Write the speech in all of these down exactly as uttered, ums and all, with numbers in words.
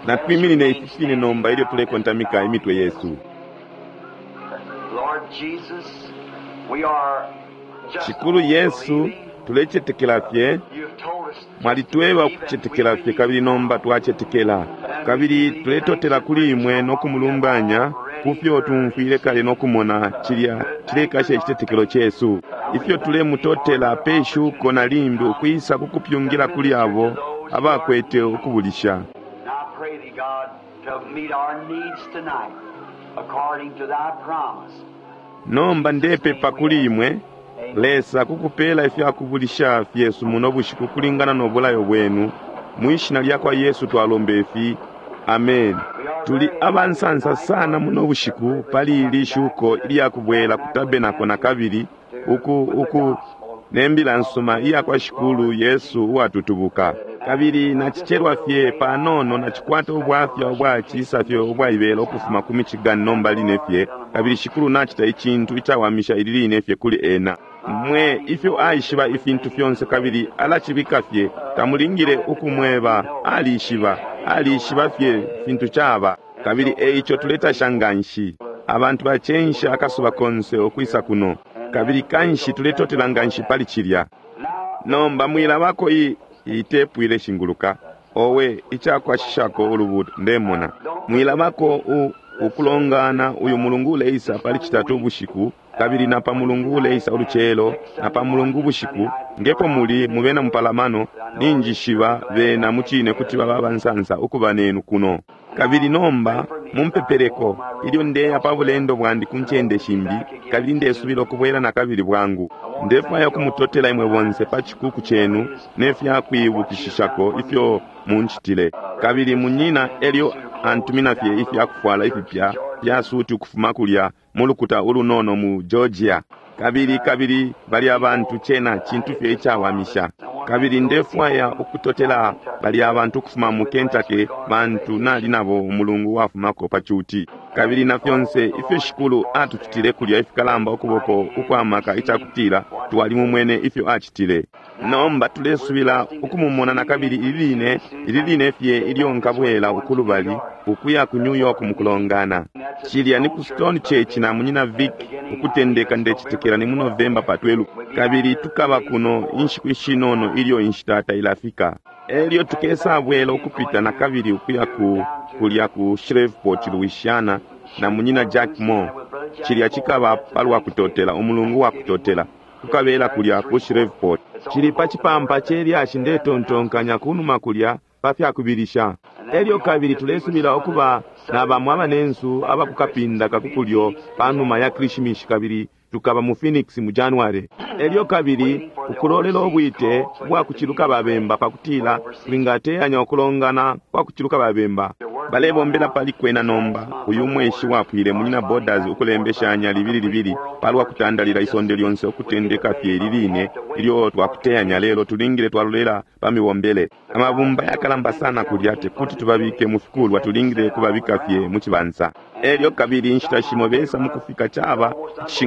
Natwiminine ifi fine nomba ilyo tulekontamika imitwe yesu. Lord Jesus, we are just Shikulu Yesu, believing. tulecetekela fye. You've told us Mwalitweba ukucetekela fye, kabili nomba twacetekela. Kabili tuletotela kuli imwe no kumulumbanya ku fyo tumfwile kale no kumona cilya cilekasha icitetekelo cesu. Ifyo tulemutotela pe shuko na limbi ukwisa kukupyungila kuli abo abakwete ukubulisha. And I pray thee, God, to meet our needs tonight according to thy promise. Nomba ndepepa kuli imwe Lesa kukupela ifyakubulisha fyesu muno bushiku kulingana no bulayo bwenu. Mwishina lya kwa Yesu twalomba ifi, amen. Tuli abansansa sana muno bushiku pali ili shuko ilyakubwela ku tabenako na kabili uku uku nembila nsuma iya kwa Shikulu Yesu uwatutubuka. Kabili nacicelwa fye panono, nacikwata ubwafya ubwacisa fye ubwaibela ukufuma ku Michigan nomba line fye, kabili Shikulu nacita icintu icawamisha ili line fye kuli ena. Mwe ifyo aishiba ifintu fyonse kabili alacibika fye, tamulingile ukumweba, alishiba, alishiba fye fintu caba. Kabili eico tuletasha nganshi. Abantu bacensha akasuba konse ukwisa kuno, kabili kanshi tuletotela nganshi pali cilya. Nomba mwilabako iyi itepu ileshinguluka, owe icakwashishako ulubuto ndemona. Mwilabako u ukulongana uyu mulungu uleisa pali citatu ubushiku, kabili na pa mulungu uleisa ulucelo, na pa mulungu ubushiku, ngepo muli mubena mupalamano, ninjishiba bena mucine kuti baba abansansa ukuba nenu kuno. Kabili nomba mumpepeleko ilyo ndeya pa bulendo bwandi ku ncende shimbi, kabili ndesubila ukubwela na kabili bwangu. Ndefwaya ukumutotela imwe bonse pa cikuku cenu ne fyakwibukishishako ifyo muncitile. Kabili munyina elyo antumina fye ifyakufwala ifipya fya suti ukufuma kulya mu lukuta ulunono mu Georgia. Kabili kabili bali abantu cena cintu fye icawamisha. Kabili ndefwaya ukutotela bali abantu ukufuma mu Kentucky, bantu nali nabo umulungu wafumako pa cuti. Kabili na fyonse ifyo Shikulu atucitile kulya ifikalamba ukuboko ukwamaka icakutila twalimumwene ifyo acitile. Nomba tulesubila ukumumona na kabili ili line, ili line fye ilyo nkabwela ukulubali ukuya ku New York mukulongana. Cilya ni ku Stone Church na munyina Vic ukutendeka ndecitekela ni mu November pa twelve. Kabili tukaba kuno inshiku ishinono ilyo inshita tailafika. Elyo tukesabwela ukupita na kabili ukuya ku kulya ku Shreveport, Louisiana na munyina Jack Moore. Cilya cikaba palwa kutotela, umulungu wa kutotela. Tukabela kulya ku Shreveport. Cili pa cipampa celyashi ndetontonkanya kunuma kulya pa fyakubilisha. Elyo kabili tulesubila ukuba na bamwe abanensu abakukapinda kakukulyo panuma ya Krishimishi, kabili tukaba mu Phoenix mu January. Elyo kabili ukulolela ubwite bwa kuciluka babemba pakutila twingateyanya ukulongana kwa kuciluka babemba. Balebombela pali kwena nomba uyu mweshi wapwile munyina Borders ukulembeshanya libili libili palwa kutandalila isonde lyonse ukutendeka fye ili line ilyo twakuteyanya, lelo tulingile twalolela pa mibombele. Amabumba yakalamba sana kulya tekuti tubabike mu fikulwa, tulingile kubabika fye mu cibansa. Elyo kabili inshita shimo besa mukufika caba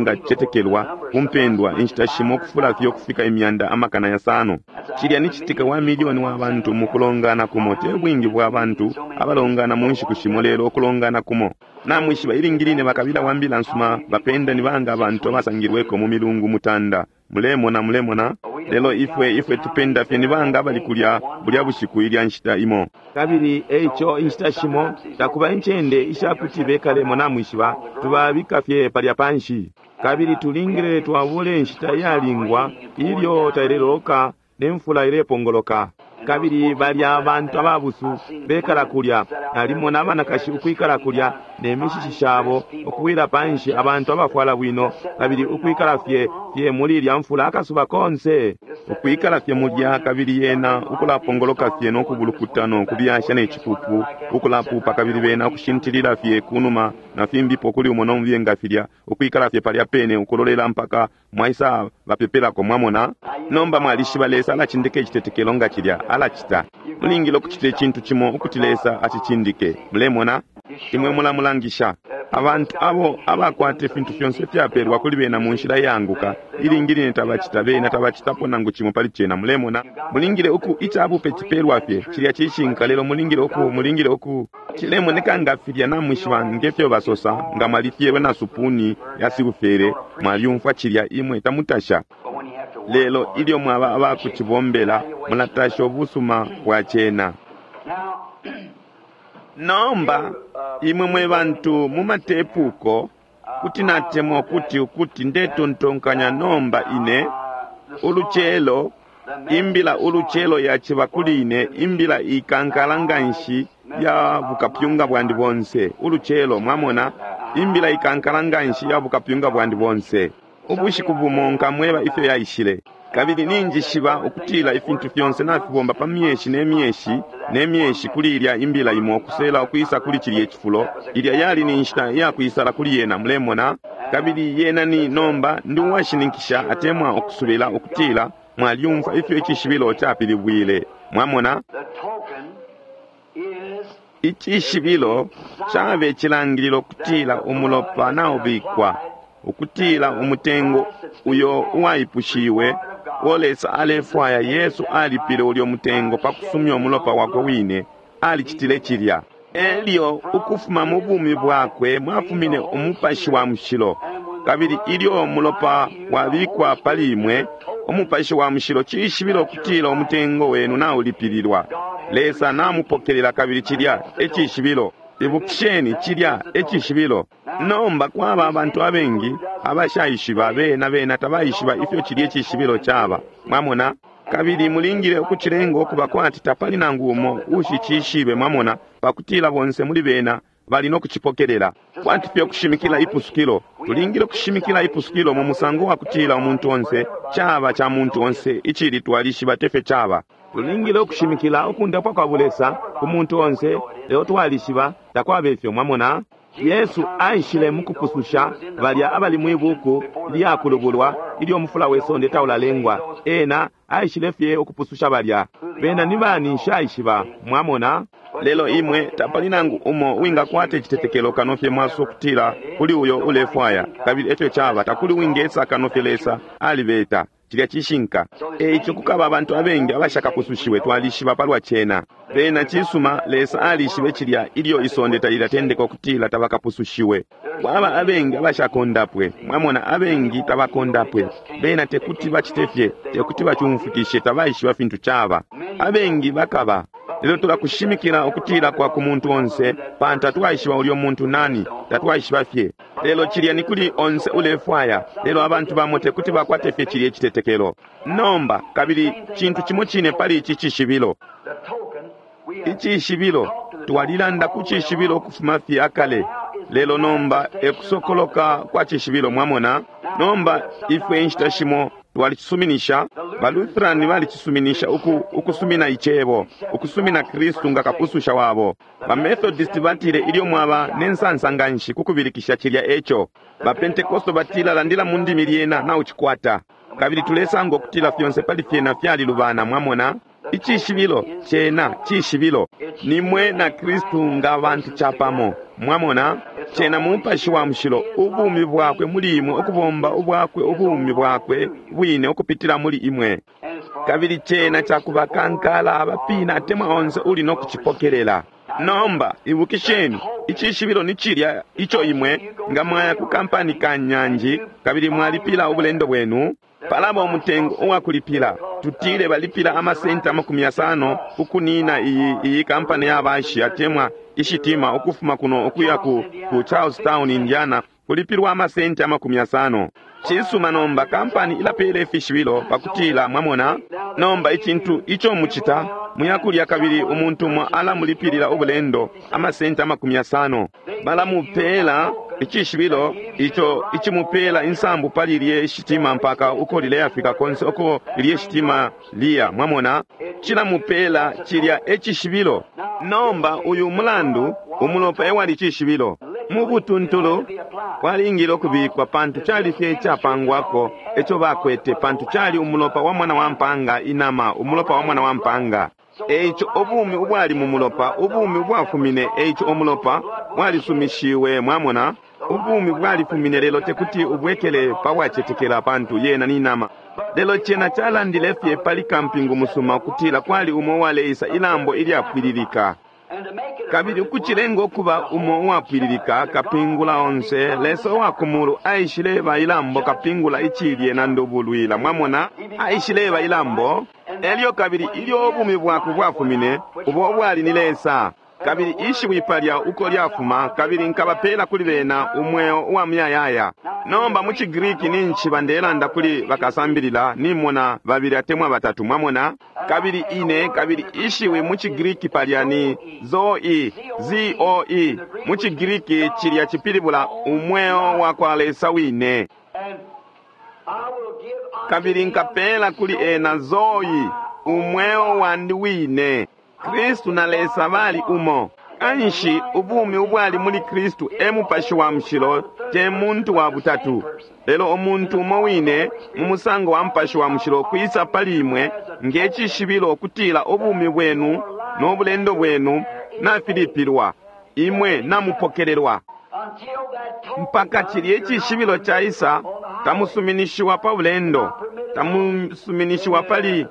icishingacetekelwa kumpendwa, inshita shimo kufula fye ukufika imyanda amakana yasano. Cilya ni citika wa milioni wa bantu mukulongana kumo, te bwingi bwa bantu abalongana mu nshiku shimo, lelo ukulongana kumo. Namwishiba ilingi line bakabila wa mbila nsuma bapenda ni banga abantu abasangilweko mu milungu mutanda. Mulemona, mulemona. Lelo ifwe ifwe tupenda fye ni banga abali kulya bulya bushiku ilya nshita imo. Kabili eico inshita shimo takuba incende ishakuti bekalemo, namwishiba tubabika fye palya panshi. Kabili tulingile twabule inshita iyalingwa ilyo taileloka ne mfula ilepongoloka. Kabili balya abantu ababusu bekala kulya, nalimona abanakashi ukwikala kulya ne mishishi shabo ukuwila panshi, abantu abafwala bwino, kabili ukwikala fye fye muli ilya mfula akasuba konse, ukwikala fye mulya, kabili yena ukulapongoloka fye no kubulukuta no kubyasha ne cipupu ukulapupa, kabili bena ukushintilila fye kunuma na fimbipo kuli umo no nga filya, ukwikala fye palya pene ukulolela mpaka mwaisa bapepelako. Mwamona? Nomba mwalishiba Lesa alacindika icitetekelo nga cilya alacita. Mulingile ukucita icintu cimo ukuti Lesa acicindike. Mulemona? Imwe mulamulangisha. Abantu abo abakwata ifintu fyonse fyapelwa kuli bena mu nshila iyaanguka, ilingi line tabacita, bena tabacitapo nangu cimo pali cena. Mulemona, mulingile uku icabupe cipelwa fye cilya cishinka, lelo mulingile uku mulingile uku cilemoneka nga filya namwishiba ngefyo basosa, nga mwalifyelwe na supuni ya silufere, mwalyumfwa cilya, imwe tamutasha. But when you have to work Lelo for it, ilyo mwaba abakucibombela, mulatasha ubusuma bwa cena. Now, Nomba imwe mwe bantu mu matepuko, kuti natemwa ukuti ukuti ndetontonkanya nomba ine ulucelo imbila ulucelo yaciba kuli ine imbila ikankala nganshi ya bukapyunga bwandi bonse. Ulucelo, mwamona, imbila ikankala nganshi ya bukapyunga bwandi bonse. Ubushiku bumo nkamweba ifyo yaishile. Kabili ninjishiba ukutila ifintu fyonse nafibomba pa myeshi ne myeshi ne myeshi kuli ilya imbila imo kusela ukwisa kuli cilye cifulo. Ilya yali ni nshita yakwisala kuli yena, mulemona. Kabili yena ni nomba ndi uwashininkisha atemwa ukusubila ukutila mwalyumfwa ifyo icishibilo capilibwile. Mwamona, the token is icishibilo cabe cilangililo kutila umulopa naubikwa, ukutila umutengo uyo uwaipushiwe uo Lesa alefwaya. Yesu alipile ulyo mutengo pa kusumya umulopa wakwe wine, alicitile cilya. Elyo ukufuma mu bumi bwakwe mwafumine umupashi wa mushilo, kabili ilyo umulopa wabikwa pali imwe, umupashi wa mushilo cishibilo kutila umutengo wenu naulipililwa. Lesa namupokelela, kabili cilya ecishibilo. Ibukisheni, cilya ecishibilo. Nomba kwaba abantu abengi abashaishiba, bena bena tabaishiba ifyo cilya icishibilo caba. Mwamona, kabili mulingile ukucilenga ukuba kwati tapali nangu umo ushicishibe, mwamona, pakutila bonse muli bena bali no kucipokelela. Kwati fye kushimikila ipusukilo, tulingile kushimikila ipusukilo mu musango wa kutila umuntu onse, caba ca muntu onse, icili twalishiba tefyo caba. Tulingile ukushimikila ukundapwa kwa bulesa ku muntu onse, lelo twalishiba takwaba ifyo, mwamona. Yesu aishile mukupususha balya abali mwibuku lyakulubulwa ilyo mufula we sonde taulalengwa. Ena aishile fye ukupususha balya. Bena ni bani nshaishiba, mwamona. Lelo imwe tapali nangu umo wingakwata icitetekelo kano fye mwaso kutila kuli uyo ulefwaya, kabili efyo caba. Takuli wingesa kano fye Lesa alibeta. Cilya cishinka. Eico kukaba abantu abengi abashakapusushiwe, twalishiba palwa cena. Bena cisuma, Lesa alishibe cilya ilyo isonde talilatendeka ukutila tabakapusushiwe. Kwaba abengi abashakondapwe, mwamona, abengi tabakondapwe. Bena tekuti bacite fye, tekuti bacumfwikishe, tabaishiba fintu caba. Abengi bakaba. Lelo tulakushimikila ukutila kwa ku muntu onse, pantu tatwaishiba ulyo muntu nani, tatwaishiba fye. Lelo cilya ni kuli onse ulefwaya, lelo abantu bamo tekuti bakwate fye cilya icitetekelo. Nomba kabili cintu cimo cine pali ici cishibilo. the token. We have Icishibilo, twalilanda ku cishibilo ukufuma fye akale, lelo nomba ekusokoloka kwa cishibilo, mwamona. Nomba ifwe inshita shimo twalicisuminisha, baLutherani balicisuminisha uku, ukusumina icebo, ukusumina Kristu nga kapususha wabo. BaMethodist batile ilyo mwaba ne nsansa nganshi kukubilikisha cilya eco. BaPentekosto batila landila mu ndimi lyena naucikwata. Kabili tulesanga ukutila fyonse pali fyena fyalilubana, mwamona. Icishibilo cena cishibilo nimwe na Kristu nga bantu capamo, mwamona. Cena mupashi wa mushilo, ubumi bwakwe muli imwe, ukubomba ubwakwe ubumi bwakwe bwine ukupitila muli imwe. and it's for Kabili cena cakubakankala abapina atemwa onse uli no kucipokelela. Nomba ibukisheni, icishibilo ni cilya ico imwe nga mwaya ku kampani ka nyanji kabili mwalipila ubulendo bwenu, palaba umutengo uwakulipila. Tutile balipila amasenti amakumi yasano ukunina iyi, iyi kampani ya bashi atemwa ishitima ukufuma kuno ukuya ku, ku Charlestown, Indiana, kulipilwa amasenti amakumi yasano. Cisuma, nomba kampani ilapela ifishibilo pakutila, mwamona. Nomba icintu ico mucita, muyakulya kabili umuntu umo alamulipilila ubulendo amasenti amakumi yasano. Balamupela icishibilo ico icimupela insambu pali lye shitima mpaka uko lileyafika konse uko lye shitima liya, mwamona. Cilamupela cilya ecishibilo. Nomba uyu mulandu umulopa ewali cishibilo mu butuntulu walingile ukubikwa, pantu cali fye icapangwako eco bakwete, pantu cali umulopa wa mwana wa mpanga, inama, umulopa wa mwana wa mpanga. Eico ubumi ubwali mu mulopa, ubumi ubwafumine, eico umulopa bwalisumishiwe. Mwamona, ubumi bwalifumine, lelo tekuti ubwekele pa bwacetekela, pantu yena ni nama. Lelo cena calandile fye pali kampingu musuma ukutila kwali umo uwaleisa ilambo ilyapwililika, kabili ukucilenga ukuba umo uwapwililika, kapingula onse, Lesa uwa kumulu aishileba ilambo, kapingula icilye na ndubulwila. Mwamona, aishileba ilambo. Elyo kabili ilyo ubumi bwakwe bwafumine, ubo ubwali ni Lesa, kabili ishiwi palya uko lyafuma, kabili nkabapela kuli bena umweo uwa muyayaya. Nomba mu ciGriki ninshi bandelanda kuli bakasambilila, nimona babili atemwa batatu. Mwamona, kabili ine kabili ishiwi mu ciGriki palya ni zoe, Z O E. Mu ciGriki cilya cipilibula umweo wa kwa Lesa wine. Kabili nkapela kuli ena zoe, umweo wandi wine. Kristu na Lesa bali umo. Kanshi ubumi ubwali muli Kristu e Mupashi wa Mushilo, te muntu wa butatu, lelo umuntu umo wine mu musango wa Mupashi wa Mushilo, kwisa pali imwe nge cishibilo ukutila ubumi bwenu no bulendo bwenu nafilipilwa, imwe namupokelelwa. Mpaka cilye cishibilo caisa, tamusuminishiwa pa bulendo, tamusuminishiwa pali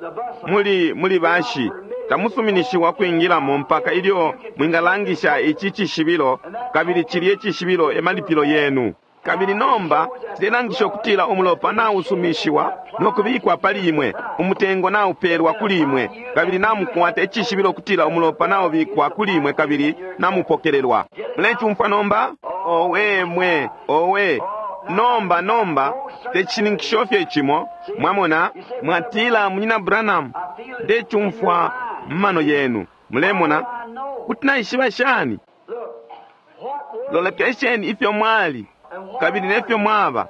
muli muli bashi, tamusuminishiwa kwingilamo mpaka ilyo mwingalangisha ici cishibilo, kabili cilye cishibilo e malipilo yenu. Kabili nomba cilelangisha ukutila umulopa nausumishiwa no kubikwa pali imwe, umutengo naupelwa kuli imwe, kabili namukwata icishibilo ukutila umulopa naubikwa kuli imwe kabili namupokelelwa. Mulecumfwa nomba? Owe mwe, owe! Nomba, nomba tecishininkisho fye cimo. Mwamona, mwatila, "Munyina Branham, ndecumfwa mumano yenu." Mulemona, kuti naishiba shani? Lolekesheni ifyo mwali kabili nefyo mwaba.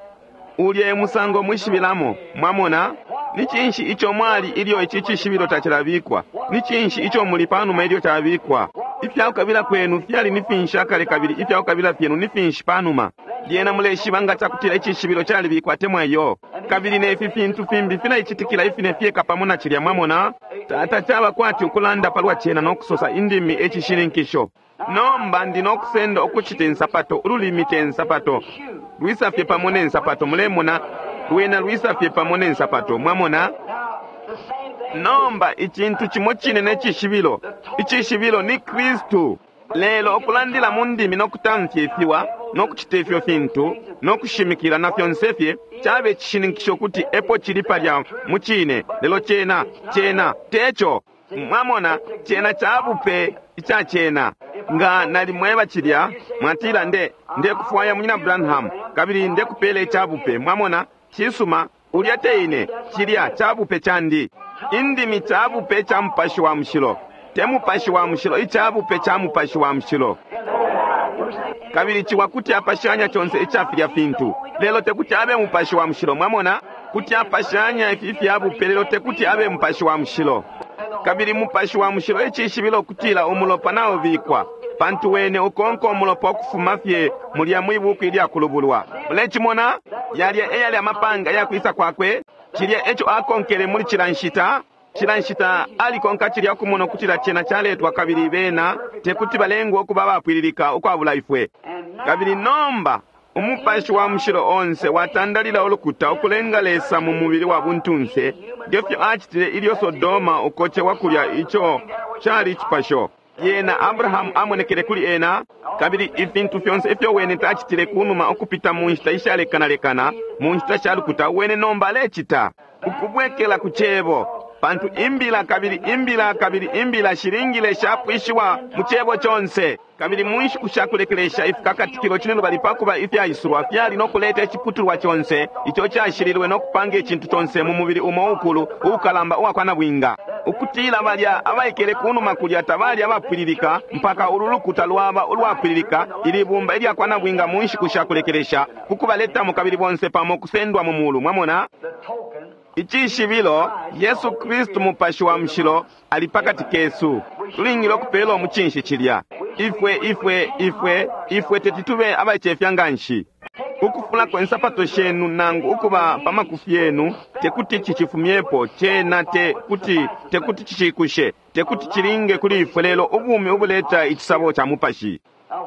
Ulya e musango mwishibilamo. Mwamona, ni cinshi ico mwali ilyo ici cishibilo tacilabikwa? Ni cinshi ico muli panuma ilyo cabikwa? Ifyakukabila kwenu fyali ni finshi akale, kabili ifyakukabila fyenu ni finshi panuma? Lyena muleshiba nga cakutila icishibilo calibikwa temwa iyo. Kabili nefi fintu fimbi filaicitikila ifine fyeka pamo na cilya. Mwamona, tata caba kwati ukulanda palwa cena no kusosa indimi ecishininkisho. Nomba ndi nokusenda ukucita insapato. Ululimi te nsapato, lwisa fye pamo ne nsapato. Mulemona, lwena lwisa fye pamo ne nsapato. Mwamona? Nomba icintu cimo cine necishibilo. Icishibilo ni Kristu. Lelo okulandila mu ndimi nokutamfya ifiwa nokucita ifyo fintu nokushimikila na fyonse fye cabe icishininkisho kuti epo cili palya mu cine, lelo cena cena teco. Mwamona, cena cabupe ica cena. Nga nalimweba cilya, mwatila, nde ndekufwaya Munyina Branham, kabili ndekupela icabupe." Mwamona, cisuma, ulya te ine, cilya cabupe candi. Indimi cabupe ca Mupashi wa Mushilo, te Mupashi wa Mushilo, icabupe ca Mupashi wa Mushilo. Kabili ciwa kuti apashanya conse ica filya fintu, lelo tekuti abe Mupashi wa Mushilo. Mwamona, kuti apashanya ifi ifyabupe, lelo tekuti abe Mupashi wa Mushilo. Kabili Mupashi wa Mushilo icishibilo ukutila umulopa naubikwa, pantu wene ukonka umulopa ukufuma fye mulya mwibuku ilyakulubulwa. Mulecimona? Yalya eyali amapanga yakwisa kwakwe. Cilya eco akonkele muli cila nshita. Cila nshita alikonka cilya ukumona ukutila cena caletwa, kabili bena tekuti balengwe ukuba abapwililika ukwabula ifwe. Kabili nomba Umupashi wa Mushilo onse watandalila ulukuta ukulenga Lesa mu mubili wa buntunse, ngefyo acitile ilyo Sodoma ukocewa kulya, ico cali icipasho. Yena Abrahamu amonekele kuli ena, kabili ifintu fyonse ifyo wene tacitile kunuma ukupita mu nshita ishalekanalekana mu nshita sha lukuta, wene nomba alecita ukubwekela ku Cebo, pantu imbila kabili imbila kabili imbila shilingile shapwishiwa mu Cebo conse. Kabili mu nshiku sha kulekelesha ifikakatikilo cinelubali pakuba ifyaisulwa fyali no kuleta iciputulwa conse ico cashililwe no kupanga icintu conse mu mubili umo ukulu uukalamba uwakwa nabwinga, ukutila balya abaikele kunuma kulya tabali abapwililika mpaka ulu lukuta lwaba ulwapwililika, ili bumba ilyakwa nabwinga mu nshiku sha kulekelesha, kukubaletamo kabili bonse pamo kusendwa mu mulu. Mwamona, icishibilo, Yesu Kristu Mupashi wa Mushilo ali pakati kesu. Tulingile ukupela umucinshi cilya. Ifwe ifwe ifwe ifwe teti tube abaicefya nganshi. Ukufulako insapato shenu nangu ukuba pa makufi yenu tekuti cicifumyepo cena, te kuti tekuti cicikushe, tekuti cilinge kuli ifwe, lelo ubumi ubuleta icisabo ca Mupashi.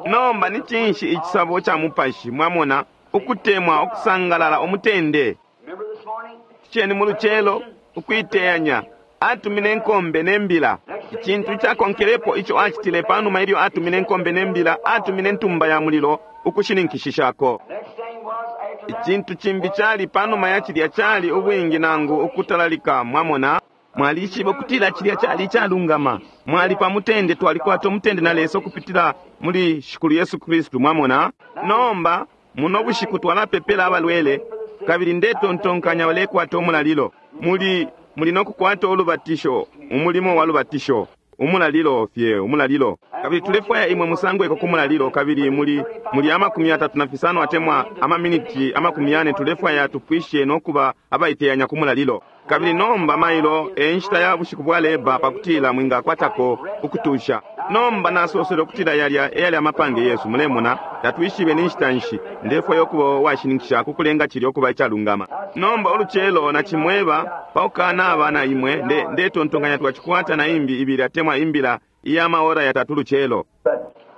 Nomba ni cinshi icisabo ca mupashi? Mwamona, ukutemwa, ukusangalala, umutende. Remember this morning? Ceni mu lucelo, ukuiteyanya, atumine inkombe ne mbila. Icintu icakonkelepo ico acitile panuma ilyo atumine inkombe ne mbila, atumine ntumba ya mulilo ukushininkishishako. Next thing was after that. Icintu cimbi cali panuma ya cilya cali ubwingi nangu ukutalalika. Mwamona, mwalishiba ukutila cilya cali icalungama. Mwali pa mutende, twalikwata umutende na Lesa ukupitila muli Shikulu Yesu Kristu. Mwamona, nomba muno bushiku twalapepela abalwele, kabili ndetontonkanya balekwata umulalilo. Muli muli nokukwata ulubatisho, umulimo wa lubatisho, umulalilo fye, umulalilo. Kabili tulefwaya imwe musangweko ku mulalilo, kabili muli muli amakumi atatu na fisano atemwa amaminiti amakumi yane tulefwaya tupwishe nokuba abaiteyanya ku mulalilo. Kabili nomba mailo e nshita ya bushiku bwa leba pakutila mwingakwatako ukutusha. Nomba nasosele ukutila yalya eyali amapange yesu. Mulemona, tatwishibe ni nshita nshi. Ndefwaya ukuba uwashininkisha kukulenga cilya ukuba icalungama. Nomba ulucelo nacimweba paukanaba na imwe, nde ndetontonkanya twacikwata na imbi ibili atemwa imbila iya maora yatatu lucelo.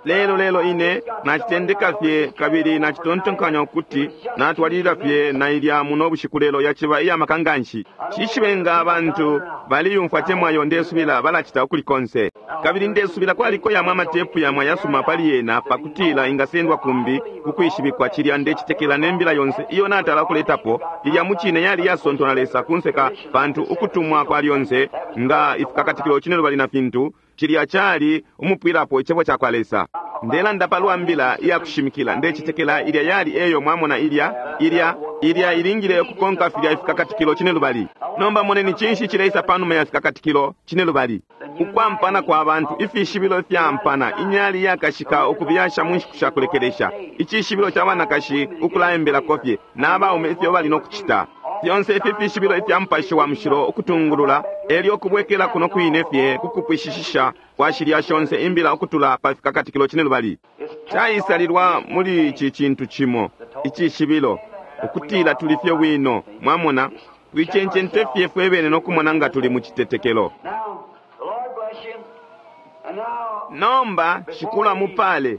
Lelo lelo ine nacitendeka fye kabili nacitontonkanya ukuti natwalilila fye na ilya muno bushiku, lelo yaciba iya maka nganshi. Cishibe nga abantu baliyumfwa temwayo, ndesubila balacita ukuli konse. Kabili ndesubila kwaliko yamwe amatepu yamwe ayasuma pali yena pakutila ingasendwa kumbi kukwishibikwa. Cilya ndecitekela ne mbila yonse iyo natala kuletapo ilya mucine yali yasontwa na Lesa kunseka, pantu ukutumwa kwa lyonse nga ifikakatikilo cine lubali na fintu cilya cali umupwilapo icebo ca kwa Lesa. Ndelanda palwa mbila iya kushimikila, ndecitekela ilya yali eyo. Mwamona, ilya ilya ilya ilingile ukukonka filya ifikakatikilo cine lubali. Nomba moneni cinshi cileisa panuma ya fikakatikilo cine lubali: ukwampana kwa bantu, ifishibilo ifyampana, inyali yakashika ukubyasha mu nshiku sha kulekelesha, icishibilo ca banakashi ukulaembelako fye n'abaume ifyo bali no kucita. Fyonse ifi fishibilo ifya Mupashi wa Mushilo ukutungulula, elyo kubwekela kuno kwine fye kukupwishishisha kwa shilya shonse imbila ukutula pa fikakatikilo cine lubali. Caisalilwa muli ici cintu cimo, icishibilo, ukutila tuli fye bwino. Mwamona, twicencente fye fwe bene no kumona nga tuli mu citetekelo. Now, the Lord bless you. And now, Nomba Shikulu amupale.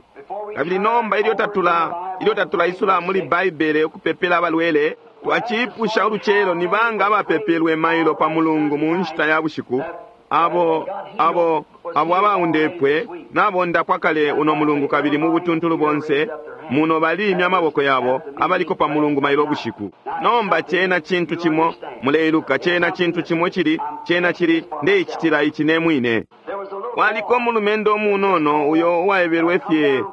Kabili nomba ilyo tatula ilyo tatulaisula muli Baibele ukupepela abalwele, twacipusha ulucelo ni banga abapepelwe mailo pa Mulungu mu nshita ya bushiku, abo abo abo abaundepwe nabondapwa kale uno mulungu, kabili mu butuntulu bonse muno balimya amaboko yabo abaliko pa Mulungu mailo bushiku. Nomba cena cintu cimo muleiluka, cena cintu cimo cili cena cili ndeicitila ici ne mwine. There was a little Waliko umulumendo umunono uyo uwaebelwe fye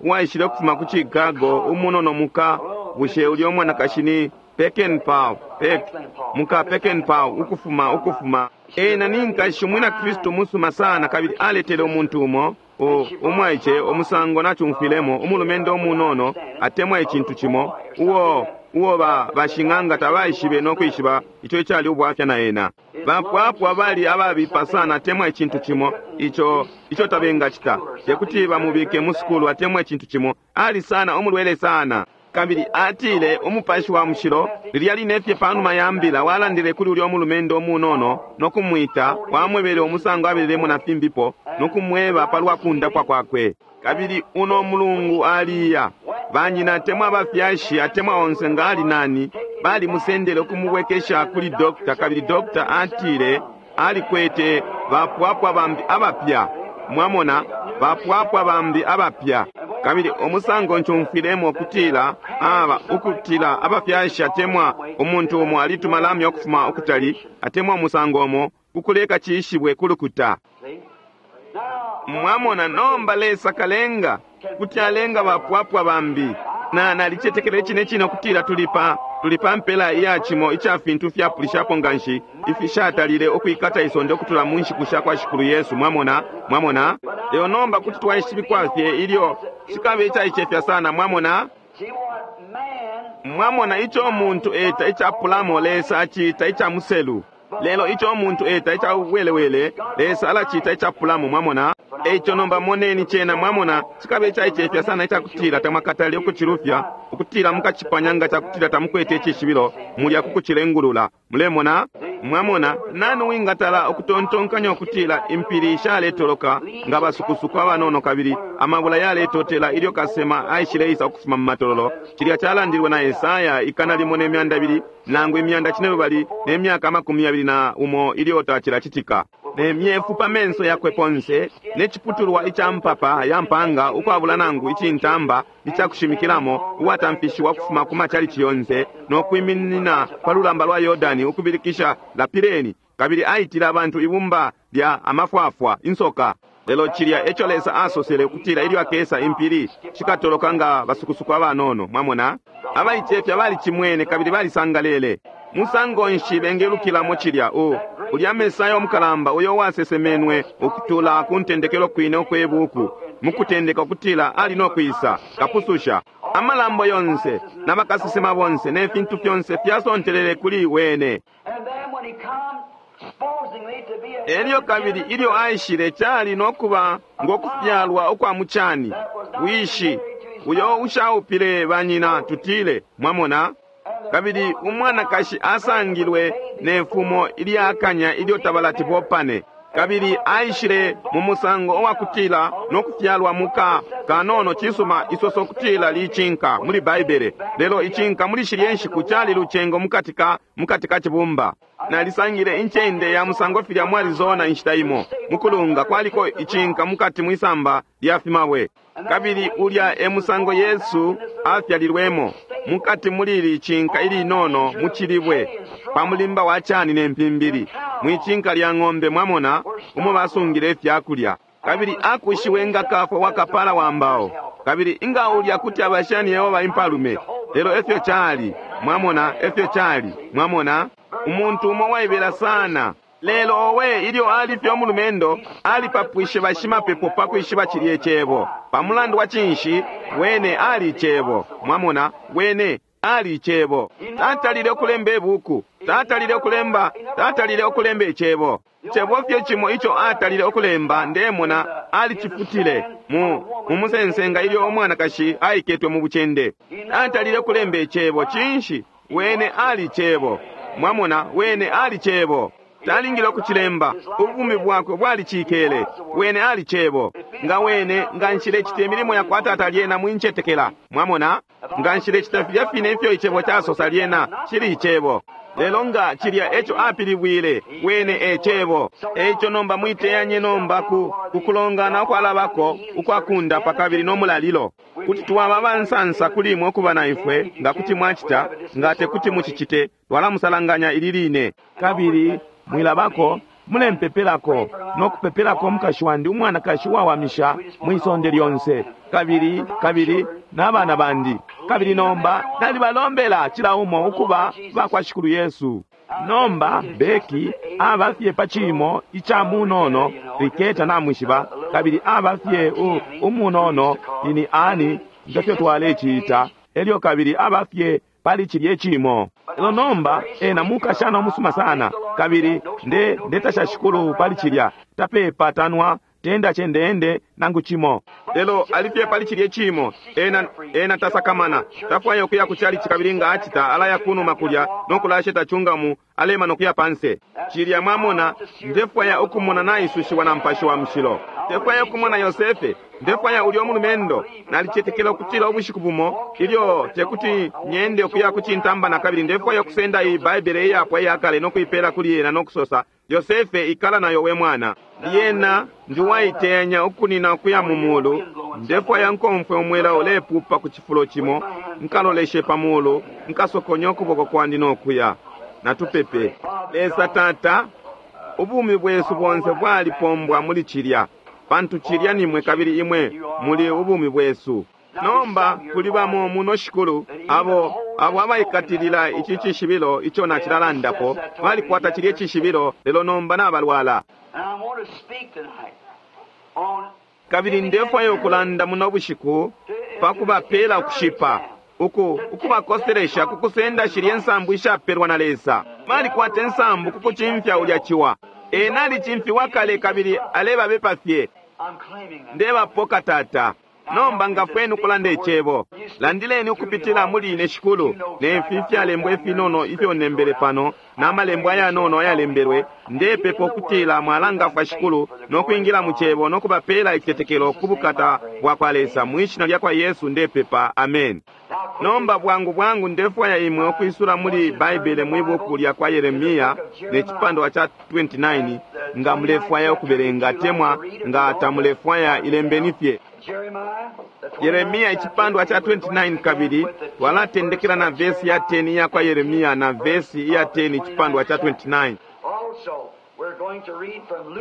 uwaishile ukufuma ku Chicago, umunono muka, bushe ulya umwanakashi ni Peckenpaugh, Peck, muka Peckenpaugh, ukufuma ukufuma ena ni nkashi umwina Kristu musuma sana, kabili aletele umuntu umo u- umwaice umusango nacumfwilemo, umulumendo umunono atemwa icintu cimo uo uo ba bashing'anga tabaishibe no kwishiba ico icali ubwafya na ena. Bapwapwa bali ababipa sana atemwa icintu cimo ico ico tabengacita, tekuti bamubike mu sukulu atemwa icintu cimo, ali sana umulwele sana. Kabili atile Umupashi wa Mushilo lilya line fye panuma ya mbila walandile kuli ulya umulumendo umunono no kumwita, wamwebele umusango abelelemo na fimbipo no kumweba palwa kundapwa kwakwe. Kabili uno mulungu aliya banyina atemwa abafyashi atemwa onse nga ali nani balimusendele ukumubwekesha kuli dokta, kabili dokta atile alikwete bapwapwa bambi abapya. Mwamona, bapwapwa bambi abapya. Kabili umusango ncumfwilemo ukutila aba ukutila abafyashi atemwa umuntu umo alituma lamya ukufuma ukutali atemwa umusango umo kukuleka cishibwe kulukuta. See? Now, Mwamona, nomba Lesa kalenga kuti alenga bapwapwa bambi. Na nalicetekela icine cine ukutila tuli pa tuli pa mpela iya cimo ica fintu fyapulishapo nganshi ifishatalile ukwikata isonde ukutula mu nshiku sha kwa Shikulu Yesu. Mwamona, mwamona, lelo nomba kuti twaishibikwa fye ilyo cikabe icaicefya sana. Mwamona, see what man mwamona ico umuntu eta icapulamo, Lesa aciita ica muselu, lelo ico umuntu eta ica uwelewele, Lesa alaciita icapulamo. Mwamona, eico nomba moneni cena. Mwamona, cikabe icaicefya sana icakutila tamwakatale ukucilufya, ukutila mukacipanya nga cakutila tamukwete icishibilo mulya kukucilengulula. Mulemona, Mwamona, nani wingatala ukutontonkanya ukutila impili shaletoloka nga basukusuku abanono kabili amabula yaletotela ilyo kasema aishileisa ukufuma mu matololo? Cilya calandilwe na Esaya ikana limo ne myanda ibili nangu imyanda cinelubali ne myaka amakumi yabili na umo ilyo tacilacitika. Ne myefu pa menso yakwe ponse, ne ciputulwa ica mpapa ya mpanga ukwabula nangu icintamba icakushimikilamo, uwatamfishiwa kufuma ku machalichi yonse, no kwiminina pa lulamba lwa Yordani ukubilikisha lapileni, kabili aitile abantu ibumba lya amafwafwa insoka. Lelo cilya eco Lesa asosele ukutila ilyo akesa impili shikatoloka nga basukusuku abanono. Mwamona, abaicefya balicimwene kabili balisangalele. Musango nshi bengelukilamo cilya? U ulya Mesaya umukalamba uyo wasesemenwe ukutula ku ntendekelo kwine ukwe buku mukutendeka ukutila ali no kwisa kapususha. Amalambo yonse n'abakasesema bonse ne fintu fyonse fyasontelele kuli wene. And then when he come, supposingly to be a Elyo kabili ilyo aishile cali no kuba ngo kufyalwa ukwa mucani wishi uyo ushaupile banyina, tutile. Mwamona, kabili umwanakashi asangilwe ne fumo ilyakanya ilyo tabalati bopane, kabili aishile mu musango owakutila no kufyalwa muka kanono. Cisuma, isoso kutila licinka muli Baibele, lelo icinka muli shilye nshiku cali lucengo mukati ka mukati ka cibumba. Nalisangile incende ya musango filya mu Arizona inshita imo mukulunga kwaliko icinka mukati mwisamba lya fimabwe, kabili ulya e musango Yesu afyalilwemo, mukati mulili icinka ilinono mucilibwe pa mulimba wa cani ne mpimbili mwicinka lya ng'ombe, mwamona, umo basungile ifyakulya. Kabili akushiwe nga kafwa wa kapala wa mbao, kabili inga ulya kuti abashani Yehova impalume. Lelo efyo cali, mwamona, efyo cali, mwamona, umuntu umo waibela sana. Lelo owe, ilyo ali fye umulumendo, alipapwishe bashimapepo pa kwishiba cilye cebo. Pa mulandu wa cinshi? Wene ali cebo. Mwamona, wene ali cebo. Tatalile ukulemba ibuku, tatalile ukulemba, tatalile ukulemba icebo. Cebo fye cimo ico atalile ukulemba, ndemona alicifutile mu mu musensenga ilyo umwanakashi aiketwe mu bucende. Atalile ukulemba icebo. Cinshi? Wene ali cebo. Mwamona, wene ali cebo. Talingile ukucilemba, ubumi bwakwe bwalicikele. Wene ali cebo. Nga wene nga nshilecita imilimo yakwa Tata lyena mwincetekela. Mwamona, nga nshilecita filya fine ifyo icebo casosa lyena cili icebo. Lelo nga cilya eco apilibwile, wene e cebo. Eico nomba mwiteyanye nomba ku kukulongana ukwalabako ukwakundapa kabili no mulalilo. Kuti twaba abansansa kuli imwe ukuba na ifwe, nga kuti mwacita, nga tekuti mucicite, twalamusalanganya ili line. Kabili mwilabako, mulempepelako no kupepelako umukashi wandi, umwanakashi wawamisha mwisonde lyonse, kabili kabili n'abana bandi. Kabili nomba nalibalombela cila umo ukuba bakwa Shikulu Yesu. Nomba Beki aba fye pa cimo ica munono Riketa namwishiba, kabili aba fye umunono ini ani ngefyo twalecita, elyo kabili aba fye pali cilye cimo. Lelo nomba ena mukashana umusuma sana, kabili nde ndetasha Shikulu pali cilya, tapepa tanwa tenda chendeende nangu cimo. Lelo alifye pali cilye cimo, ena ena tasakamana, tafwaya ukuya ku chalichi, kabili nga acita alaya kunuma kulya no kulasheta chungamu alema no kuya panse. Cilya mwamona, ndefwaya ukumona naisushiwa na Mupashi wa Mushilo. Ndefwaya ukumona Yosefe, ndefwaya ulya umulumendo. Nalicetekela ukutila ubushiku bumo ilyo tekuti nyende ukuya ku cintamba na kabili, ndefwaya ukusenda iyi Baibele iyapwa iyakale no kuipela kuli ena no kusosa, Yosefe, ikala nayo we mwana. Lyena ndiwaiteyanya ukunina ukuya mu mulu. Ndefwaya nkomfwe umwela ulepupa ku cifulo cimo, nkaloleshe pa mulu, nkasokonya ukuboko kwandi nokuya. Natupepe. Lesa Tata, ubumi bwesu bonse bwalipombwa muli cilya, pantu cilya nimwe kabili imwe muli ubumi bwesu. Nomba kuli bamo muno Shikulu abo abo abaikatilila ici cishibilo ico nacilalandapo, balikwata cilye cishibilo, lelo nomba nabalwala. And I want to speak tonight on Kabili ndefwaya ukulanda muno bushiku pa kubapela ukushipa, uku ukubakoselesha ku kusenda shilye nsambu ishapelwa na Lesa. Balikwata insambu ku kucimfya ulya ciwa. Ena alicimfiwa kale kabili alebabepa fye. I'm claiming that. Ndebapoka Tata. Nomba ngafweni ukulanda icebo. Landileni ukupitila muli ine Shikulu, ne fi fyalembwa ifinono ifyo nembele pano, na malembo ayanono ayalembelwe. Ndepepa ukutila mwalangafwa Shikulu no kwingila mu cebo no kubapela icitetekelo ku bukata bwa kwa Lesa. Mwi shina lya kwa Yesu ndepepa, amen. Nomba bwangu bwangu ndefwaya imwe ukwisula muli Baibele mwi buku lya kwa Yeremia ne cipandwa cha twenty-nine, nga mulefwaya ukubelenga temwa nga tamulefwaya ilembeni fye. Yeremia icipandwa cha twenty-nine, kabili twalatendekela na vesi ya ten iya kwa Yeremia na vesi ya ten icipandwa cha twenty-nine.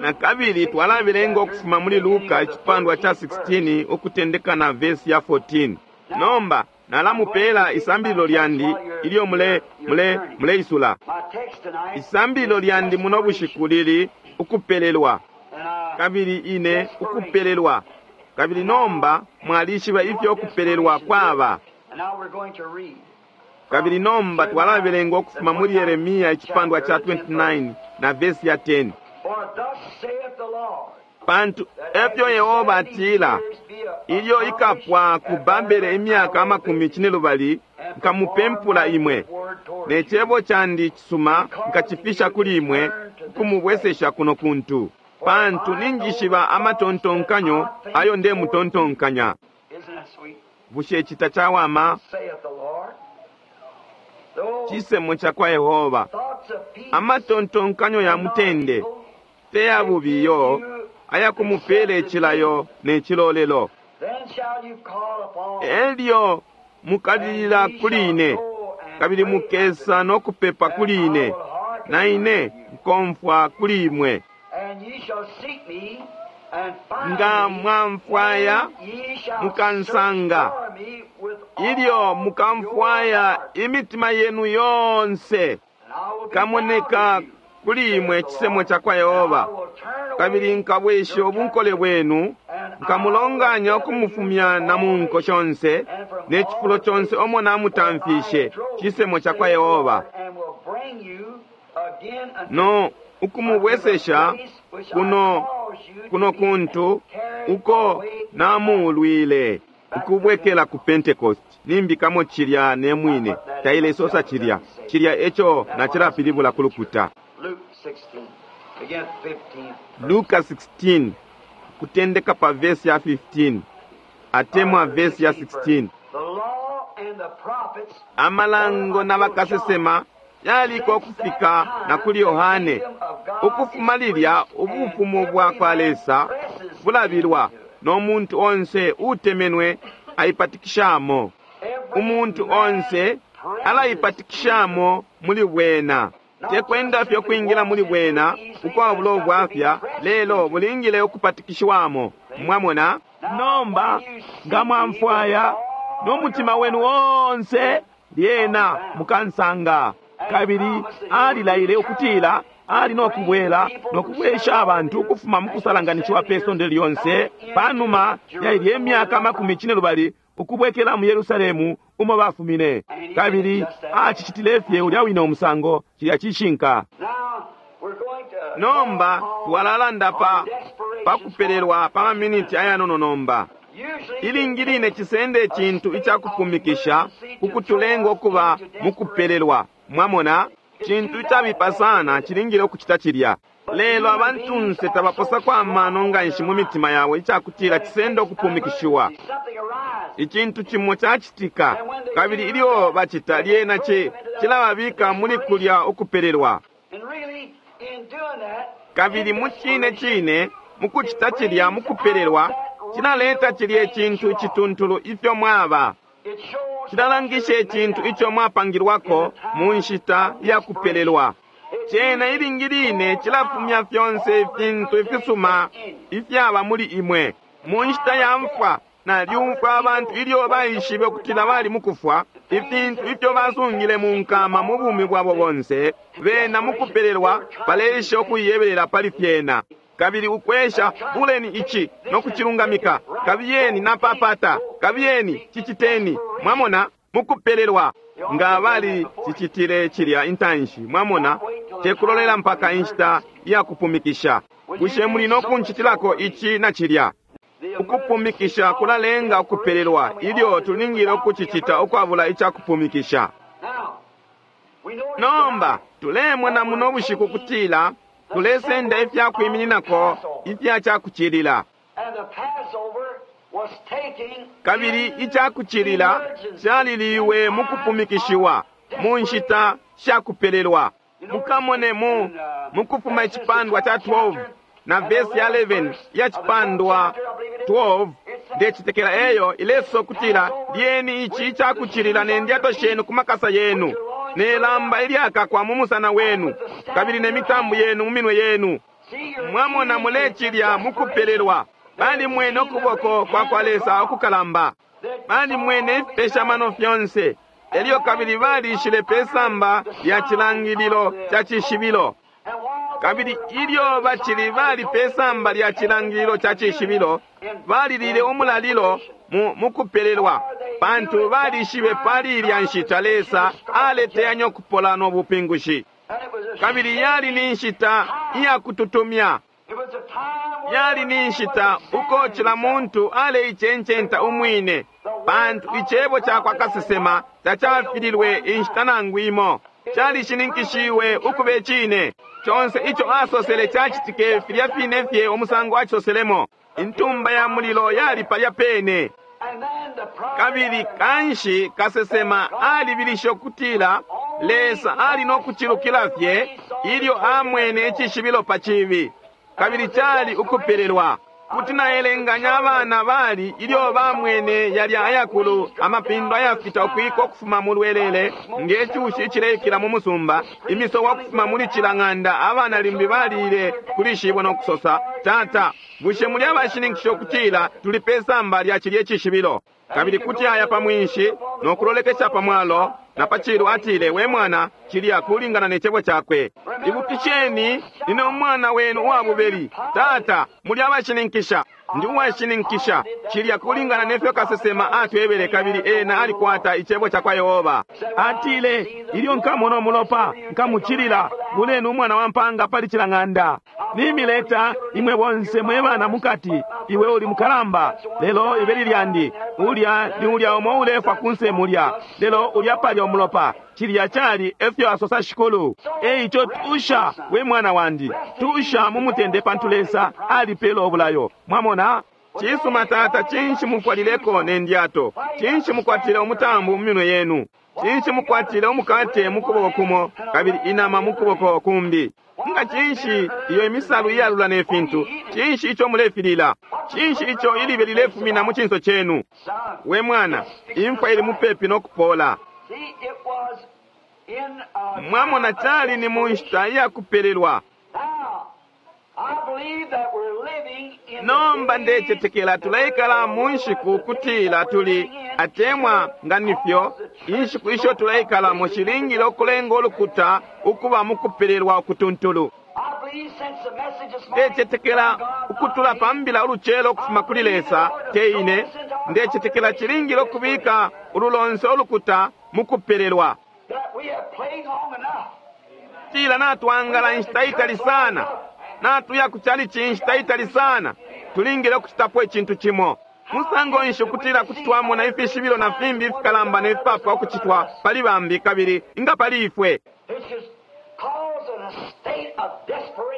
Na kabili twalabelenga ukufuma muli Luka icipandwa cha sixteen ukutendeka na vesi ya fourteen. Nomba nalamupela isambililo lyandi ilyo mule mule muleisula. Isambililo lyandi muno bushiku lili ukupelelwa, kabili ine ukupelelwa. Kabili nomba mwalishiba ifyo ukupelelwa kwaba. Kabili nomba twalabelenga ukufuma muli Yeremia icipandwa cha twenty-nine na vesi ya ten. Pantu efyo Yehova atila, ilyo ikapwa ku Babele imyaka amakumi cinelubali, nkamupempula imwe, ne cebo candi cisuma nkacifisha kuli imwe, kumubwesesha kuno kuntu. Pantu ninjishiba amatontonkanyo ayo ndemutontonkanya. Bushe cita chawama? Cisemo cha kwa Yehova. Amatontonkanyo ya mutende te ya bubiyo, ayakumupele icilayo ne cilolelo. Elyo mukalilila kuli ine, kabili mukesa no kupepa kuli ine, na ine nkomfwa kuli imwe. Nga mwamfwaya mukansanga, ilyo mukamfwaya imitima yenu yonse, kamoneka kuli imwe cisemo cha kwa Yehova. Kabili nkabwesha ubunkole bwenu, nkamulonganya ukumufumya na mu nko shonse ne cifulo conse omo namutamfishe, cisemo cha kwa Yehova. No ukumubwesesha kuno kuno kuntu uko namuulwile, ukubwekela ku Pentecost. Nimbikamo cilya ne mwine tailesosa cilya cilya eco nacilapilibula ku lukuta. Luka sixteen kutendeka pa vesi ya fifteen atemwa vesi ya sixteen. Amalango na bakasesema yaliko kufika na kuli Yohane. Ukufuma lilya ubufumu bwa kwa Lesa bulabilwa, no muntu onse utemenwe aipatikishamo. Umuntu onse alaipatikishamo muli bwena. Tekwenda fye kwingila muli bwena ukwabula ubwafya, lelo bulingile ukupatikishiwamo. Mwamona? Nomba nga mwamfwaya no mutima wenu onse, lyena mukansanga. Kabili alilaile ukutila ali no kubwela no kubwesha abantu ukufuma mu kusalanganishiwa pe sonde lyonse panuma ya ilye myaka makumi cinelubali ukubwekela mu Yerusalemu umo bafumine. Kabili acicitile fye ulya wine umusango, cilya cishinka. Nomba twalalanda pa pa kupelelwa pa maminiti ayanono nomba. Ilingi line cisende icintu icakupumikisha ukutulenga ukuba mukupelelwa. Mwamona, cintu icabipa sana cilingile ukucita cilya. Lelo abantunse tabaposako amano nganshi mu mitima yabo icakutila cisende ukupumikishiwa. Icintu cimo cacitika, kabili ilyo bacita lyena ci cilababika muli kulya ukupelelwa. Kabili mu cine cine mukucita cilya mukupelelwa, cilaleta cilya icintu icituntulu ifyo mwaba. Cilalangisha icintu ico mwapangilwako mu nshita ya kupelelwa. Cena ilingi line cilafumya fyonse ifintu ifisuma ifyaba muli imwe. Mu nshita ya mfwa, nalyumfwa abantu ilyo baishibe ukutila bali mukufwa, ifintu ifyo basungile mu nkama mu bumi bwabo bonse, bena mukupelelwa baleisha ukuyebelela pali fyena. Kabili ukwesha buleni ici no kucilungamika, kabiyeni napapata, kabiyeni ciciteni. Mwamona, mukupelelwa nga bali cicitile cilya intanshi. Mwamona, tekulolela mpaka inshita ya kupumikisha. Bushe muli no kuncitilako ici na cilya? Ukupumikisha kulalenga ukupelelwa ilyo tulingile ukucicita ukwabula icakupumikisha. Nomba tulemona muno bushiku kutila tulesenda ifyakwimininako ifya cakucilila. Kabili icakucilila caliliwe mukupumikishiwa mu nshita shakupelelwa. Mukamone mu mukufuma icipandwa ca twelve na vesi ya eleven ya cipandwa twelve, ndecitekela eyo ileso kutila lyeni ici icakucilila ne ndyato shenu ku makasa yenu, ne lamba ilyakakwa mu musana wenu, kabili ne mitambu yenu mu minwe yenu. Mwamona mulecilya mukupelelwa. Balimwene ukuboko kwa kwa Lesa ukukalamba, balimwene ifipeshamano fyonse, elyo kabili balishile pe samba lya cilangililo ca cishibilo. Kabili ilyo bacili bali pe samba lya cilangililo ca cishibilo, balilile umulalilo mu mukupelelwa, pantu balishibe pali ilya nshita Lesa aleteyanya ukupola no bupingushi. Kabili yali ni nshita iyakututumya, yali ni nshita uko cila muntu aleicencenta umwine, pantu icebo ca kwa kasesema tacafililwe inshita nangu imo, calishininkishiwe ukube cine. Conse ico asosele cacitike filya fine fye umusango acisoselemo. Intumba ya mulilo yali palya pene. Kabili kanshi kasesema alibilishe ukutila Lesa ali no kucilukila fye ilyo amwene icishibilo pa cibi, kabili cali ukupelelwa. Kuti naelenganya abana bali ilyo bamwene yalya ayakulu amapindo ayafita ukwika ukufuma mu lwelele nge cushi icileikila mu musumba, imisowa ukufuma muli cila ng'anda. Abana limbi balile kuli shibo no kusosa, Tata, bushe muli abashininkisha ukutila tuli pe samba lya cilye cishibilo? Kabili kuti aya pa mwinshi no kulolekesha pa mwalo na pa cilu, atile, we mwana, cilya kulingana ne cebo cakwe. Ibukisheni, nine umwana wenu uwa bubeli. Tata, muli abashininkisha. Ndi uwashininkisha cilya kulingana nefyo kasesema atwebele, kabili ena alikwata icebo ca kwa Yehova. Atile, ilyo nkamona umulopa nkamucilila, buleni umwana wa mpanga pali cila ng'anda. Nimileta imwe bonse mwe bana mukati, iwe uli mukalamba, lelo ibeli lyandi ulya ni ulya umo ulefwa kunse mulya, lelo ulya palya umulopa. Cilya cali efyo asosa Shikulu. Eico tusha we mwana wandi, tusha mu mutende, pantu Lesa alipela obulayo. Mwamona? Cisuma tata, cinshi mufwalileko ne ndyato? Cinshi mukwatile umutambu mu minwe yenu? Cinshi mukwatile umukate mu kuboko kumo kabili inama mu kuboko kumbi? Nga cinshi iyo imisalu iyalula ne fintu? Cinshi ico mulefilila? Cinshi ico ilibe lilefumina mu cinso cenu? We mwana, imfwa ili mupepi no kupola. Mwamona, cali ni mu nshita iyakupelelwa. Nomba ndecetekela tuleikala mu nshiku kutila tuli atemwa nga nifyo inshiku isho tuleikalamo shilingile ukulenga ulukuta ukuba mukupelelwa ukutuntulu. Ndecetekela ukutula pambila ulucelo ukufuma kuli Lesa teine. Ndecetekela cilingile ukubika ululonse ulukuta mukupelelwa. Tila natwangala inshita itali sana, natuya kuchalichi inshita itali sana, tulingile ukucitapo icintu cimo. Musango nshi ukutila kuti twamona ifishibilo na fimbi ifikalamba ne fipapwa ukucitwa pali bambi kabili inga pali ifwe?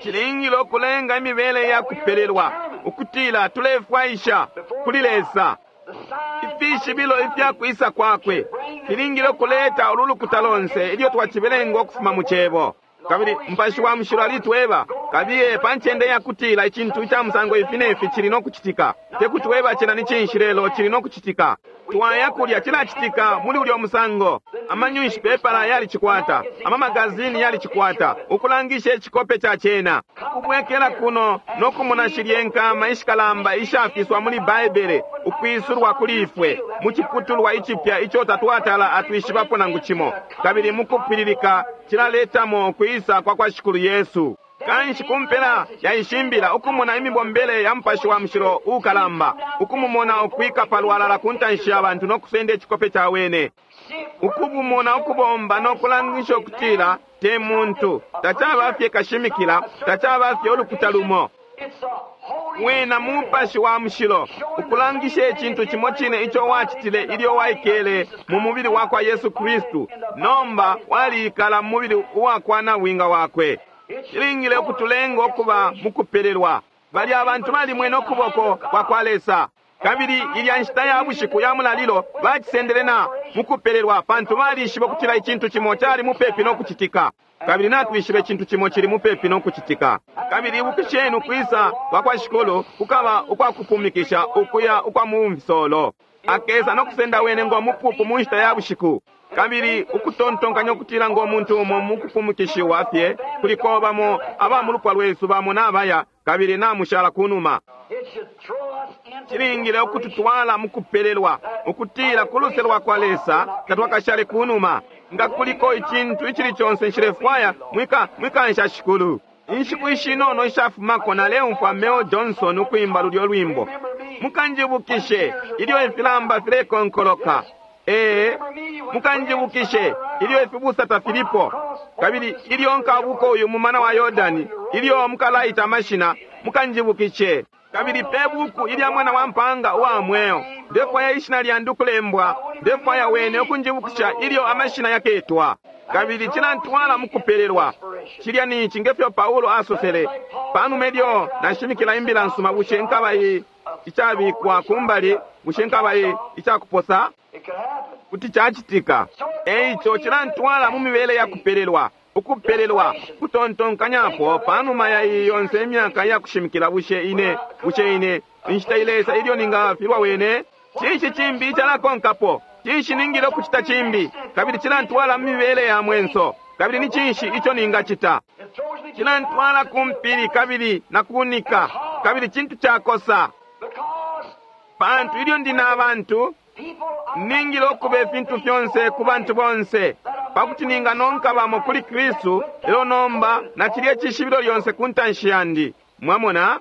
Cilingile ukulenga imibele ya kupelelwa ukutila tulefwaisha kuli Lesa. Ifishibilo ifyakwisa kwakwe filingile ukuleta ululukuta lonse ilyo twacibelenga ukufuma mu cebo. Kabili Mupashi wa Mushilo alitweba kabiye pa ncende yakutila icintu ica musango ifi nefi cili no kucitika. Tekutweba cena ni cinshi, lelo cili no kucitika. Twaya kulya cilacitika muli ulyo musango. Amanyunshipepala yalicikwata, amamagazini yalicikwata, ukulangisha icikope ca cena. Kubwekela kuno no kumona shilye nkama ishikalamba ishafiswa muli Baibele ukwisulwa kuli ifwe mu ciputulwa icipya ico tatwatala atwishibapo nangu cimo, kabili mukupwililika cilaletamo kwisa kwa kwa Shikulu Yesu. Kanshi kumpela yaishimbila ukumona imibombele ya Mupashi wa Mushilo ukalamba, ukumumona ukwika palwalala ku ntanshi ya bantu no kusenda icikope ca wene, ukubumona ukubomba no kulangisha ukutila te muntu, tacaba fye kashimikila, tacaba fye ulukuta lumo. It's the Holy Wena Mupashi wa Mushilo ukulangisha icintu cimo cine ico wacitile ilyo waikele mu mubili wakwa Yesu Kristu. Nomba waliikala mu mubili uwakwa nabwinga wakwe. Cilingile ukutulenga ukuba mukupelelwa. Balya abantu balimwene ukuboko kwa kwa Lesa. Kabili ilya nshita ya bushiku ya mulalilo bacisendele na mukupelelwa, pantu balishiba ukutila icintu cimo cali mupepi no kucitika. Kabili natwishiba icintu cimo cili mupepi no kucitika. Kabili ibukisheni ukwisa kwa kwa Shikulu kukaba ukwakupumikisha ukuya ukwa mu mfisolo. Akesa no kusenda wene ngo mupupu mu nshita ya bushiku. Kabili ukutontonkanya ukutila ngo muntu umo mukupumikishiwa fye kuliko bamo aba mu lupwa lwesu bamo nabaya kabili namushala kunuma. It should throw us into Cilingile ukututwala mukupelelwa ukutila ku luse lwa kwa Lesa tatwakashale kunuma. Nga kuliko icintu icili conse nshilefwaya mwika mwikansha Shikulu. Inshiku ishinono ishafumako naleumfwa Mel Johnson ukwimba lulyo lwimbo. Mukanjibukishe ilyo ifilamba filekonkoloka. Ee, mukanjibukishe ilyo ifibusa tafilipo. Kabili ilyo nkabuka uyu mumana wa Yordani, ilyo mukalaita amashina, mukanjibukishe. Kabili pe buku ilya mwana wa mpanga uwa mweo, ndefwaya ishina lyandi ukulembwa, ndefwaya wene ukunjibukisha ilyo amashina yaketwa. Kabili cilantwala mukupelelwa. Cilya ni ici ngefyo Paulo asosele, panuma ilyo nashimikila imbila nsuma, bushe nkaba i icabikwa kumbali, bushe nkaba i icakuposa? It could happen. Kuti cacitika. Eico cilantwala mu mibele ya kupelelwa, ukupelelwa, kutontonkanyapo panuma ya iyi yonse imyaka ya kushimikila, bushe ine, bushe ine, inshita ilesa ilyo ningafilwa wene? Cinshi cimbi icalakonkapo? Cinshi ningile ukucita cimbi? Kabili cilantwala mu mibele ya mwenso. Kabili ni cinshi ico ningacita? It throws me to Cilantwala ku mpili kabili na kunika, kabili cintu cakosa. because Pantu ilyo ndi na bantu, people are ningile ukuba ifintu fyonse ku bantu bonse, pakuti ninganonka bamo kuli Kristu, lelo nomba na cilye cishibilo lyonse ku ntanshi yandi. Mwamona?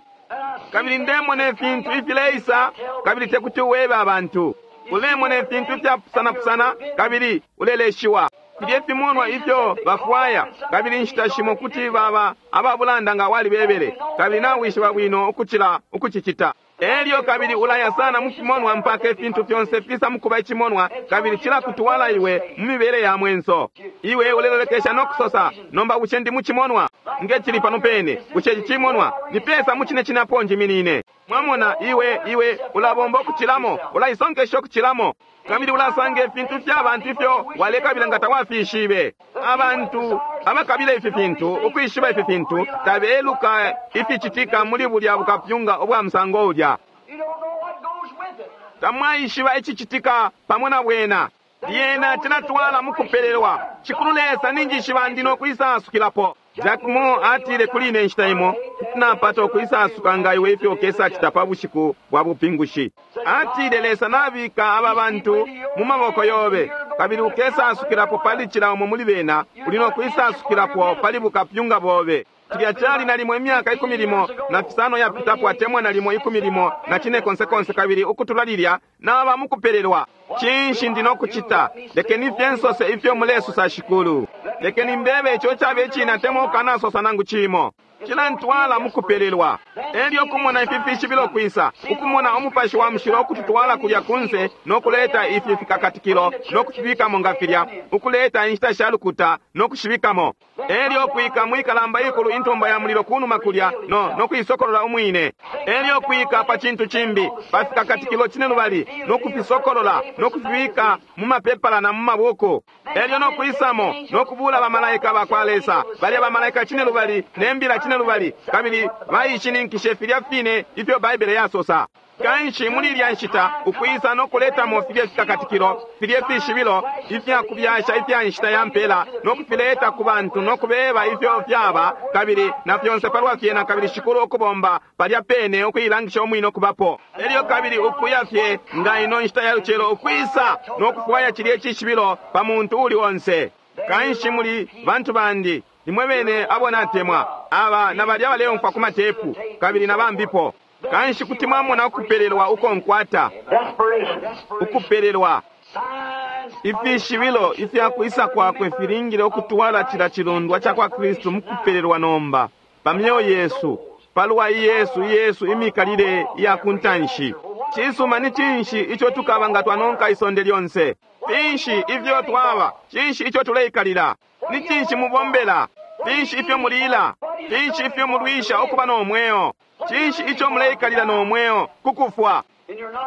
Kabili ndemona ifintu ifileisa, kabili tekuti uwebe abantu. Ulemona ifintu ifyapusanapusana, kabili uleleshiwa. Filye fimonwa ifyo bafwaya, kabili inshita shimo kuti baba ababulanda nga walibebele, kabili nawishiba bwino ukucila ukucicita. Elyo kabili ulaya sana mu fimonwa mpaka ifintu fyonse fisa mukuba icimonwa, kabili cilakutwala iwe mu mibele ya mwenso. Iwe ulelolekesha no kusosa, nomba bushe ndi mu cimonwa? Nge cili pano pene, bushe ici cimonwa? Ni pesa mu cine cinapo njiminine. Mwamona, iwe iwe ulabomba ukucilamo, ulaisonkesha ukucilamo, kabili ulasanga ifintu fya bantu ifyo walekabila nga tawafishibe. Abantu abakabila ifi fintu, ukwishiba ifi fintu, tabeluka ificitika muli bulya bukapyunga ubwa musango ulya. You don't know what goes with it. Tamwaishiba icicitika pamo na bwena. Lyena cilatwala mukupelelwa. Shikulu Lesa ninjishiba ndi no kwisasukilapo. Jack Moore atile kuli ine inshita imo, kuti napata ukwisasuka nga iwe ifyo ukesacita pa bushiku bwa bupingushi. Atile Lesa nabika aba bantu mu maboko yobe, kabili ukesasukilapo pali cila umo muli bena, uli no kwisasukilapo pali bukapyunga bobe. Cilya cali nalimo imyaka ikumi limo na fisano yapitapo atemwa nalimo ikumi limo na cine konse konse, kabili ukutula lilya naba mukupelelwa. Cinshi ndi no kucita? Lekeni fye nsose ifyo mulesosa Shikulu. Lekeni mbebe ico cabe cine atemwa ukanasosa nangu cimo. Cilantwala mukupelelwa. Elyo kumona ifi fishibilo kwisa, ukumona umupashi wa mushilo ukututwala kulya kunse no kuleta ifi fikakatikilo no kufibikamo nga filya, ukuleta inshita sha lukuta no kushibikamo. Elyo kwika mwikalamba ikulu intumba ya mulilo kunuma kulya no no kuisokolola umwine. Elyo kwika pa cintu cimbi pa fikakatikilo cine lubali no kufisokolola no kufibika mu mapepala na mu mabuku. Elyo no kwisamo no kubula bamalaika ba kwa Lesa, balya bamalaika cine lubali ne mbila cine lubali, kabili baishininkishe filya fine ifyo Baibele yasosa. Kanshi muli ilya nshita ukwisa no kuletamo filye fikakatikilo, filye fishibilo ifya kubyasha ifya nshita ya mpela, no kufileta ku bantu no kubeba ifyo fyaba, kabili na fyonse palwa fyena, kabili Shikulu ukubomba palya pene ukuilangisha umwine ukubapo. Elyo kabili ukuya fye nga ino nshita ya lucelo ukwisa no kufwaya cilye cishibilo pa muntu uli onse. Kanshi muli bantu bandi, nimwe bene abo natemwa, aba na balya baleumfwa ku matepu, kabili na bambipo. Kanshi kuti mwamona ukupelelwa uko nkwata, Desperation. ukupelelwa. Signs Ifishibilo ifya kwisa kwakwe filingile ukutwala cila cilundwa ca kwa Kristu mukupelelwa nomba pa myoyo yesu, palwa Yesu Yesu imikalile ya kuntanshi. Cisuma, ni cinshi ico tukaba nga twanonka isonde lyonse? Finshi ifyo twaba? Cinshi ico tuleikalila? Ni cinshi mubombela? Finshi ifyo mulila? Finshi ifyo mulwisha ukuba no mweo? Cinshi ico muleikalila no mweo? Kukufwa.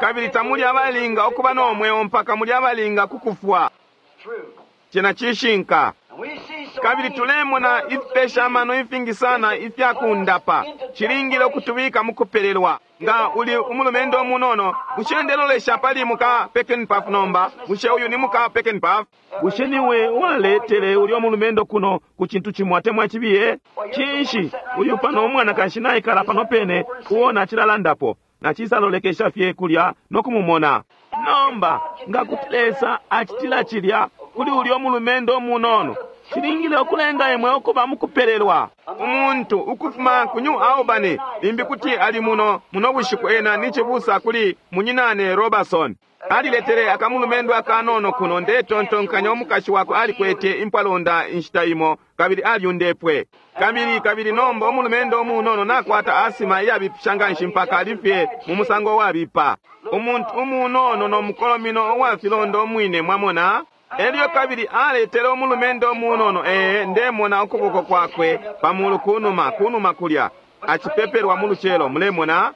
Kabili tamuli abalinga ukuba no mweo mpaka muli abalinga kukufwa. Cena cishinka. Kabili tulemona ifipesha amano ifingi sana ifya kundapa. Cilingile ukutubika mukupelelwa. Nga uli umulumendo umunono, bushe ndelolesha pali muka Peckinpah nomba? Bushe uyu ni muka Peckinpah? Bushe niwe waletele ulyo mulumendo kuno ku cintu cimo atemwa cibiye? Cinshi uyu pano umwanakashi naikala pano pene uo nacilalandapo? Nacisalolekesha fye kulya no kumumona. Nomba nga kuti Lesa acitila cilya kuli ulyo mulumendo umunono, cilingile ukulenga imwe ukuba mukupelelwa. Umuntu ukufuma ku New Albany limbi kuti ali muno muno bushiku, ena ni cibusa kuli munyinane Robertson. Aliletele akamulumendo akanono kuno. Ndetontonkanya umukashi wakwe alikwete impwalonda inshita imo, kabili alyundepwe. Kabili kabili nomba umulumendo umunono nakwata asima iyabipisha nganshi mpaka alifye mu musango wabipa. Umuntu umunono no mukolomino uwa filondo umwine, mwamona. Elyo kabili aletele umulumendo umunono, ee, ndemona ukuboko kwakwe pamulu kunuma, kunuma kulya, acipepelwa mu lucelo, mulemona.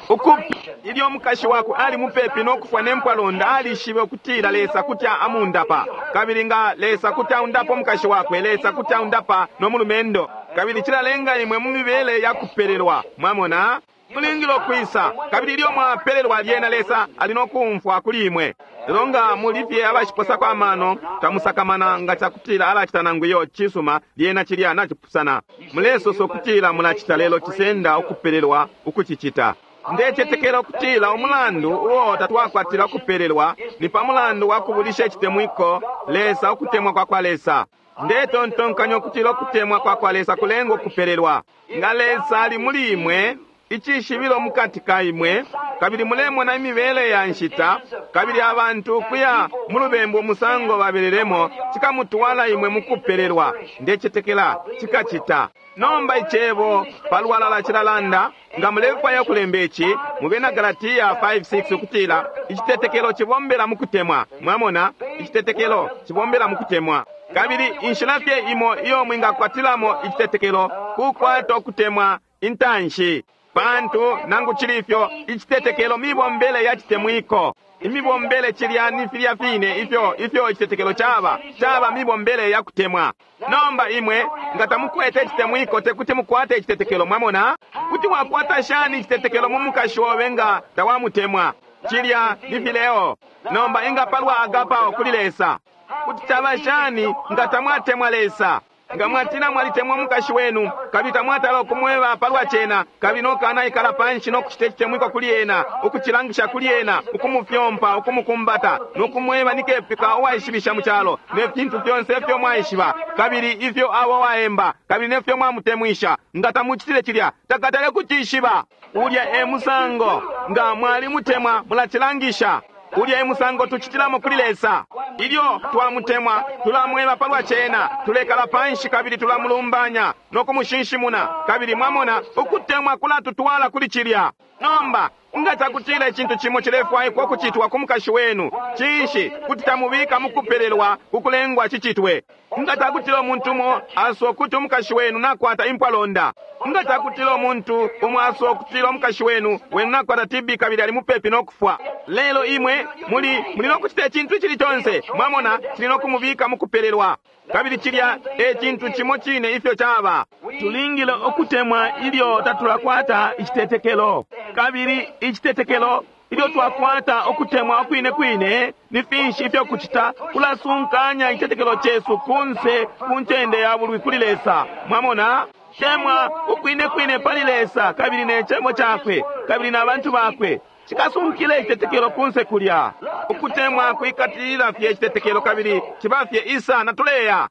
Uku ilyo umukashi wakwe ali mupepi no kufwa ne mpwalonda, alishibe ukutila Lesa kuti amundapa. Kabili nga Lesa kuti aundapa umukashi wakwe, Lesa kuti aundapa no mulumendo. Kabili cilalenga imwe mu mibele ya kupelelwa, mwamona. Mulingile ukwisa, kabili ilyo mwapelelwa lyena Lesa ali no kumfwa kuli imwe. Lelo nga muli fye abashiposako amano, tamusakamana nga cakutila alacita nangu iyo cisuma, lyena cilya nacipusana. Mulesosa ukutila mulacita, lelo cisenda ukupelelwa ukucicita. Ndecetekela ukutila umulandu uo tatwakwatila ukupelelwa ni pa mulandu wa kubulisha icitemwiko Lesa, ukutemwa kwa kwa Lesa. Ndetontonkanya ukutila ukutemwa kwa kwa Lesa kulenga ukupelelwa. Nga Lesa ali muli imwe, icishibilo mukati ka imwe, kabili mulemona imibele ya nshita, kabili abantu kuya mu lubembu umusango babelelemo, cikamutwala imwe mukupelelwa. Ndecetekela cikacita. Nomba icebo palwalala cilalanda, nga mulefwaya ukulemba ici mu Bena Galatia five six, ukutila icitetekelo cibombela mukutemwa. Mwamona, icitetekelo cibombela mukutemwa. Kabili inshila fye imo iyo mwingakwatilamo icitetekelo kukwata ukutemwa intanshi. Pantu nangu cili ifyo, icitetekelo mibombele ya citemwiko. Imibombele cilya ni filya fine ifyo ifyo icitetekelo caba, caba mibombele ya kutemwa. Nomba imwe nga tamukwete icitemwiko, tekuti mukwate icitetekelo. Mwamona, kuti wakwata shani icitetekelo mu mukashi obe nga tawamutemwa? Cilya ni fileo. Nomba inga palwa agapao kuli Lesa, kuti caba shani nga tamwatemwa Lesa? Nga mwatina mwalitemwa mukashi wenu, kabili tamwatala ukumweba palwa cena, kabili nokana ikala panshi no kucita icitemwiko kuli ena, ukucilangisha kuli ena, ukumufyompa, ukumukumbata, nokumweba nikepika uwaishibisha mu calo, ne fintu fyonse ifyo mwaishiba, kabili ifyo abo waemba, kabili nefyo mwamutemwisha. Nga tamucitile cilya, takatale kucishiba. Ulya e musango. Nga mwalimutemwa, mulacilangisha. Ulya e musango tucitilamo kuli Lesa. Ilyo twamutemwa, tulamweba palwa cena, tulekala panshi kabili tulamulumbanya no kumushinshimuna. Kabili mwamona, ukutemwa kulatutwala kuli cilya. Nomba nga cakutila icintu cimo cilefwaikwa ukucitwa ku mukashi wenu, cinshi kuti tamubika mukupelelwa kukulengwa cicitwe? Nga cakutila umuntu umo aswa ukuti umukashi wenu nakwata impwalonda, nga cakutila umuntu umo aswa ukutila umukashi wenu wenu nakwata T B kabili ali mupepi no kufwa, lelo imwe muli muli no kucita icintu icili conse, mwamona, cili no kumubika mukupelelwa. Kabili cilya e cintu cimo cine ifyo caba. Tulingile ukutemwa ilyo tatulakwata icitetekelo. Kabili icitetekelo ilyo twakwata ukutemwa ukwine kwine, ni finshi ifyo kucita kulasunkanya icitetekelo cesu kunse ku ncende ya bulwi kuli Lesa. Mwamona, temwa ukwine kwine pali Lesa kabili ne cebo cakwe kabili na bantu bakwe, cikasunkile icitetekelo kunse kulya. Ukutemwa kwikatilila fye icitetekelo kabili ciba fye isa na tuleya.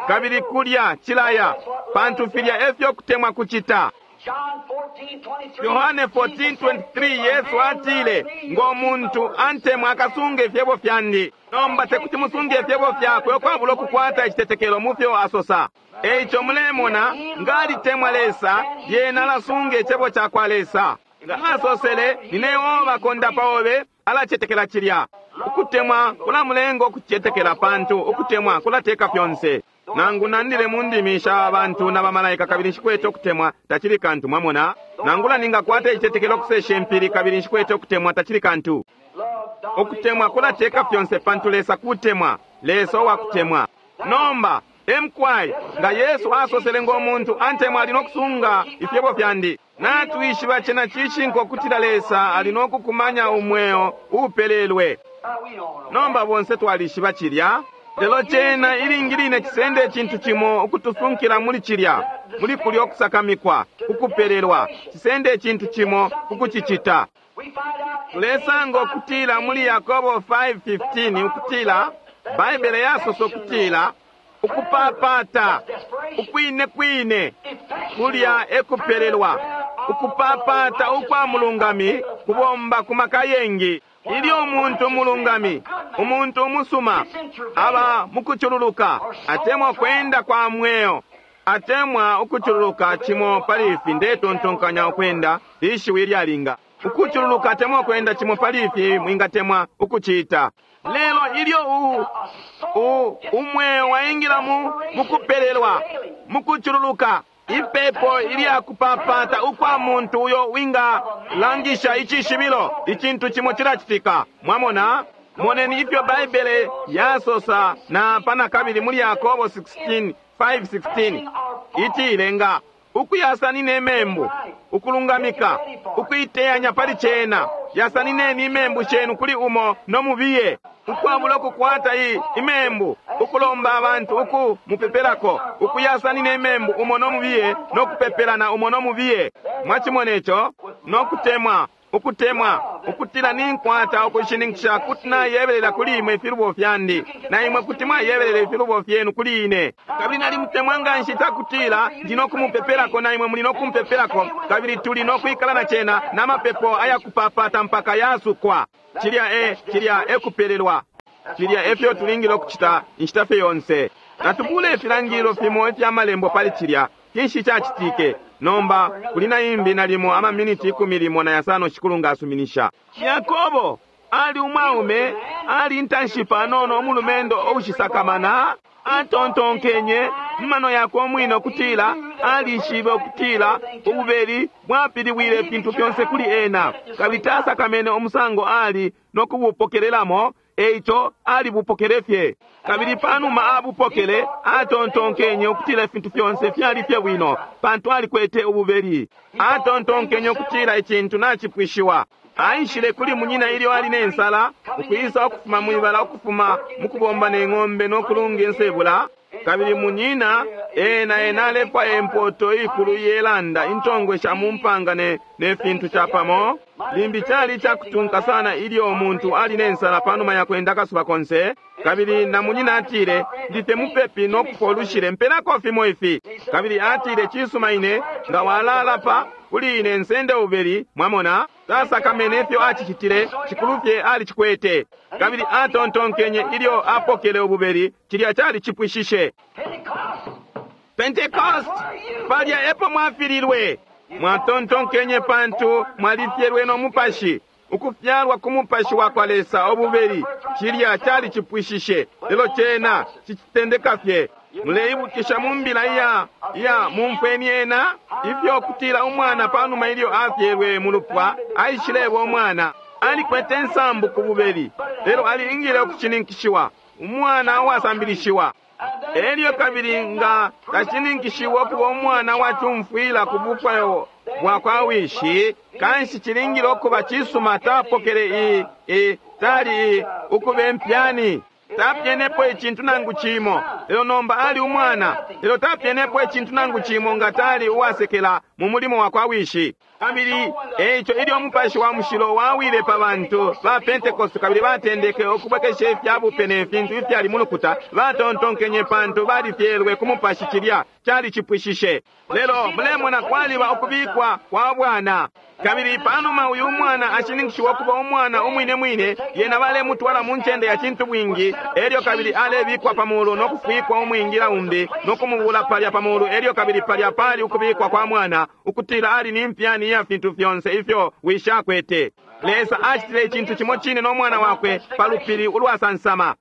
Kabili kulya cilaya, pantu filya efyo kutemwa kucita. Yohane fourteen twenty-three Yesu atile, ngo muntu antemwa akasunga ifyebo fyandi. Nomba tekuti musunge ifyebo fyakwe ukwabula ukukwata icitetekelo mu fyo asosa. Eico mulemona, nga alitemwa Lesa, yena alasunga icebo cakwa Lesa. Nga asosele, nine Yehova kondapa obe, alacetekela cilya. Ukutemwa kulamulenga ukucetekela pantu ukutemwa kulateka fyonse. Nangu nandile mu ndimi sha bantu na bamalaika kabili nshikwete ukutemwa, tacili kantu, mwamona. Nangula ningakwata icitetekelo kusesha impili kabili nshikwete ukutemwa, tacili kantu. Ukutemwa kulateka fyonse pantu Lesa kutemwa, Lesa uwakutemwa. Nomba emkwai nga Yesu asosele ngo muntu antemwa ali nokusunga ifyebo fyandi. Natwishiba cena cishinka ukutila Lesa ali nokukumanya umweo upelelwe. Nomba bonse twalishiba cilya. Lelo cena ilingi line cisende icintu cimo ukutusunkila muli cilya, muli kulya okusakamikwa, ukupelelwa, cisende icintu cimo ukucicita. Tulesanga ukutila muli Yakobo five fifteen ukutila Baibele yasosa ukutila ukupapata ukwine kwine kulya ekupelelwa, ukupapata ukwa mulungami kubomba ku maka yengi. Ilyo umuntu mulungami, umuntu umusuma, aba mukucululuka, atemwa kwenda kwa mweo, atemwa ukucululuka cimo pali ifi, ndetontonkanya ukwenda lishiwi lyalinga. Ukucululuka atemwa kwenda cimo pali ifi mwingatemwa ukucita. Lelo ilyo u, u, umweo waingila mu, mukupelelwa, mukucululuka, ipepo ilya kupapata ukwa muntu uyo winga langisha icishibilo, icintu cimo cilacitika. Mwamona? Moneni ifyo Baibele yasosa na pana kabili muli Yakobo sixteen five sixteen. Itilenga ukuyasanina imembu, ukulungamika, ukuiteyanya pali cena, yasanineni imembu shenu kuli umo nomubiye, ukwabula ukukwata i imembu, ukulomba abantu uku mupepelako, ukuyasanina imembu umo nomubiye, nokupepelana umo nomubiye. Mwachimona ico? Nokutemwa, ukutemwa, ukutila ninkwata ukushininkisha kuti nayebelela kuli imwe ifilubo fyandi, na imwe kuti mwayebelela ifilubo fyenu kuli ine. Kabili nalimutemwa nga nshi cakutila ndi nokumupepelako na imwe muli nokumpepelako, kabili tuli nokwikala na cena n'amapepo ayakupapata mpaka yasukwa. Cilya e, cilya e kupelelwa. Cilya e fyo tulingile ukucita inshita fye yonse. Natubule ifilangililo fimo ifya malembo pali cilya. Kinshi cacitike? Nomba kuli na imbi nalimo amaminiti ikumi limo na yasano shikulu nga asuminisha. Yakobo ali umwaume, ali intanshi panono umulumendo oushisakamana, atontonkenye mumano yakwe omwine ukutila alishibe ukutila ububeli bwapiliwile ifintu fyonse kuli ena, kabili tasakamene umusango ali nokubupokelelamo, eico alibupokele fye. Kabili panuma abupokele, atontonkenye ukutila ifintu fyonse fyali fye bwino, pantu alikwete ububeli. Atontonkenye ukutila icintu nacipwishiwa. Aishile kuli munyina ilyo ali nensala, ukwisa ukufuma mwibala ukufuma mukubomba neng'ombe nokulunga insebula. Kabili munyina ena ena alefwaya empoto ikulu yelanda intongwe sha mumpanga ne, ne fintu chapamo. Limbi chali chakutunka sana ilyo umuntu ali nensala panuma ya kwenda kasuba konse. Kabili na munyina atile, ndife mupepi nokufolushile mpelako fimo ifi. Kabili atile, cisuma ine nga walala pa kuli ine nsende ubeli. Mwamona, tasakamene ifyo acicitile, cikulufye alicikwete. Kabili atontonkenye ilyo apokele ububeli, cilya cali cipwishishe. Pentecost, palya epo mwafililwe. Mwatontonkenye pantu mwalifyelwe no mupashi, ukufyalwa ku mupashi wa kwa Lesa obubeli, cilya cali cipwishishe. Lelo cena cicitendeka fye. Muleibukisha mu mbila iya, iya mumfweni ena, ifyo kutila umwana panuma ilyo afyelwe mu lupwa, aishileba umwana. Alikwete nsambu ku bubeli, lelo alingile ukushininkishiwa, umwana uwasambilishiwa. Elyo kabili nga tashininkishiwa ukuba umwana wacumfwila ku bufwayo bwa kwa wishi, kanshi cilingile ukuba cisuma tapokele i, i, tali i, ukuba impyani. Tapyenepo icintu nangu cimo, lelo nomba ali umwana. Lelo tapyenepo icintu nangu cimo nga tali uwasekela mu mulimo wa kwa wishi. Kabili eico ilyo umupashi wa mushilo wawile pa bantu ba Pentecost, kabili batendeke ukubwekesha ifya bupe ne fintu ifyali mu lukuta, batontonkenye pantu balifyelwe ku mupashi, cilya Cali cipwishishe. Lelo mulemona kwaliba ukubikwa kwa bwana. Kabili panuma uyu mwana ashininkishiwa ukuba umwana umwine mwine, yena balemutwala mu ncende ya cintu bwingi, elyo kabili alebikwa pa mulu no kufwikwa umwingila umbi no kumubula palya pa mulu, elyo kabili palya pali ukubikwa kwa mwana, ukutila ali ni mpyani ya fintu fyonse ifyo wishi akwete. Lesa acitile icintu cimo cine no mwana wakwe pa lupili ulwasansama.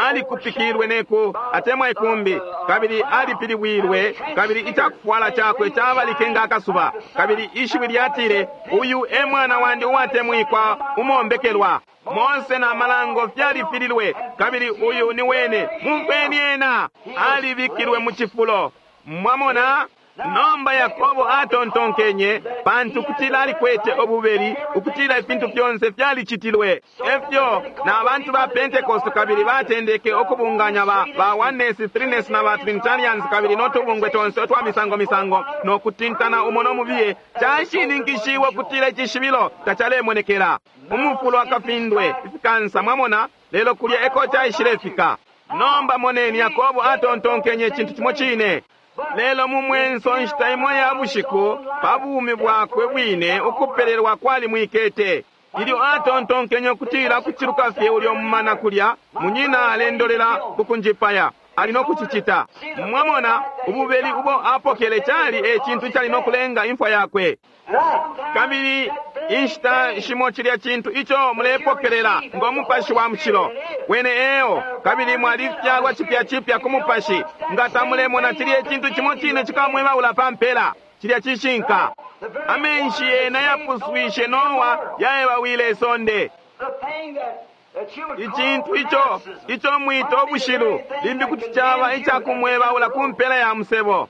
Alikupikilwe neku atemwa ikumbi, kabili alipilibwilwe, kabili icakufwala cakwe cabalike nga akasuba, kabili ishiwi lyatile, uyu e mwana wandi uwatemwikwa umombekelwa. Mose na malango fyalifililwe, kabili uyu ni wene, mumfweni ena. Alibikilwe mu cifulo. Mwamona? Nomba Yakobo atontonkenye, pantu kutila alikwete ububeli, ukutila ifintu fyonse fyalicitilwe. Efyo na bantu ba Pentecost kabili batendeke ukubunganya ba, ba oneness, threeness na ba Trinitarians kabili notubungwe tonse otwa misango misango no kutintana umo no mubiye. Cashininkishiwe ukutila icishibilo tacalemonekela. Umufulo akafindwe ifikansa, mwamona, lelo kulya eko caishilefika. Nomba moneni, Yakobo atontonkenye icintu cimo cine. Lelo mu mwenso nshita imo ya bushiku pa bumi bwakwe bwine ukupelelwa kwali mwikete. Ilyo atontonkenye ukutila kuciluka fye ulyo mumana kulya, munyina alendolela kukunjipaya, ali no kucicita. Mwamona, ububeli ubo apokele cali e cintu cali no kulenga imfwa yakwe. Kabili inshita shimo cilya cintu ico mulepokelela ngo mupashi wa mushilo wene eo, kabili mwalifyalwa cipya cipya ku mupashi. Nga tamulemona cilya icintu cimo cine cikamwebaula pa mpela, cilya cishinka. Amenshi yena yapuswishe Noa yaebawile isonde. Icintu ico ico mwita ubushilu limbi kuti caba icakumwebaula ku mpela ya musebo.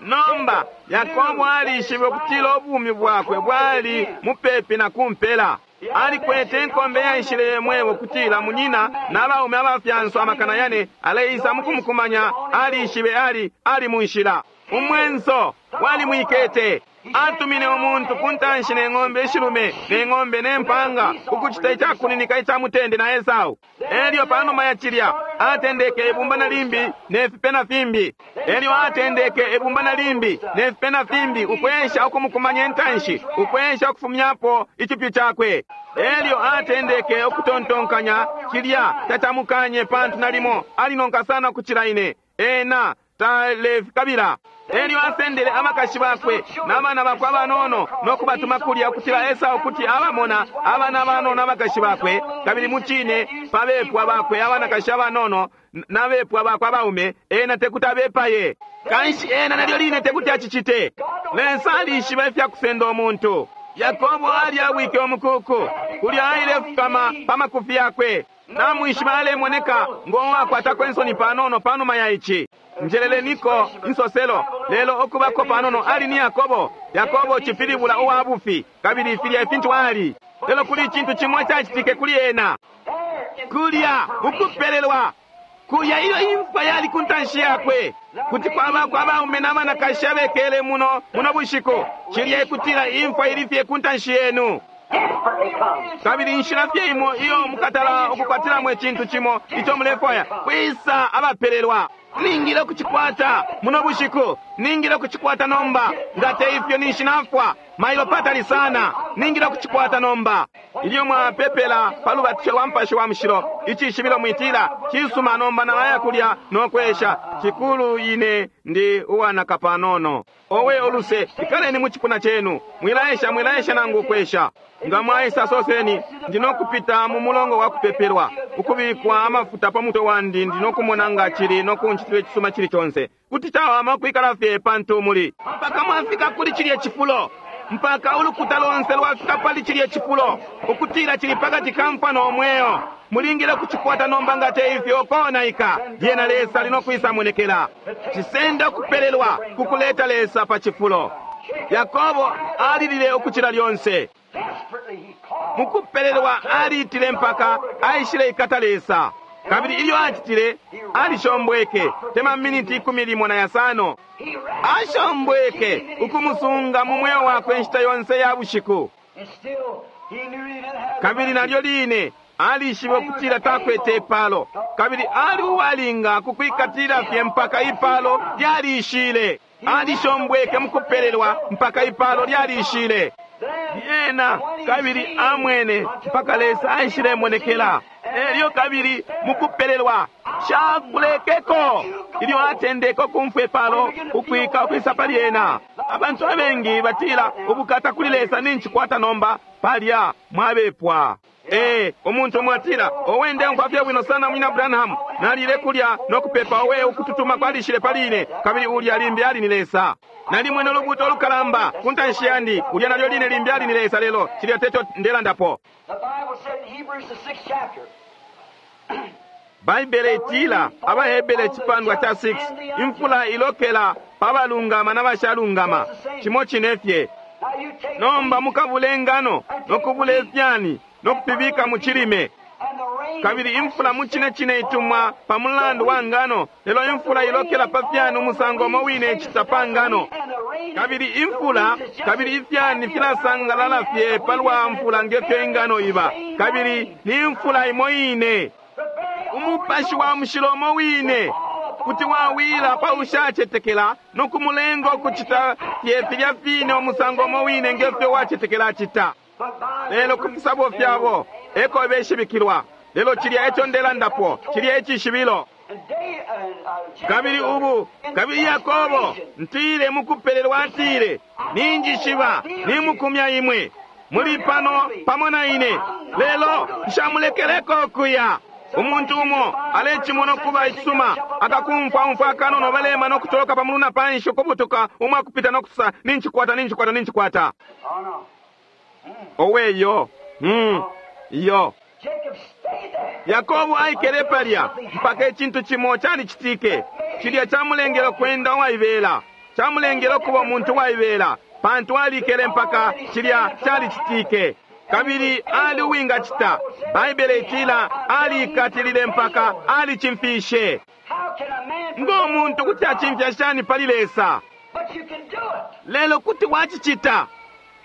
Nomba Yakobo alishibe ukutila ubumi bwakwe bwali mupepi na kumpela. Alikwete inkombe yaishile mwebo kutila munyina na baume abafyanswa amakana yane aleisa mukumukumanya. Alishibe ali ali munshila. Umwenso wali mwikete. Atumine umuntu kuntanshi ne ng'ombe ishilume ne ng'ombe ne mpanga ukucita icakuninika ica mutende na Esau. Elyo panuma ya cilya atendeke ibumba na limbi ne fipe na fimbi. Elyo atendeke ibumba na limbi ne fipe na fimbi ukwesha ukumukumanya intanshi, ukwesha ukufumyapo icipyu cakwe. Elyo atendeke ukutontonkanya cilya tacamukanye, pantu nalimo alinonka sana kucila ine ena talefikabila. Elyo asendele abakashi bakwe n'abana bakwe abanono nokubatuma kulya ukutila Esau kuti abamona abana abanono abakashi bakwe, kabili mucine pabepwa bakwe abanakashi abanono n'abepwa bakwe abaume, ena tekuti abepaye. Kanshi ena nalyo line tekuti acicite. Lesa alishiba ifyakusenda umuntu. Yakobo alyawike omukuku kulya ailefukama pa makufi yakwe. Namwishiba alemoneka ngowakwatako ensoni panono panuma ya ici. Njeleleniko insoselo lelo okubako panono ali ni Yakobo. Yakobo cipilibula uwa bufi, kabili filya ifintu ali. Lelo kuli icintu cimwe cacitike kuli ena. Kulya ukupelelwa kulya iyo imfa yali kuntanshi yakwe. Kuti kwabako abaume n'abanakashi abekele muno muno bushiku, cilya ikutila imfa ili fye kuntanshi yenu. Kabili inshila fye imo iyo mukatala ukukwatilamo icintu cimo ico mulefwaya kwisa abapelelwa. Ningile kuchikwata muno bushiku, ningile kuchikwata nomba, nga te ifyo ninshi nafwa mailo patali sana. Ningile kuchikwata nomba. Ilyo mwapepela pa lubatisho lwa Mupashi wa Mushilo, icishibilo mwitila cisuma nomba nalaya kulya nokwesha cikulu ine ndi uwanaka panono. Owe oluse, ikaleni mu cipuna cenu, mwilaesha mwilaesha nangu ukwesha. Nga mwaisa soseni, ndinokupita mu mulongo wa kupepelwa, ukubikwa amafuta pa mutwe wandi, ndinokumona nga cili nokunchitila icisuma cili conse. Kuti cawama ukwikala fye pantu muli mpaka mwafika kuli cilye cifulo, mpaka ulukuta lonse lwafika pali cilye cifulo, ukutila cili pakati ka mfwa no mweo. Mulingile kuchikwata nomba, nga te ifyo konaika. Lyena Lesa linokwisa monekela. Cisenda ukupelelwa kukuleta Lesa pa cifulo. Yakobo alilile ukucila lyonse. Mukupelelwa aliitile mpaka aishile ikata Lesa. Kabili ilyo acitile alishombweke tema miniti ikumi limo na yasano. Ashombweke ukumusunga mu mweo wakwe inshita yonse ya bushiku. Kabili nalyo line Alishibe ukutila takwete ipalo, kabili ali uwalinga kukwikatilila fye mpaka ipalo lyalishile. Alishombweke mukupelelwa mpaka ipalo lyalishile. Lyena kabili amwene mpaka Lesa aishilemonekela. Elyo kabili mukupelelwa shakulekeko ilyo atendeke ukumfwa ipalo ukwika ukwisa pali ena. Abantu abengi batila ubukata kuli Lesa nincikwata nomba palya mwabepwa. Ee, umuntu umwe atila owe ndeumfwa fye bwino sana munyina Branham, nalile kulya nokupepa, owe ukututuma kwalishile pali ine, kabili ulya limbi ali ni Lesa. Nalimwene ulubuuto ulukalamba ku ntanshi yandi, ulya nalyo line limbi ali ni Lesa, lelo cilya teco ndelandapo. The Bible said in Hebrews the sixth chapter, Baibele itila Abahebere icipandwa cha six, imfula ilokela pa balungama na bashalungama, cimo cine fye. now you take Nomba mukabule ingano nokubula ifyani nokufibika mu cilime, and the rain kabili imfula mu cine cine itumwa pa mulandu wa ngano, lelo imfula ilokela pa fyani umusango umo wine icita pa ngano. and the rain Kabili imfula kabili ifyani filasangalala fye palwa mfula ngefyo ingano iba, kabili ni mfula imo ine. Umupashi wa mushilo umo wine kuti wawila pa ushacetekela no kumulenga ukucita fye filya fine umusango umo wine ngefyo wacetekela acita. but by Lelo ku fisabo fyabo eko beshibikilwa. Lelo cilya eco ndelandapo, cilya ecishibilo. and day and uh, Kabili ubu, kabili Yakobo, ntile mukupelelwa atile, ninjishiba, nimukumya imwe. Muli pano pamo na ine, lelo nshamulekeleko ukuya. Umuntu umo alecimona ukuba icisuma, akakumfwa umfwa akanono balema no kutoloka pamulu na panshi ukubutuka umwakupita no kusosa nincikwata nincikwata nincikwata. Oh no. Owe yo, hmm, iyo. Jacob stayed there. Yakobo aikele palya mpaka icintu cimo calicitike. Cilya camulengele ukwenda uwaibela, camulengele ukuba umuntu uwaibela, pantu alikele mpaka cilya calicitike. Kabili ali uwingacita. Baibele itila aliikatilile mpaka alicimfishe. How can a man Ngo muntu kuti acimfya shani pali Lesa? But you can do it. Lelo kuti wacicita,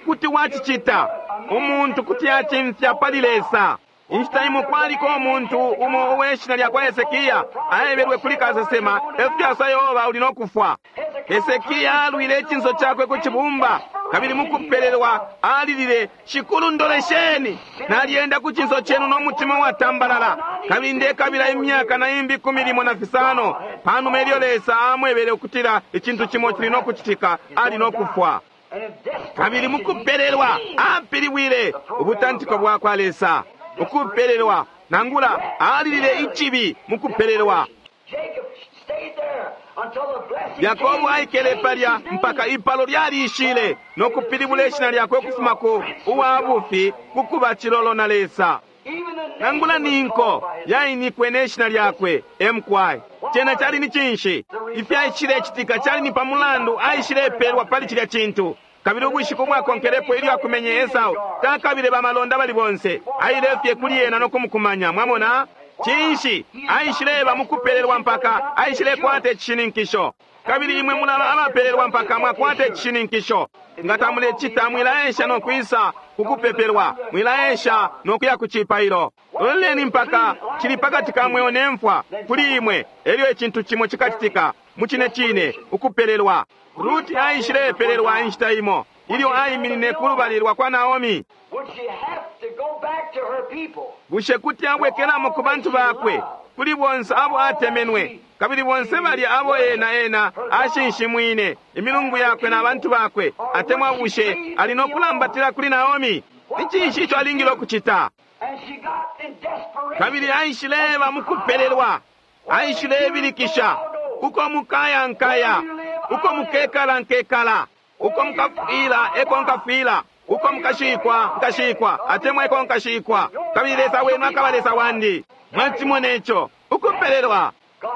kuti wacicita. Umuntu kuti acimfya pali Lesa. Inshita imo kwaliko umuntu umo uwe shina lya kwa Hesekia aebelwe kuli kasesema, efyo Yehova uli no kufwa. Hesekia alwile icinso cakwe ku cibumba, kabili mukupelelwa alilile, Shikulu ndolesheni, nalyenda ku cinso cenu no mutima watambalala, kabili ndekabila imyaka na imbi ikumi limo na fisano. Panuma ilyo Lesa amwebele ukutila icintu cimo cili no kucitika, ali no kufwa. And in desperation, Kabili mukupelelwa apilibwile ubutantiko bwa kwa Lesa. Ukupelelwa nangula alilile icibi mukupelelwa. Jacob stayed there until the blessing Yakobo came. aikele palya mpaka ipalo lyalishile no kupilibula ishina lyakwe ukufuma ku uwa bufi kukuba cilolo na Lesa. Even the Nangula nation was ninko called by his name. yainikwe ne shina lyakwe emkwai. Cena cali ni cinshi? Ifyaishilecitika cali ni pamulandu aishilepelwa pali cilya cintu. Kabili ubushiku bwakonkelepo ilyo akumenye Esau, takabile bamalonda bali bonse, aile fye kuli ena no kumukumanya. Mwamona? Cinshi? Aishileba mukupelelwa mpaka aishilekwata icishininkisho. Kabili imwe mulaba abapelelwa mpaka mwakwata icishininkisho. Nga tamulecita, mwilaesha no kwisa kukupepelwa, mwilaesha no kuya ku cipailo. Loleleni mpaka cili pakati ka mweo ne mfwa kuli imwe, elyo icintu cimo cikacitika mu cine cine ukupelelwa. Ruti aishilepelelwa inshita imo ilyo aiminine ku lubali lwa kwa Naomi. Would she have to go back to her people? Bushe kuti abwekelamo ku bantu bakwe, kuli bonse abo atemenwe, kabili bonse balya abo ena ena ashinshimwine imilungu yakwe na bantu bakwe, atemwa bushe ali no kulambatila kuli Naomi? Ni cinshi ico alingile ukucita? And she got in desperation. Kabili aishileba mukupelelwa, aishilebilikisha, uko mukaya nkaya, uko mukekala nkekala, uko mukafwila eko nkafwila, uko mukashikwa nkashikwa, atemwa eko nkashikwa, kabili Lesa wenu akaba Lesa wandi. Mwacimona ico ukupelelwa.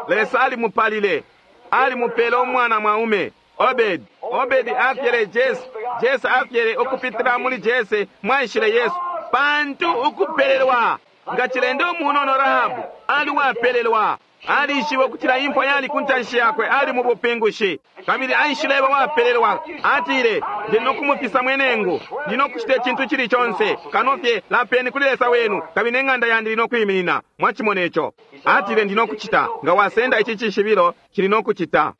Lesa alimupalile, alimupele umwana mwaume Obedi. Obedi afyele Jese, Jese afyele ukupitila muli Jese mwaishile Yesu. Pantu ukupelelwa nga cilende umunono Rahabu ali wapelelwa. Alishibe ukutila imfwa yali ku ntanshi yakwe, ali mu bupingushi, kabili aishileba wapelelwa. Atile, ndi nokumufisa mwenengu, ndi nokucita icintu cili conse kano fye lapeni kuli Lesa wenu, kabili n'eng'anda yandi ili nokwiminina. Mwachimona ico? Atile, ndi nokucita nga wasenda ici cishibilo cili nokucita.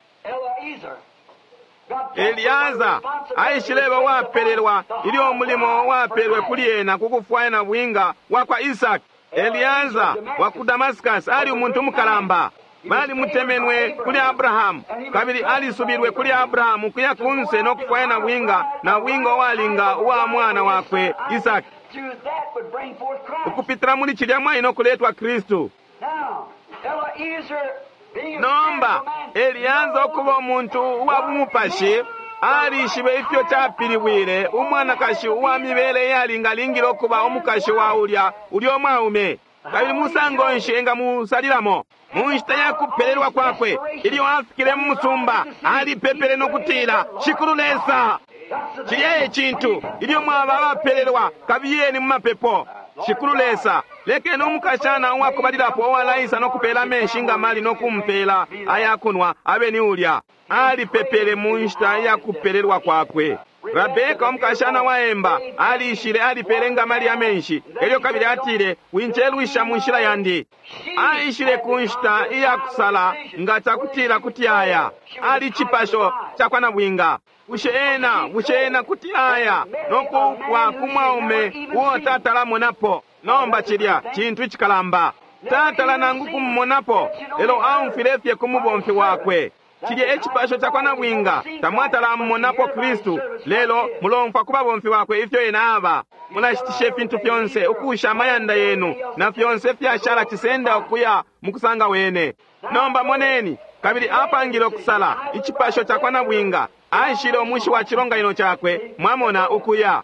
Eliaza aishileba wapelelwa ilyo umulimo wapelwe kuli ena kukufwaya na bwinga wa kwa Isaki. Eliaza wa ku Damascus ali umuntu umukalamba. Balimutemenwe kuli Abrahamu, kabili alisubilwe kuli Abrahamu kuya kunse no kufwaya na bwinga, na bwinga uwalinga uwa mwana wakwe Isaki. Ukupitila muli cilya mwayi no kuletwa Kristu. Nomba Eliaza ukuba umuntu uwa bumupashi alishibe ifyo capilibwile umwanakashi uwa mibele iyalingalingile ukuba umukashi wa ulya ulya umwaume, kabili musango nshi engamusalilamo. Mu nshita ya kupelelwa kwakwe, ilyo afikile mu musumba, alipepele no kutila, Shikulu Lesa. Cilya e cintu, ilyo mwaba abapelelwa, kabiyeni mu mapepo. Shikulu Lesa, lekeni umukashana uwakubalilapo uwalaisa no kupela amenshi nga mali no kumpela ayakunwa abe ni ulya. Alipepele mu nshita ya kupelelwa kwakwe. Rabeka umukashana waemba alishile, alipele nga mali amenshi, elyo kabili atile, wincelwisha mu nshila yandi. Aishile ku nshita iya kusala nga cakutila kuti aya. Ali cipasho cakwa nabwinga. Bushe ena, bushe ena kuti aya no kuupwa ku mwaume uo tatalamonapo? Nomba cilya cintu icikalamba. Tatala nangu kumumonapo, lelo aumfwile fye ku mubomfi wakwe. Cilya e cipasho cakwa nabwinga. Tamwatalamumonapo Kristu, lelo mulomfwa ku babomfi bakwe ifyo ena aba. Mulashitisha ifintu fyonse, ukusha amayanda yenu na fyonse fyashala cisenda ukuya mukusanga wene. Nomba moneni, kabili apangile ukusala icipasho cakwa nabwinga. Aishile umushi wa cilonganino cakwe, mwamona, ukuya.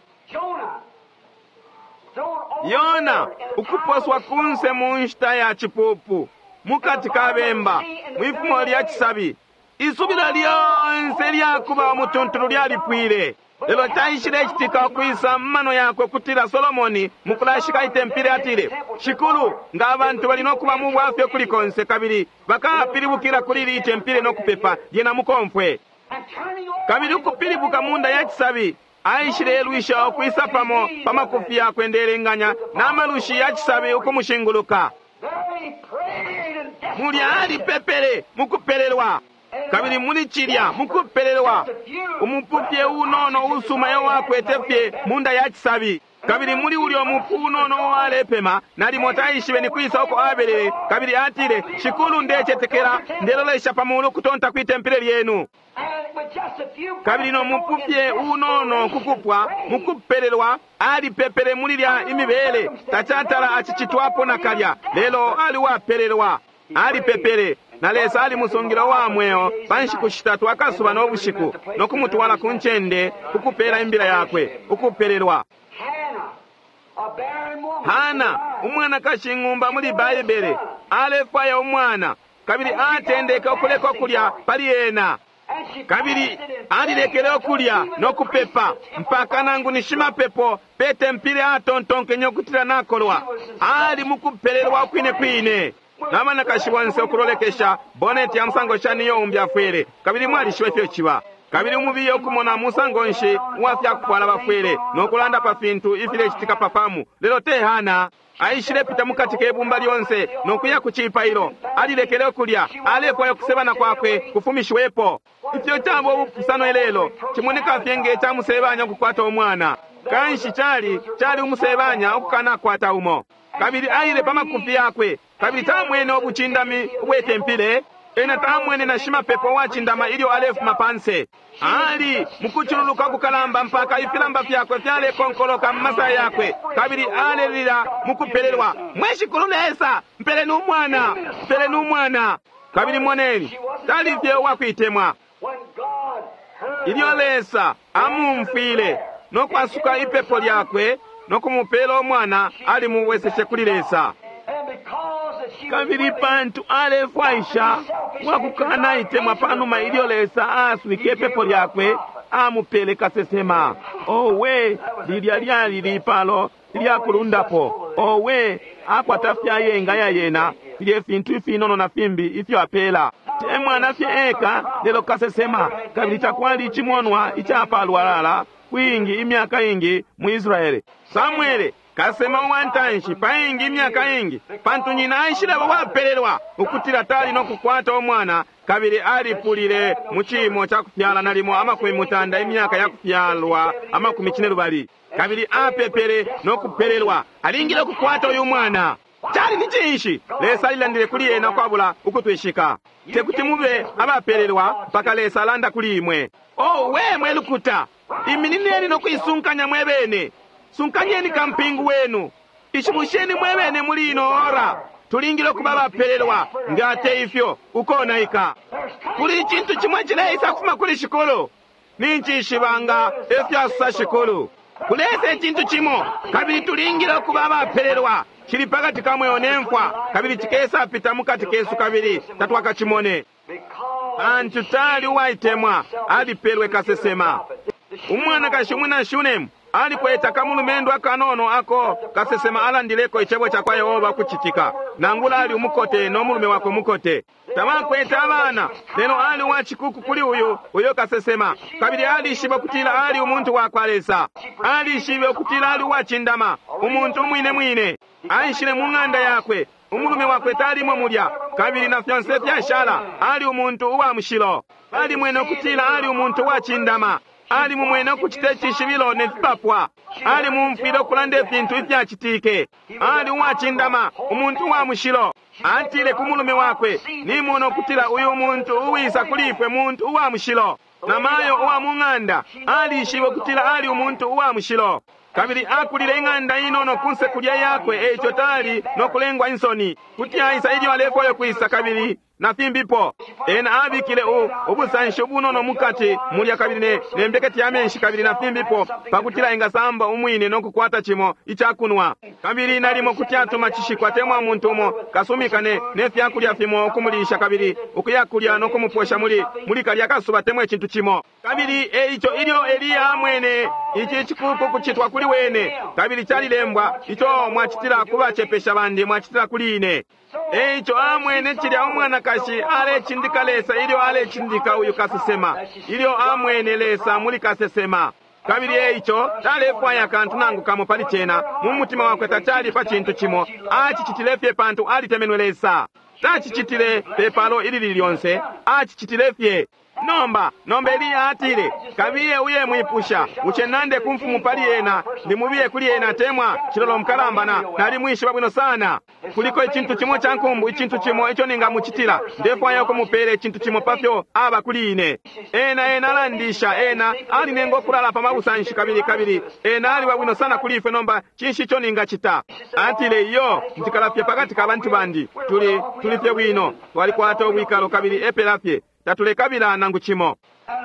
Yona ukuposwa kunse mu nshita ya cipupu, mukati ka bemba, mwifumo lya cisabi. Isubilo lyonse lyakuba umutuntulu lyalipwile. Lelo caishile citika ukwisa mumano yakwe kutila Solomoni mukulashika itempile atile, Shikulu, nga abantu bali nokuba mu bwafya kuli konse kabili bakapilibukila kuli ili itempile no kupepa, lyena mukomfwe. Kabili ukupilibuka munda ya cisabi, aishile elwisha ukwisa pamo pa makufi yakwe ndelenganya na malushi ya cisabi ukumushinguluka. Mulya alipepele mukupelelwa, kabili muli cilya mukupelelwa umupufye unono usuma ewo akwete fye munda ya cisabi. Kabili muli ulyo mupu unono uwalepema, nalimo taishibe ni kwisa uko abelele, kabili atile, Shikulu, ndecetekela, ndelolesha pa mulu kutonta kwi tempile lyenu. Kabili no mupufye unono kukupwa mukupelelwa alipepele muli lya imibele tacatala acicitwapo nakalya, lelo aliwapelelwa. Alipepele na Lesa alimusungila uwa mweo pa nshiku shitatu akasuba no bushiku, no kumutwala ku ncende kukupela imbila yakwe ukupelelwa. Hana umwanakashi ng'umba muli Baibele alefwaya umwana, kabili atendeke ukuleka ukulya pali ena. Kabili alilekele ukulya no kupepa mpaka nangu ni shimapepo pe tempile atontonkenye ukutila nakolwa. Ali mukupelelwa ukwine kwine. N'abanakashi bonse ukulolekesha boneti ya musango shani iyo umbi afwele, kabili mwalishiba ifyo ciba. Kabili umubiye ukumona musango nshi uwa fyakufwala bafwele no kulanda pa fintu ifilecitika pa famu. Lelo te Hana aishile pita mukati ke bumba lyonse no kuya ku cipailo. Alilekele ukulya, alefwaya ukusebana kwakwe kufumishiwepo. Ifyo caba ubupusano ilelo cimoneka fye nge ca musebanya ukukwata umwana. Kanshi cali cali umusebanya ukukanakwata umo. Kabili aile pa makufi yakwe, kabili tamwene ubucindami ubwetempile. Ena tamwene na shimapepo uwacindama ilyo alefuma panse. Ali mukucululuka kukalamba mpaka ifilamba fyakwe fyalekonkoloka mu masaya yakwe, kabili alelila mukupelelwa, mwe Shikulu Lesa, mpeleni umwana, mpeleni umwana. Kabili moneni, tali fye uwakuitemwa. Ilyo Lesa amumfwile no kwasuka ipepo lyakwe no kumupela umwana, alimubweseshe kuli Lesa. Kabili pantu alefwaisha wakukana itemwa panuma ilyo Lesa aaswike ipepo lyakwe, amupele kasesema. Owe, lilya lyali lipalo lyakulundapo. Owe, akwata fyayenga ya yena Filye fintu ifinono na fimbi ifyo apela. Te mwana fye eka, lelo kasesema, kabili takwali icimonwa icapalwalala kwingi imyaka ingi mu Israele. Samuele kasema uwantanshi paingi imyaka ingi, pantu nyina aishileba wapelelwa ukutila tali no kukwata umwana, kabili alipulile mu ciimo ca kufyala nalimo amakumi mutanda imyaka ya kufyalwa amakumi cine lubali, kabili apepele no kupelelwa alingile ukukwata uyu mwana. Cali ni cinshi? Lesa alilandile kuli ena ukwabula ukutwishika. Tekuti mube abapelelwa mpaka Lesa alanda kuli imwe. Oh, we mwe lukuta, iminineni no kuisunkanya mwe bene. Sunkanyeni kampingu wenu, ishibusheni mwe bene muli ino ora. Tulingile ukuba abapelelwa, nga te ifyo ukonaika. Kuli icintu chimwe chileisa kufuma kuli Shikulu. Nincishiba nga efyasa Shikulu. Kulesa icintu chimo, kabili tulingile ukuba abapelelwa. Chili pakati ka mweo ne mfwa, kabili chikesa pita mukati kesu kabili tatwakachimone. Pantu tali uwaitemwa, alipelwe kasesema. Umwanakashi umwina Shunemu alikweta kamulumendo akanono ako kasesema alandileko icebo ca kwa Yehova kuchitika. Nangula ali umukote no mulume wakwe mukote. Tabakwete abana, lelo ali uwachikuku kuli uyu uyo kasesema. Kabili alishiba kutila ali umuntu wa kwa Lesa. Alishibe kutila ali uwachindama, umuntu umwine mwine. Aishile mu ng'anda yakwe, umulume wakwe talimo mulya, kabili na fyonse fyashala ali umuntu uwa mushilo. Alimwene ukutila ali umuntu uwachindama. Ali mumwene ukuchita icishibilo ne fipapwa. Ali mumfwile ukulanda ifintu ifyachitike. Ali uwachindama, umuntu uwa mushilo. Atile ku mulume wakwe, nimona ukutila uyu muntu uwisa kuli ifwe muntu uwa mushilo. Namayo uwa mu ng'anda alishibe ukutila ali umuntu uwa mushilo. Kabili akulile ing'anda inono kunse kulya yakwe, eico tali no kulengwa insoni. Kuti aisa ilyo alefwayo kwisa kabili na fimbipo. Ena abikile u ubusanshi ubunono mukati mulya kabili ne nembeketi ya menshi kabili na fimbipo, pakutila ingasamba umwine no kukwata chimo ichakunwa. Kabili nalimo kuti atuma chishikwa temwa muntu umo kasumika ne nefyakulya fimo okumulisha kabili ukuyakulya no kumuposha muli muli kalya kasuba temwa ichintu chimo. Kabili eico ilyo Eliya amwene ichi chikuku kuchitwa kuli wene, kabili chalilembwa icho mwachitila kubachepesha bandi mwachitila kuli ine. Eico amwene chilya umwanakashi alechindika Lesa ilyo alechindika uyu kasesema, ilyo amwene Lesa muli kasesema. Kabili eico talefwaya kantu nangu kamo pali chena mu mutima wakwe tachali pa chintu chimo, achichitile fye pantu alitemenwe Lesa. Tachichitile pepalo ilili lyonse, achichitile fye. Nomba, nomba Eliya atile, kabiye uye mwipusha, uchenande kumfumu pali ena, ndimubiye kuli ena temwa, chilolo mkalamba nali mwishiba bwino sana. Kuliko ichintu chimo cha nkumbu, ichintu chimo icho ningamuchitila, ndefwaya ukumupele ichintu chimo pafyo aba kuli ine. Ena ena alandisha, ena alinenga okulala pa mabusanshi kabili kabili, ena aliwa bwino sana kuli ife nomba, chinshi icho ningachita. Atile iyo, ntikalafye pakati ka bantu bandi, tuli, tulifye bwino, twalikwata obwikalo kabili epelafye. Tatulekabila nangu chimo.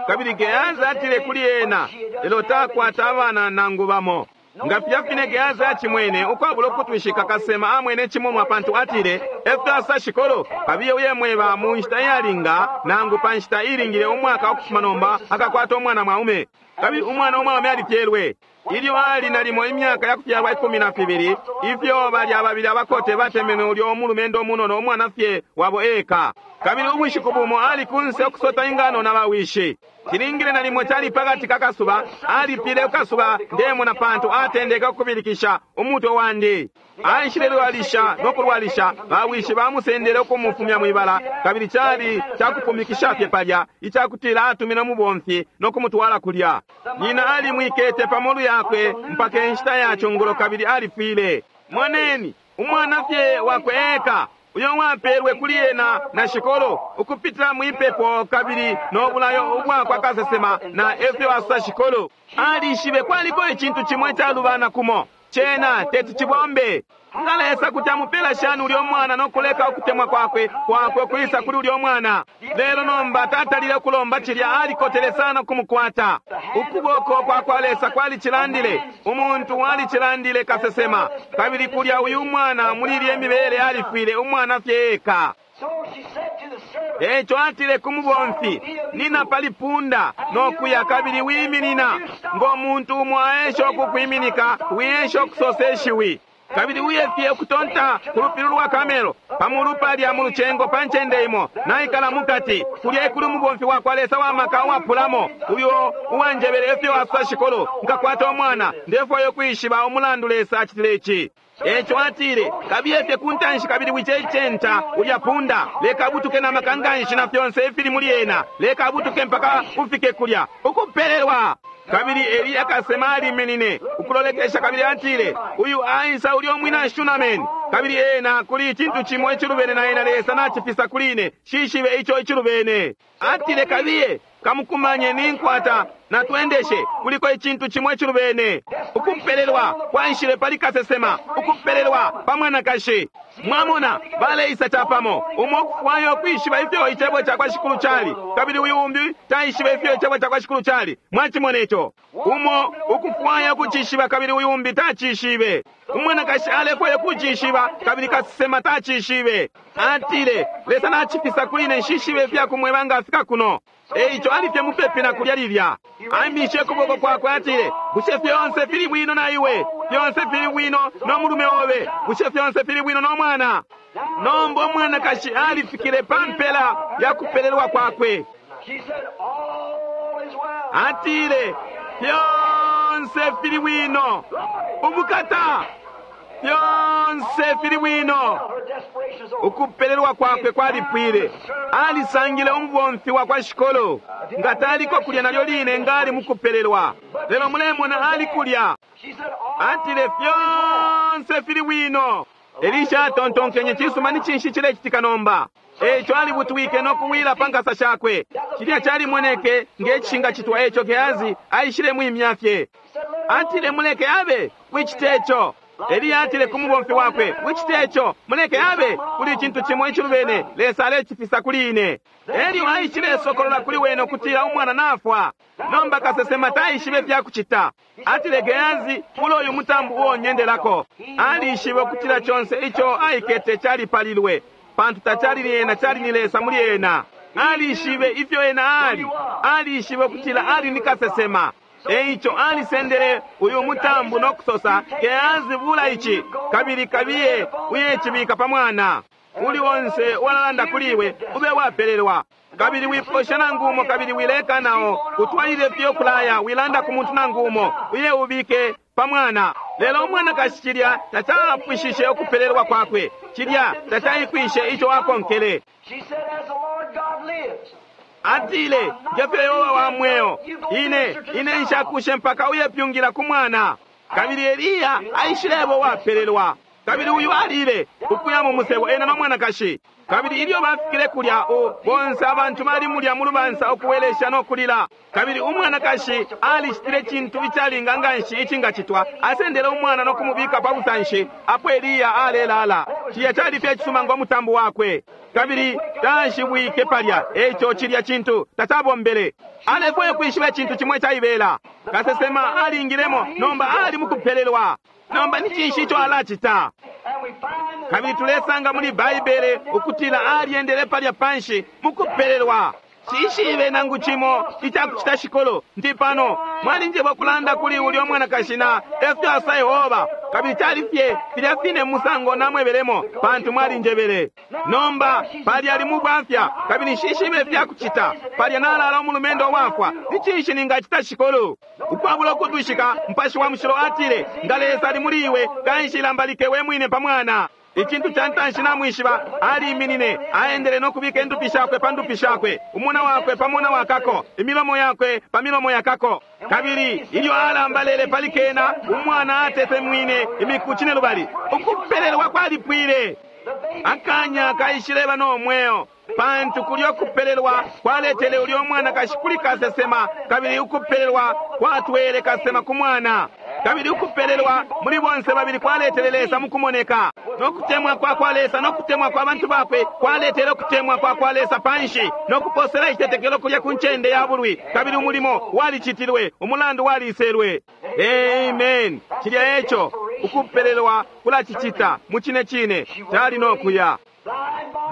Kabili Gehazi atile kuli ena, lelo takwata abana nangu bamo. Nga fyafine Gehazi achimwene ukwabula ukutwishika kasema amwene chimonwa pantu atile, efyasa shikolo, kabiye uye mweba mu nshita iyalinga nangu pa nshita ilingile umwaka wakufuma nomba akakwata umwana mwaume. Kabili umwana umwaume alifyelwe. Ilyo ali nalimo imyaka yakufyalwa ikumi na fibili, ifyo bali ababili abakote batemenwe ulyo omulumendo omunono omwana fye wabo eka. Kabili ubushiku bumo ali kunse okusota ingano na bawishi. Chilingile nalimo chali pakati kakasuba, alipile ukasuba ndemona pantu atendeka okubilikisha umutwe wandi. Aishile lwalisha no kulwalisha, bawishi bamusendele okumufumya mwibala, kabili chali chakupumikisha fye palya, ichakutila atumina mubomfi no kumutwala kulya. Nyina alimwikete pamolu yakwe mpaka enshita ya chungulo kabili alifwile. Moneni, umwana fye wakwe eka uyo wapelwe kuli ena na shikolo ukupitila mwipepo kabili nobulayo ubwakwa kasesema na efyo asa shikolo. Alishibe kwaliko ichintu chimwe chalubana kumo chena teti chibombe. Nga Lesa kuti amupela shani ulyo mwana nokuleka ukutemwa kwakwe kwakwe kwisa kuli ulyo mwana. Lelo nomba tatalile kulomba chilya alikotele sana kumukwata. Ukuboko kwa kwa Lesa kwalichilandile, umuntu walichilandile kasesema. Kabili kulya uyu mwana muli ilye mibele alifwile umwana fye eka. Echo atile kumubomfi, nina palipunda nokuya kabili wiminina ngo muntu umwe aesha okukwiminika wiesha okusosa eshiwi. Kabili uye fye ukutonta ku lupili lwa Kamelo, pa mulu palya mu lucengo pa ncende imo, naikala mukati, kulya ekuli umubomfi wakwa Lesa wamaka uwapulamo, uyo uwanjebele ifyo asosa Shikulu, nkakwata umwana, ndefwaya ukwishiba umulandu Lesa acitile ici. Eco atile, kabiye fye ku ntanshi kabili wicecenta ulya punda, leka abutuke na maka nganshi na fyonse ifili muli ena, leka abutuke mpaka ufike kulya, ukupelelwa. Kabili Eliya kasema aliminine ukulolekesha kabili atile, uyu aisa ulya umwina Shunameni, kabili ena kuli icintu cimo icilubene na ena Lesa nacifisa kuli ine, shishibe ico icilubene. Atile, kabiye kamukumanye ninkwata natwendeshe, kuliko icintu cimo icilubene. Ukupelelwa kwaishile pali kasesema, ukupelelwa pa mwanakashi. Mwamona, baleisa capamo, umo ukufwaya ukwishiba ifyo icebo cakwa Shikulu cali, kabili uyu umbi taishiba ifyo icebo cakwa Shikulu cali. Mwachimona ico? Umo ukufwaya ukucishiba, kabili uyu umbi tacishibe. Umwanakashi alefwaya ukucishiba, kabili kasesema tacishibe. Atile, Lesa nacifisa kuli ine, nshishibe ifyakumweba nga afika kuno. Eico alifye mupepi na kulya lilya. Aimishe ukuboko kwakwe atile, bushe fyonse fili bwino na iwe? Fyonse fili bwino no mulume obe? Bushe fyonse fili bwino no mwana? Nomba umwanakashi alifikile pa mpela ya kupelelwa kwakwe. She said, all is well. Atile, fyonse fili bwino. Ubukata, fyonse fili bwino. Her desperation is over. Ukupelelwa kwakwe kwalipwile. Alisangile umubomfi wa kwa Shikolo, nga taliko kulya nalyo line ngali mukupelelwa, lelo mulemona ali kulya. She said, all Atile, fyonse fili bwino. Elisha atontonkenye, cisuma ni cinshi cilecitika nomba? Eco alibutwike no kuwila pa nkasa shakwe. Cilya calimoneke nge cishingacitwa eco Gehazi aishile mwimya fye. Atile, muleke abe, wicite ico. Eliya atile ku mubomfi wakwe, wicite ico, muleke abe, kuli icintu cimo icilubene, Lesa alecifisa kuli ine. Elyo aishile sokolola kuli wene ukutila umwana nafwa. Nomba kasesema taishibe fyakucita. Atile, Gehazi, kula uyu mutambu uo nyendelako. Alishibe ukutila conse ico aikete calipalilwe, pantu tacali ni ena, cali ni Lesa muli ena. Alishibe ifyo ena ali, alishibe ukutila ali ni kasesema. Eico alisendele uyu mutambu no kusosa, Gehazi, bula ici, kabili kabiye uyecibika pa mwana. Uli onse uwalalanda kuli iwe ube wapelelwa, kabili wiposha nangu umo, kabili wileka nao utwalile fye ukulaya, wilanda ku muntu nangu umo, uye ubike pa mwana. Lelo umwanakashi cilya tacapwishishe ukupelelwa kwakwe, cilya tacaikwishe ico akonkele. She said, as the Lord God lives. Atile, ngefyo Yehova wa mweo, ine ine nshakushe mpaka uyepyungila ku mwana. Kabili Eliya aishilebo wapelelwa, kabili uyu alile ukuya mu musebo ena no mwanakashi. Kabili ilyo bafikile kulya, o bonse abantu bali mulya mu lubansa ukuwelesha no kulila. Kabili umwanakashi alicitile cintu icalinga nganshi icingacitwa, asendele umwana no kumubika pa busanshi apo Eliya alelala. Cilya cali fye cisuma ngo mutambo wakwe, kabili tashibwike palya. Eco cilya cintu tacabombele. Alefwaya kwishiba icintu cimwe caibela. Kasesema alingilemo, nomba ali mukupelelwa. Nomba ni cinshi ico alacita? And we find that Kabili tulesanga muli Baibele ukutila alyendele palya panshi mukupelelwa. Shishibe nangu cimo icakucita Shikolo, ndi pano mwalinjeba kulanda kuli ulya mwanakashi na efyo asa Yehova, kabili cali fye filya fine musango namwebelemo, pantu mwalinjebele. Nomba palya ali mubwafya, kabili nshishibe fyakucita. Palya nalala umulumendo wafwa, ni cinshi ningacita Shikolo? Ukwabula ukutwishika, Mupashi wa Mushilo atile, nga Lesa ali muli iwe, kanshi lambalike we mwine pa mwana. Icintu ca ntanshi namwishiba, aliminine, aendele no kubika indupi shakwe pa ndupi shakwe, umuna wakwe pa muna wakako, imilomo yakwe pa milomo yakako. Kabili ilyo alambalele pali kena, umwana atetemwine imiku cine lubali. Ukupelelwa kwalipwile. Akanya kaishileba no mweo, pantu kulya ukupelelwa kwaletele ulya mwanakashi kuli kasesema, kabili ukupelelwa kwatwele kasesema ku mwana. Kabili ukupelelwa muli bonse babili kwaletele Lesa mukumoneka. No kutemwa kwa kwa Lesa no kutemwa kwa bantu bakwe kwaletele ukutemwa kwa kwa Lesa panshi, no kuposela icitetekelo kulya ku ncende ya bulwi. Kabili umulimo walicitilwe, umulandu waliselwe. Amen. Cilya eco ukupelelwa kulacicita mu cine cine, tali no kuya.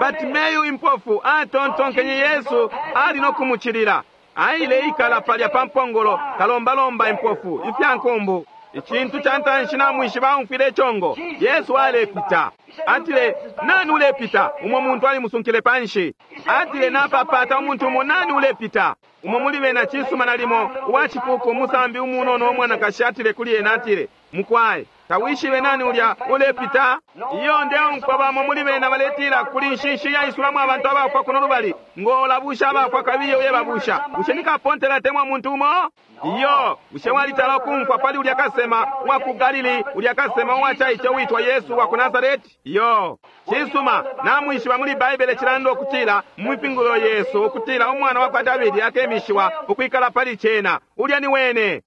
Batimeyu impofu atontonkenye Yesu ali no kumucilila. Aile ikala palya pa mpongolo kalombalomba impofu ifya nkumbu. Icintu ca ntanshi namwishiba aumfwile icongo, Yesu alepita. Atile, nani ulepita? Umo muntu alimusunkile panshi. Atile, napapata umuntu umo, nani ulepita? Umo muli bena cisuma nalimo uwacikuku umusambi umunono umwanakashi atile kuli ena, atile, mukwai, tawishibe nani ulya ulepita? Iyo ndeumfwa bamo muli bena baletila kuli nshinshi yaisulamo abantu abafwa kuno lubali, ngolabusha abafwa kabiye uye babusha. Bushe nikapontela temwa muntu umo? Iyo, bushe walitala ukumfwa pali ulya kasema wa ku Galili, ulya kasema uwacaice uitwa Yesu wa ku Nazareti? Iyo, cisuma, namwishiba muli Baibele cilanda ukutila mu mipingulo Yesu ukutila umwana wa kwa Davidi akemishiwa ukwikala pali cena. Ulya ni wene. Is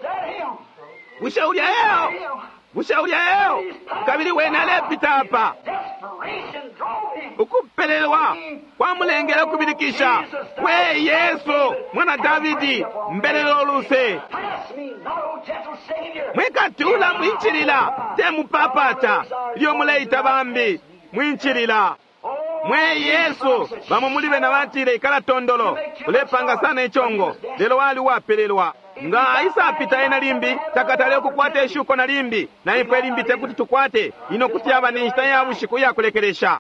that him? Bushe ulya eo? Bushe ulya eo? Kabili wene alepita apa. Desperation drove him. Ukupelelwa kwamulengele ukubilikisha, we Yesu mwana Davidi, mbelelo luse. Pass me not, O gentle Savior. Mwikatula mwinchilila, temupapata ilyo muleita bambi mwinchilila. Mwe Yesu, bamo muli bena batile ikala tondolo, ulepanga sana ichongo, lelo wali uwapelelwa. Nga aisapita ena limbi, takatale ukukwata ishuko na limbi, na ifwe limbi tekuti tukwate, ino kuti yaba ni nshita ya bushiku iyakulekelesha.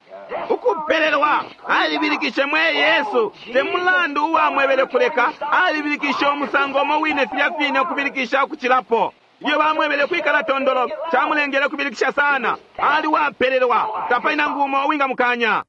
Ukupelelwa, alibilikishe mwe Yesu, te mulandu uwamwebele kuleka, alibilikishe umusango umo wine filya fine ukubilikisha ukucilapo. Ilyo bamwebele kwikala tondolo, chamulengele kubilikisha sana, ali wapelelwa, tapali nangu umo uwingamukanya.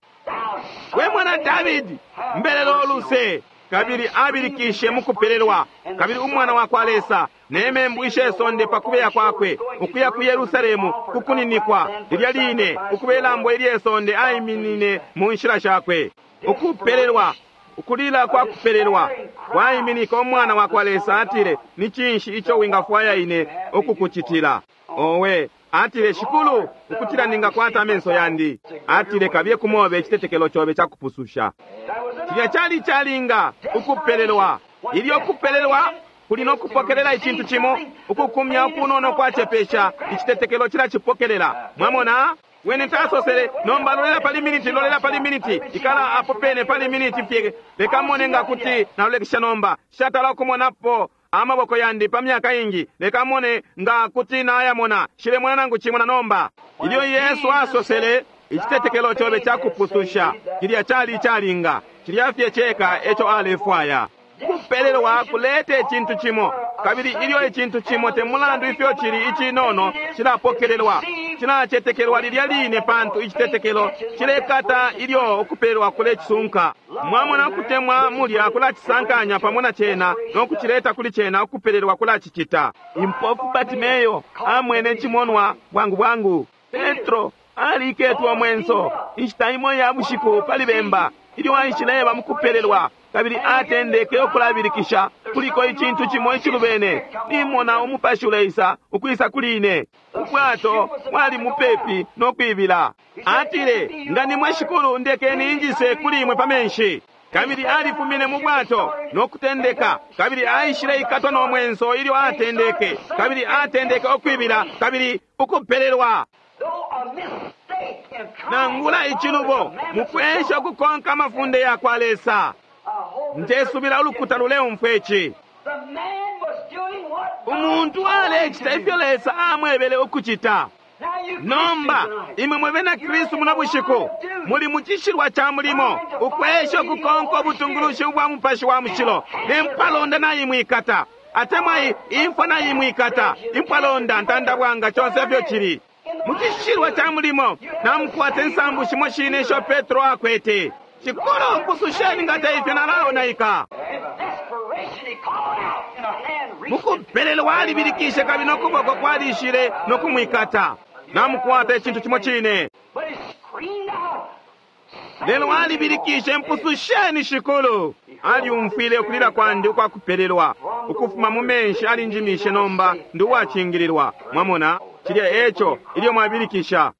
We mwana Davidi, mbelelo oluse. Kabili abilikishe mukupelelwa, kabili umwana wa kwa Lesa nemembu ishe sonde pakubeya kwakwe ukuya ku Yerusalemu kukuninikwa lilya line ukubelambo ilye sonde aiminine mu nshila shakwe. Ukupelelwa, ukulila kwa kupelelwa kwaiminika umwana wa kwa Lesa. Atile, ni cinshi ico wingafwaya ine ukukucitila? Owe, atile, Shikulu, ukutila ningakwata amenso yandi. Atile, kabiye kumobe icitetekelo cobe cakupususha. That was Cilya cali calinga ukupelelwa. Ilyo kupelelwa kuli no kupokelela icintu cimo, ukukumya ukunono kwacepesha, icitetekelo cilacipokelela. Mwamona? Wene tasosele, nomba lolela pali miniti, lolela pali miniti, ikala apo pene pali miniti fye, leka mone nga kuti nalolekesha nomba. Shatala ukumonapo amaboko yandi pa myaka ingi, leka mone nga kuti nayamona, shilemona nangu cimo na nomba. Ilyo Yesu asosele, icitetekelo cobe cakupususha, cilya cali calinga, cilya fye ceka eco alefwaya. Kupelelwa kuleta icintu cimo, kabili ilyo icintu cimo te mulandu ifyo cili icinono cilapokelelwa, cilacetekelwa lilya line, pantu icitetekelo cilekata ilyo ukupelelwa kulecisunka. Mwamona ukutemwa mulya kulacisankanya pamo na cena no kucileta kuli cena, ukupelelwa kulacicita. Impofu Bartimeyo amwene cimonwa bwangu bwangu. Petro aliketwa omwenso inshita imo ya bushiku pali bemba ilyo aishileba mukupelelwa, kabili atendeke ukulabilikisha, kuliko icintu cimo icilubene, nimona umupashi uleisa ukwisa kuli ine. Ubwato bwali mupepi no kwibila. Atile, nga nimwe Shikulu, ndekeni injise kuli imwe pa menshi. Kabili alifumine mu bwato no kutendeka, kabili aishile ikatwa no mwenso ilyo atendeke, kabili atendeke ukwibila, kabili ukupelelwa. Though a mistake in trying Nangula to icilubo follow the commandments of mukwesha God, ukukonka amafunde ya kwa Lesa. I hope the Ndesubila ulukuta luleumfwa ici. The man was doing what God Umuntu told him alecita to do. ifyo Lesa amwebele ukucita. Now you Nomba Christians tonight, imwe mwe bena Kristu muno bushiku muli mu cishilwa ca mulimo ukwesha ukukonka ubutungulushi ubwa Mupashi wa Mushilo. Ne mpalonda naimwikata, atemwa i- imfwa naimwikata, impalonda ntandabwanga conse ifyo cili mu cishilwa ca mulimo. Namukwata insambu shimo shine isho Petro akwete. Shikulu, mpususheni nga te ifyo nalaonaika. in desperation he called out and a hand reached him. Mukupelelwa alibilikishe kabili nokuboko kwalishile nokumwikata. Namukwata icintu cimo cine. But he screamed out, Lelo alibilikishe, mpususheni Shikulu. Aliumfwile ukulila kwandi ukwakupelelwa ukufuma mu menshi, alinjimishe nomba ndi uwacingililwa. Mwamona cilya eco ilyo mwabilikisha.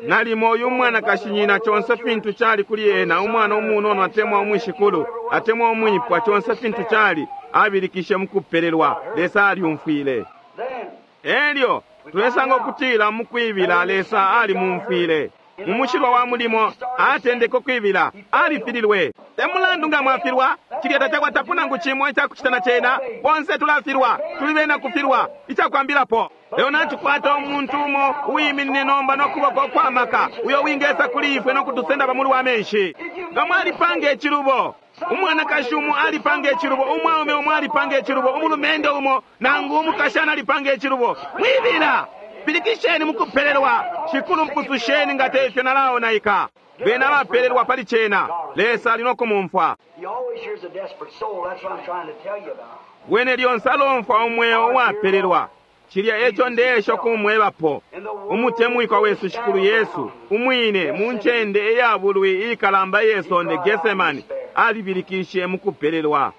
Nalimo uyu mwanakashi nyina conse fintu cali kuli ena, umwana umunono atemwa umwishikulu atemwa umwipwa, conse fintu cali, abilikishe mukupelelwa. Lesa aliumfwile. Then Elyo tulesanga ukutila mukwibila Lesa alimumfwile. Mu mushilwa wa mulimo atendeke ukwibila, alifililwe. Te mulandu nga mwafilwa, cilya tacakwatapo nangu cimo icakucita na cena. Bonse tulafilwa, tuli bena kufilwa, icakwambilapo. Lelo natukwata umuntu umo uwiminine nomba nokuboko kwamaka uyo wingesa kuli ifwe nokutusenda pamulu wa menshi. Nga mwalipanga icilubo, umwanakashi umo alipanga icilubo, umwaume umo alipanga icilubo, umulumendo umo nangu umukashana alipanga icilubo, mwibila bilikisheni mukupelelwa, Shikulu mpususheni nga tefyo nalaonaika. Bena abapelelwa pali cena, Lesa ali nokumumfwa. He always hears a desperate soul. That's what I'm trying to tell you about. Wene lyonse alomfwa umweo uwapelelwa. Cilya eco ndeesha kumwebapo. Umutemwikwa wesu Shikulu Yesu umwine mu ncende iyabulwi iikalamba iye sonde Getsemani alibilikishe mukupelelwa.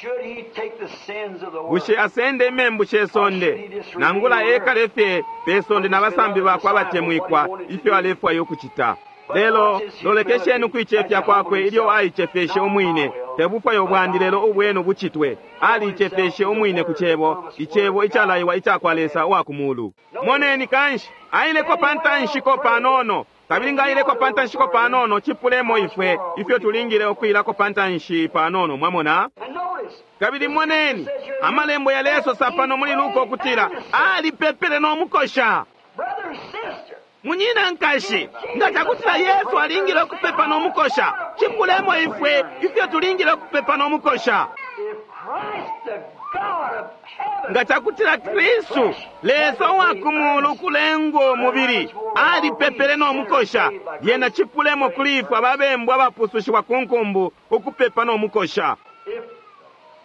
Should he take the sins of the world? Bushe asende imembu she sonde nangula ekale fye pe sonde na basambi bakwe abatemwikwa ifyo alefwaya ukucita. Lelo lolekesheni ukuicefya kwakwe ilyo aicefeshe umwine. Tebufwayo bwandi lelo ubwenu bucitwe. Aliicefeshe umwine ku cebo, icebo icalaiwa icakwa Lesa uwa ku mulu. Moneni kanshi aileko pa ntanshiko panono, kabili nga aileko pa ntanshiko panono cipulemo ifwe ifyo tulingile ukwilako pa ntanshi panono, mwamona? And notice, Kabili moneni amalembo yalesosa pano muli Luka ukutila alipepele no mukosha. brother and sister, Munyina nkashi, nga cakutila Yesu alingile ukupepa no mukosha, cipulemo ifwe ifyo tulingile ukupepa no mukosha. if Christ, the God of heaven, Nga cakutila Kristu, Lesa uwa ku mulu ukulengwo umubili, alipepele no mukosha, lyena cipulemo kuli ifwe ababembu abapusushiwa ku nkumbu ukupepa no mukosha. if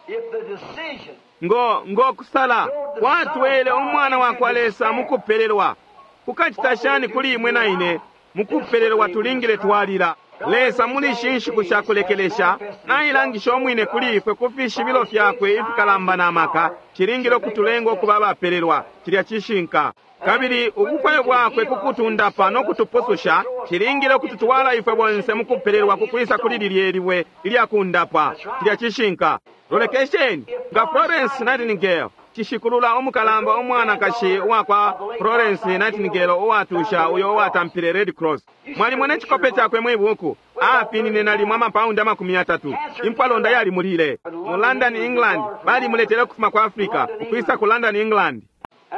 if the decision Ngo ngo kusala kwatwele umwana wa kwa Lesa mukupelelwa, kukacita shani kuli imwe na ine mukupelelwa tulingile twalila. Lesa muli ishi nshiku sha kulekelesha nailangisha umwine kuli ifwe ku fishibilo fyakwe ifikalamba na maka, cilingile ukutulenga ukuba abapelelwa. Cilya cishinka. Kabili ubufwayo bwakwe kukutundapa no kutupususha cilingile ukututwala ifwe bonse mukupelelwa kukwisa kuli lilye libwe ilyakundapa. Cilya cishinka. Lolekesheni nga Florence Nightingale cishikulula umukalamba umwanakashi uwakwa Florence Nightingale uwatusha uyo uwatampile Red Cross. Mwalimona icikope cakwe mwibuku, apinine nalimo amapaundi amakumi yatatu. Impwalonda yalimulile mu London, England. Balimuletele ukufuma ku Africa ukwisa ku London, England.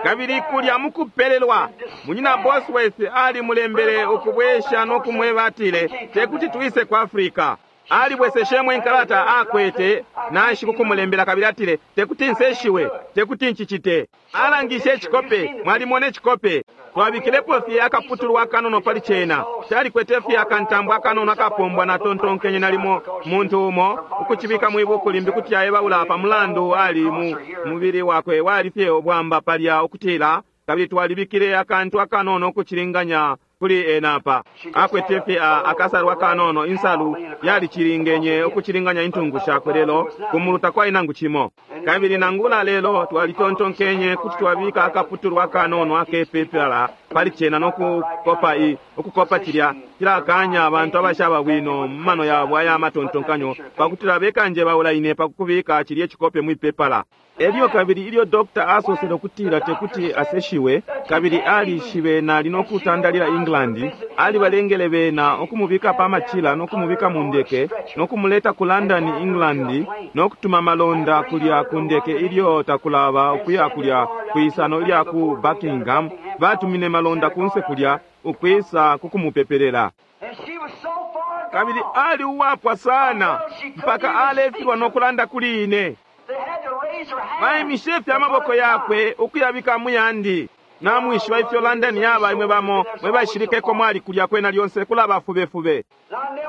Kabili kulya mukupelelwa, munyina Bosworth alimulembele ukubwesha no kumweba atile tekuti twise ku Africa. Alibweseshemo inkalata akwete nanshi kukumulembela kabili atile tekuti nseshiwe, tekuti nchicite. Alangishe icikope, mwalimona icikope. Twabikilepo fye akaputulwa akanono pali cena. Calikwete fye akantambo akanono akapombwa natontonkenye nalimo muntu umo ukucibika mwibuku limbi kuti aebaula pa mulandu ali mu mubili wakwe wali fye ubwamba palya ukutila, kabili twalibikile akantu akanono ukucilinganya kuli ena apa. Akwete fye akasalu akanono, insalu yalicilingenye ukucilinganya intungu shakwe, lelo kumulu takwali nangu cimo. Kabili nangula lelo twalitontonkenye kuti twabika akaputulwa akanono akepepala pali cena nokukopa i ukukopa cilya cilakanya abantu abashaba bwino mu mano yabo aya matontonkanyo pakutila bekanje baula ine pakukubika cilye cikope mwipepala. Elyo kabili ilyo dokta asosele ukutila tekuti aseshiwe, kabili alishibe nali nokutandalila England, alibalengele bena ukumubika pa machila nokumubika mu ndeke nokumuleta ku London, England, nokutuma malonda kulya ku ndeke ilyo takulaba ukuya kulya kwisano ilya ku Buckingham. Batumine malonda kunse kulya ukwisa kukumupepelela. and she was so far Kabili gone, ali uwapwa sana mpaka alefilwa nokulanda kuli ine. they had to raise her hand. Baimishe fye amaboko yakwe ukuyabika muyandi. Namwishiba ifyo London yaba imwe bamo mwe bashilikeko mwali kulya kwena lyonse kulaba fubefube.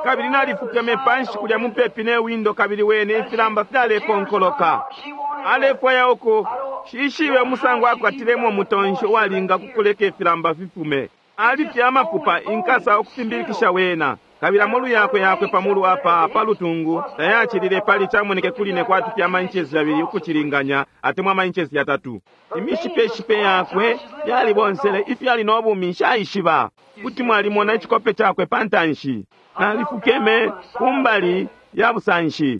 Kabili nalifukeme panshi kulya mupepi ne windo, kabili wene ifilamba fyalekonkoloka. Alefwaya uku shishibe umusango akwatilemo umutonshi uwalinga kukuleka ifilamba fifume. Ali fye amafupa inkasa ukufimbilikisha wena. Kabili amolu yakwe yakwe pamulu apa palutungu tayacilile pali camoneke kuli ne kwati fye amainchesi yabili ukucilinganya atemwa amainchesi yatatu. Imishipeshipe yakwe yalibonsele ifyo ali nobumi nshaishiba. Kuti mwalimona icikope cakwe pa ntanshi. Nalifukeme kumbali ya busanshi.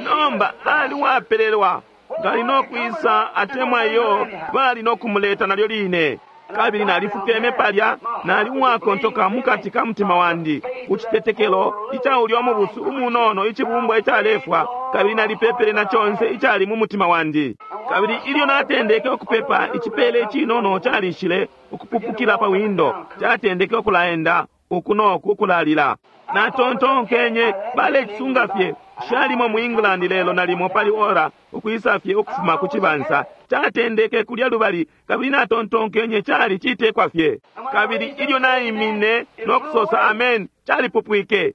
Nomba ali wapelelwa ngali nokwisa atemwa iyo bali nokumuleta nalyo line. Kabili nalifukeme palya nali uwakontoka mukati ka mutima wandi ku citetekelo ica ulya umubusu umunono icibumbwa icalefwa Kabili nalipepele na conse icali mu mutima wandi. Kabili ilyo natendeke ukupepa, icipele icinono calishile ukupupukila pa windo, catendeke ukulaenda uku noku ukulalila. Natontonkenye balecisunga fye shalimo mu England lelo nalimo pali ora ukwisa fye ukufuma ku cibansa. Catendeke kulya lubali, kabili natontonkenye cali citekwa fye. Kabili ilyo naimine no kusosa amen, calipupwike.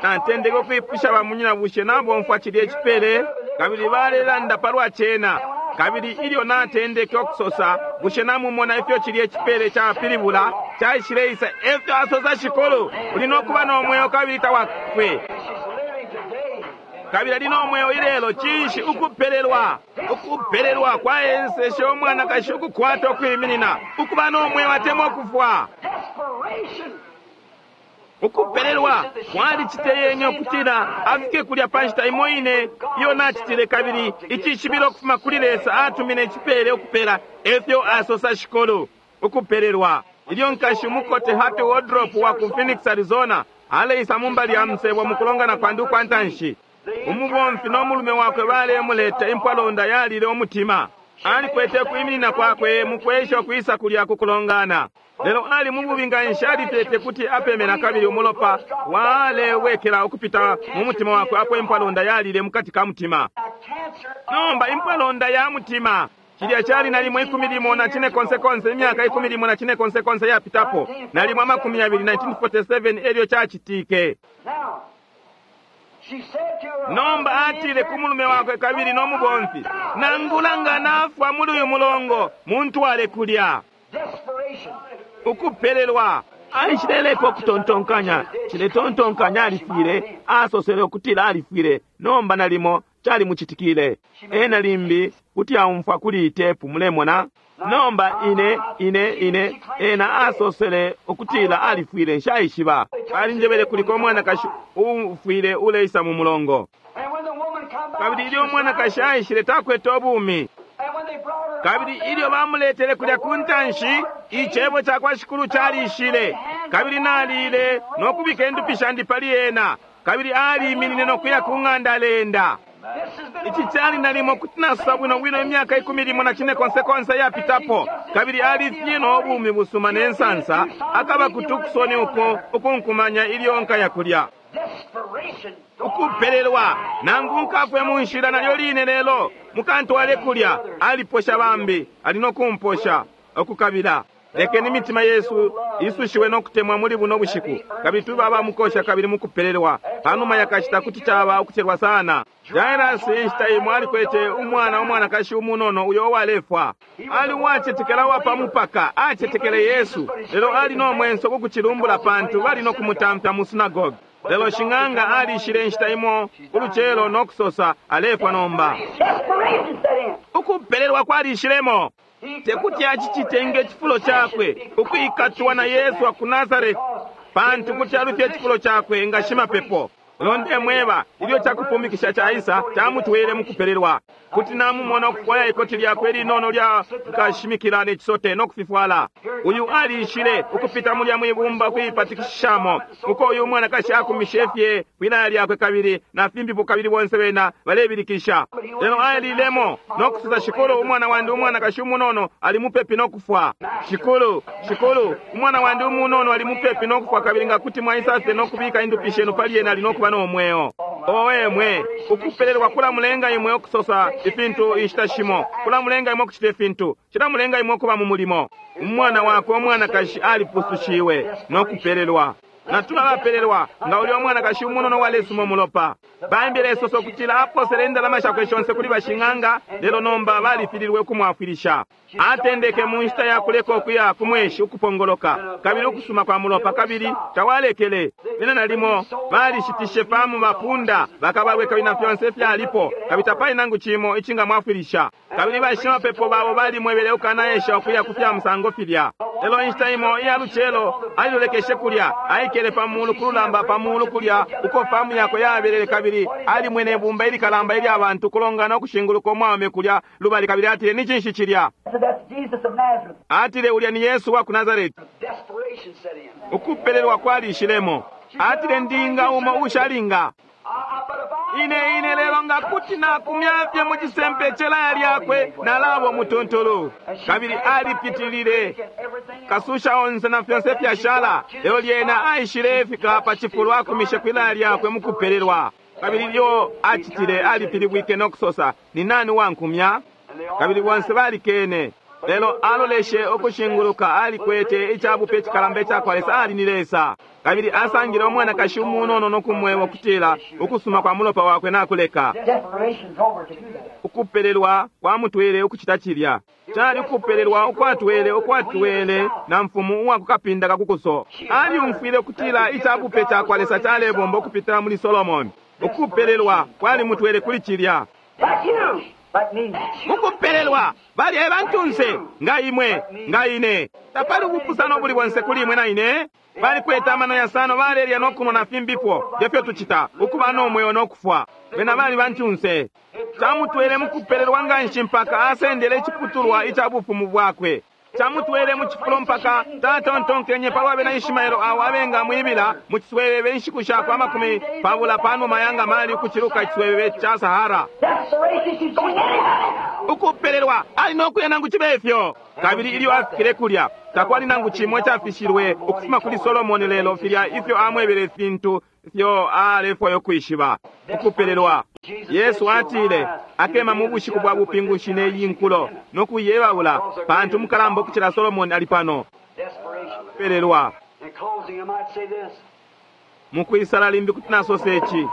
Natendeke ukwipusha bamunyina bushe nabomfwa cilya icipele, kabili balelanda palwa cena. Kabili ilyo natendeke ukusosa, bushe namumona ifyo cilya icipele capilibula, caishileisa efyo asosa Shikulu, uli nokuba no mweo kabili tawafwe. Kabili ali no mweo ilelo. Cinshi? Ukupelelwa. Ukupelelwa kwaenseshe umwanakashi ukukwata ukwiminina, ukuba no mweo atemwa ukufwa. Ukupelelwa kwaliciteyenye ukutila afike kulya pa nshita imo ine iyo nacitile, kabili icishibilo ukufuma kuli Lesa atumine icipele ukupela, efyo asosa Shikulu. Ukupelelwa. Ilyo nkashi umukote Hattie Wardrop wa ku Phoenix, Arizona, aleisa mumbali ya musebo mukulongana kwandi ukwa ntanshi, umubomfi no mulume wakwe balemuleta impwalonda yalile umutima. Alikwete ukwiminina kwakwe mukwesha ukwisa kulya kukulongana, lelo ali mububi nga nshi, alifye kuti apemena, kabili umulopa walewekela ukupita mu mutima wakwe apo impwalonda yalile mukati ka mutima. Nomba impwalonda ya mutima cilya cali nalimo ikumi limo na cine konse konse, imyaka ikumi limo na cine konse konse yapitapo, nalimo amakumi yabili, nineteen forty-seven elyo cacitike. Nomba atile ku mulume wakwe kabili no mubomfi, nangula nga nafwa muli uyu mulongo, muntwale kulya. Ukupelelwa. Aishileleka ukutontonkanya, ciletontonkanya alifwile, asosele ukutila alifwile. Nomba nalimo calimucitikile. Ena limbi kuti aumfwa kuli itepu, mulemona. Nomba ine ine ine ena asosele ukutila alifwile, nshaishiba. Balinjebele kuliko umwanakashi ufwile uleisa mu mulongo. Kabili ilyo umwanakashi aishile takwete ubumi. Kabili ilyo bamuletele kulya ku ntanshi, icebo ca kwa Shikulu calishile. Kabili nalile no kubika indupi shandi pali ena. Kabili aliminine no kuya ku ng'anda aleenda. Ici cali nalimo kuti nasosa bwino bwino imyaka ikumi limo na cine konse konse yapitapo. Kabili alifye no bumi busuma ne nsansa, akaba ku Tucson uko ukunkumanya ilyo nkaya kulya. Ukupelelwa, nangu nkafwe mu nshila nalyo line lelo, mukantwale kulya. Aliposha bambi, ali no kumposha ukukabila. Lekeni imitima yesu isushiwe no kutemwa muli buno bushiku, kabili tube abamukosha kabili mukupelelwa. Panuma yakashita kuti caba ukucelwa sana. Jairus inshita imo alikwete umwana umwanakashi umunono uyo uwalefwa. Ali uwacetekela uwa pa mupaka, acetekele Yesu, lelo ali no mwenso kukucilumbula pantu bali no kumutamfya mu synagogue. Lelo shing'anga alishile inshita imo ulucelo no kusosa alefwa nomba. Ukupelelwa kwalishilemo. Tekuti acicite nge cifulo cakwe ukwikatwa na Yesu wa ku Nazareti, pantu kuti alufye icifulo cakwe nga shimapepo. Londe mweba ilyo cakupumikisha caisa camutwele mukupelelwa. Kuti namumona ukufwaya ikoti lyakwe linono lya kashimikila ne cisote no kufifwala. Uyu alishile ukupita mulya mwibumba kuipatikishamo uko uyu mwanakashi akumishe fye kwilaya lyakwe kabili na fimbipo, kabili bonse bena balebilikisha. Lelo alilemo no kusosa, Shikulu, umwana wandi umwanakashi umunono ali mupepi no kufwa. Shikulu, Shikulu, umwana wandi umunono ali mupepi no kufwa, kabili nga kuti mwaisa fye no kubika indupi shenu pali ena ali no kuba no mweo. Owe mwe, ukupelelwa kulamulenga imwe ukusosa ifintu inshita shimo, kulamulenga imwe ukucita ifintu, cilamulenga imwe ukuba mu mulimo. Umwana wakwe umwanakashi alipusushiwe no kupelelwa. Natula bapelelwa nga ulya umwanakashi umunono walesuma umulopa. Baimbile isoso kutila aposele indalama shakwe shonse kuli bashing'anga, lelo nomba balifililwe ukumwafwilisha. Atendeke mu nshita ya kuleka ukuya ku mweshi ukupongoloka kabili ukusuma kwa mulopa, kabili tawalekele. Bena nalimo balishitishe famu bapunda bakabalwe kabili na fyonse fyalipo, kabili tapali nangu cimo icingamwafwilisha. Kabili bashimapepo babo balimwebele ukanaesha ukuya ku fya musango filya. Lelo inshita imo iya lucelo alilolekeshe kulya, aikele pa mulu kululamba pa mulu kulya uko famu yakwe yabelele, kabili alimwene ibumba ilikalamba ilya bantu kulongana ukushinguluka umwaume kulya lubali, kabili atile, ni cinshi cilya? Atile, ulya ni Yesu wa ku Nazareti. Ukupelelwa kwalishilemo. Atile, ndinga umo ushalinga. Ine ine lelo nga kuti nakumyafye mu cisempe celaya lyakwe nalabo mutuntulu. Kabili alipitilile kasusha onse na fyonse fyashala. Lelo lyena aishile fika pa cifulo akumishe kwilaya lyakwe mukupelelwa. Kabili lyo acitile alipilibwike no kusosa, ni nani wankumya? Kabili bonse balikene. Lelo aloleshe ukushinguluka, alikwete icabupe icikalamba icakwa Lesa, ali ni Lesa. Kabili asangile umwanakashi umunono no kumweba ukutila ukusuma kwa mulopa wakwe nakuleka. Ukupelelwa kwamutwele ukucita cilya. Cali ukupelelwa ukwatwele ukwatwele na mfumu uwakukapinda kakukuso. Aliumfwile ukutila icabupe cakwa Lesa calebomba ukupitila muli Solomoni. Ukupelelwa kwalimutwele kuli cilya. Mukupelelwa bali ebantunse nga imwe nga ine. Tapali ubupusano buli bonse kuli imwe na ine. Balikwete amano yasano, balelya no kunwa na fimbipo ngefyo tucita, ukuba no mweo no kufwa. Bena bali bantunse. Camutwele mukupelelwa nganshi mpaka asendele iciputulwa ica bufumu bwakwe. Camutwele mu cifulo mpaka tatontonkenye palwa bena Ishimaelo awo abenga mwibila mu ciswebebe inshiku shakwe amakumi pabula panuma ya ngamali ukuciluka iciswebebe ca Sahara. Ukupelelwa ali no kuya nangu cibe ifyo. Kabili ilyo afikile kulya takwali nangu cimo icafishilwe ukufuma kuli Solomoni, lelo filya ifyo amwebele ifintu ifyo alefwaya ukwishiba. Ukupelelwa. Yesu atile akema mu bushiku bwa bupingushi neyi nkulo no kuyebaula, pantu mukalamba ukucila Solomoni ali pano. Ukupelelwa. Mukwisala limbi kuti nasosa ici.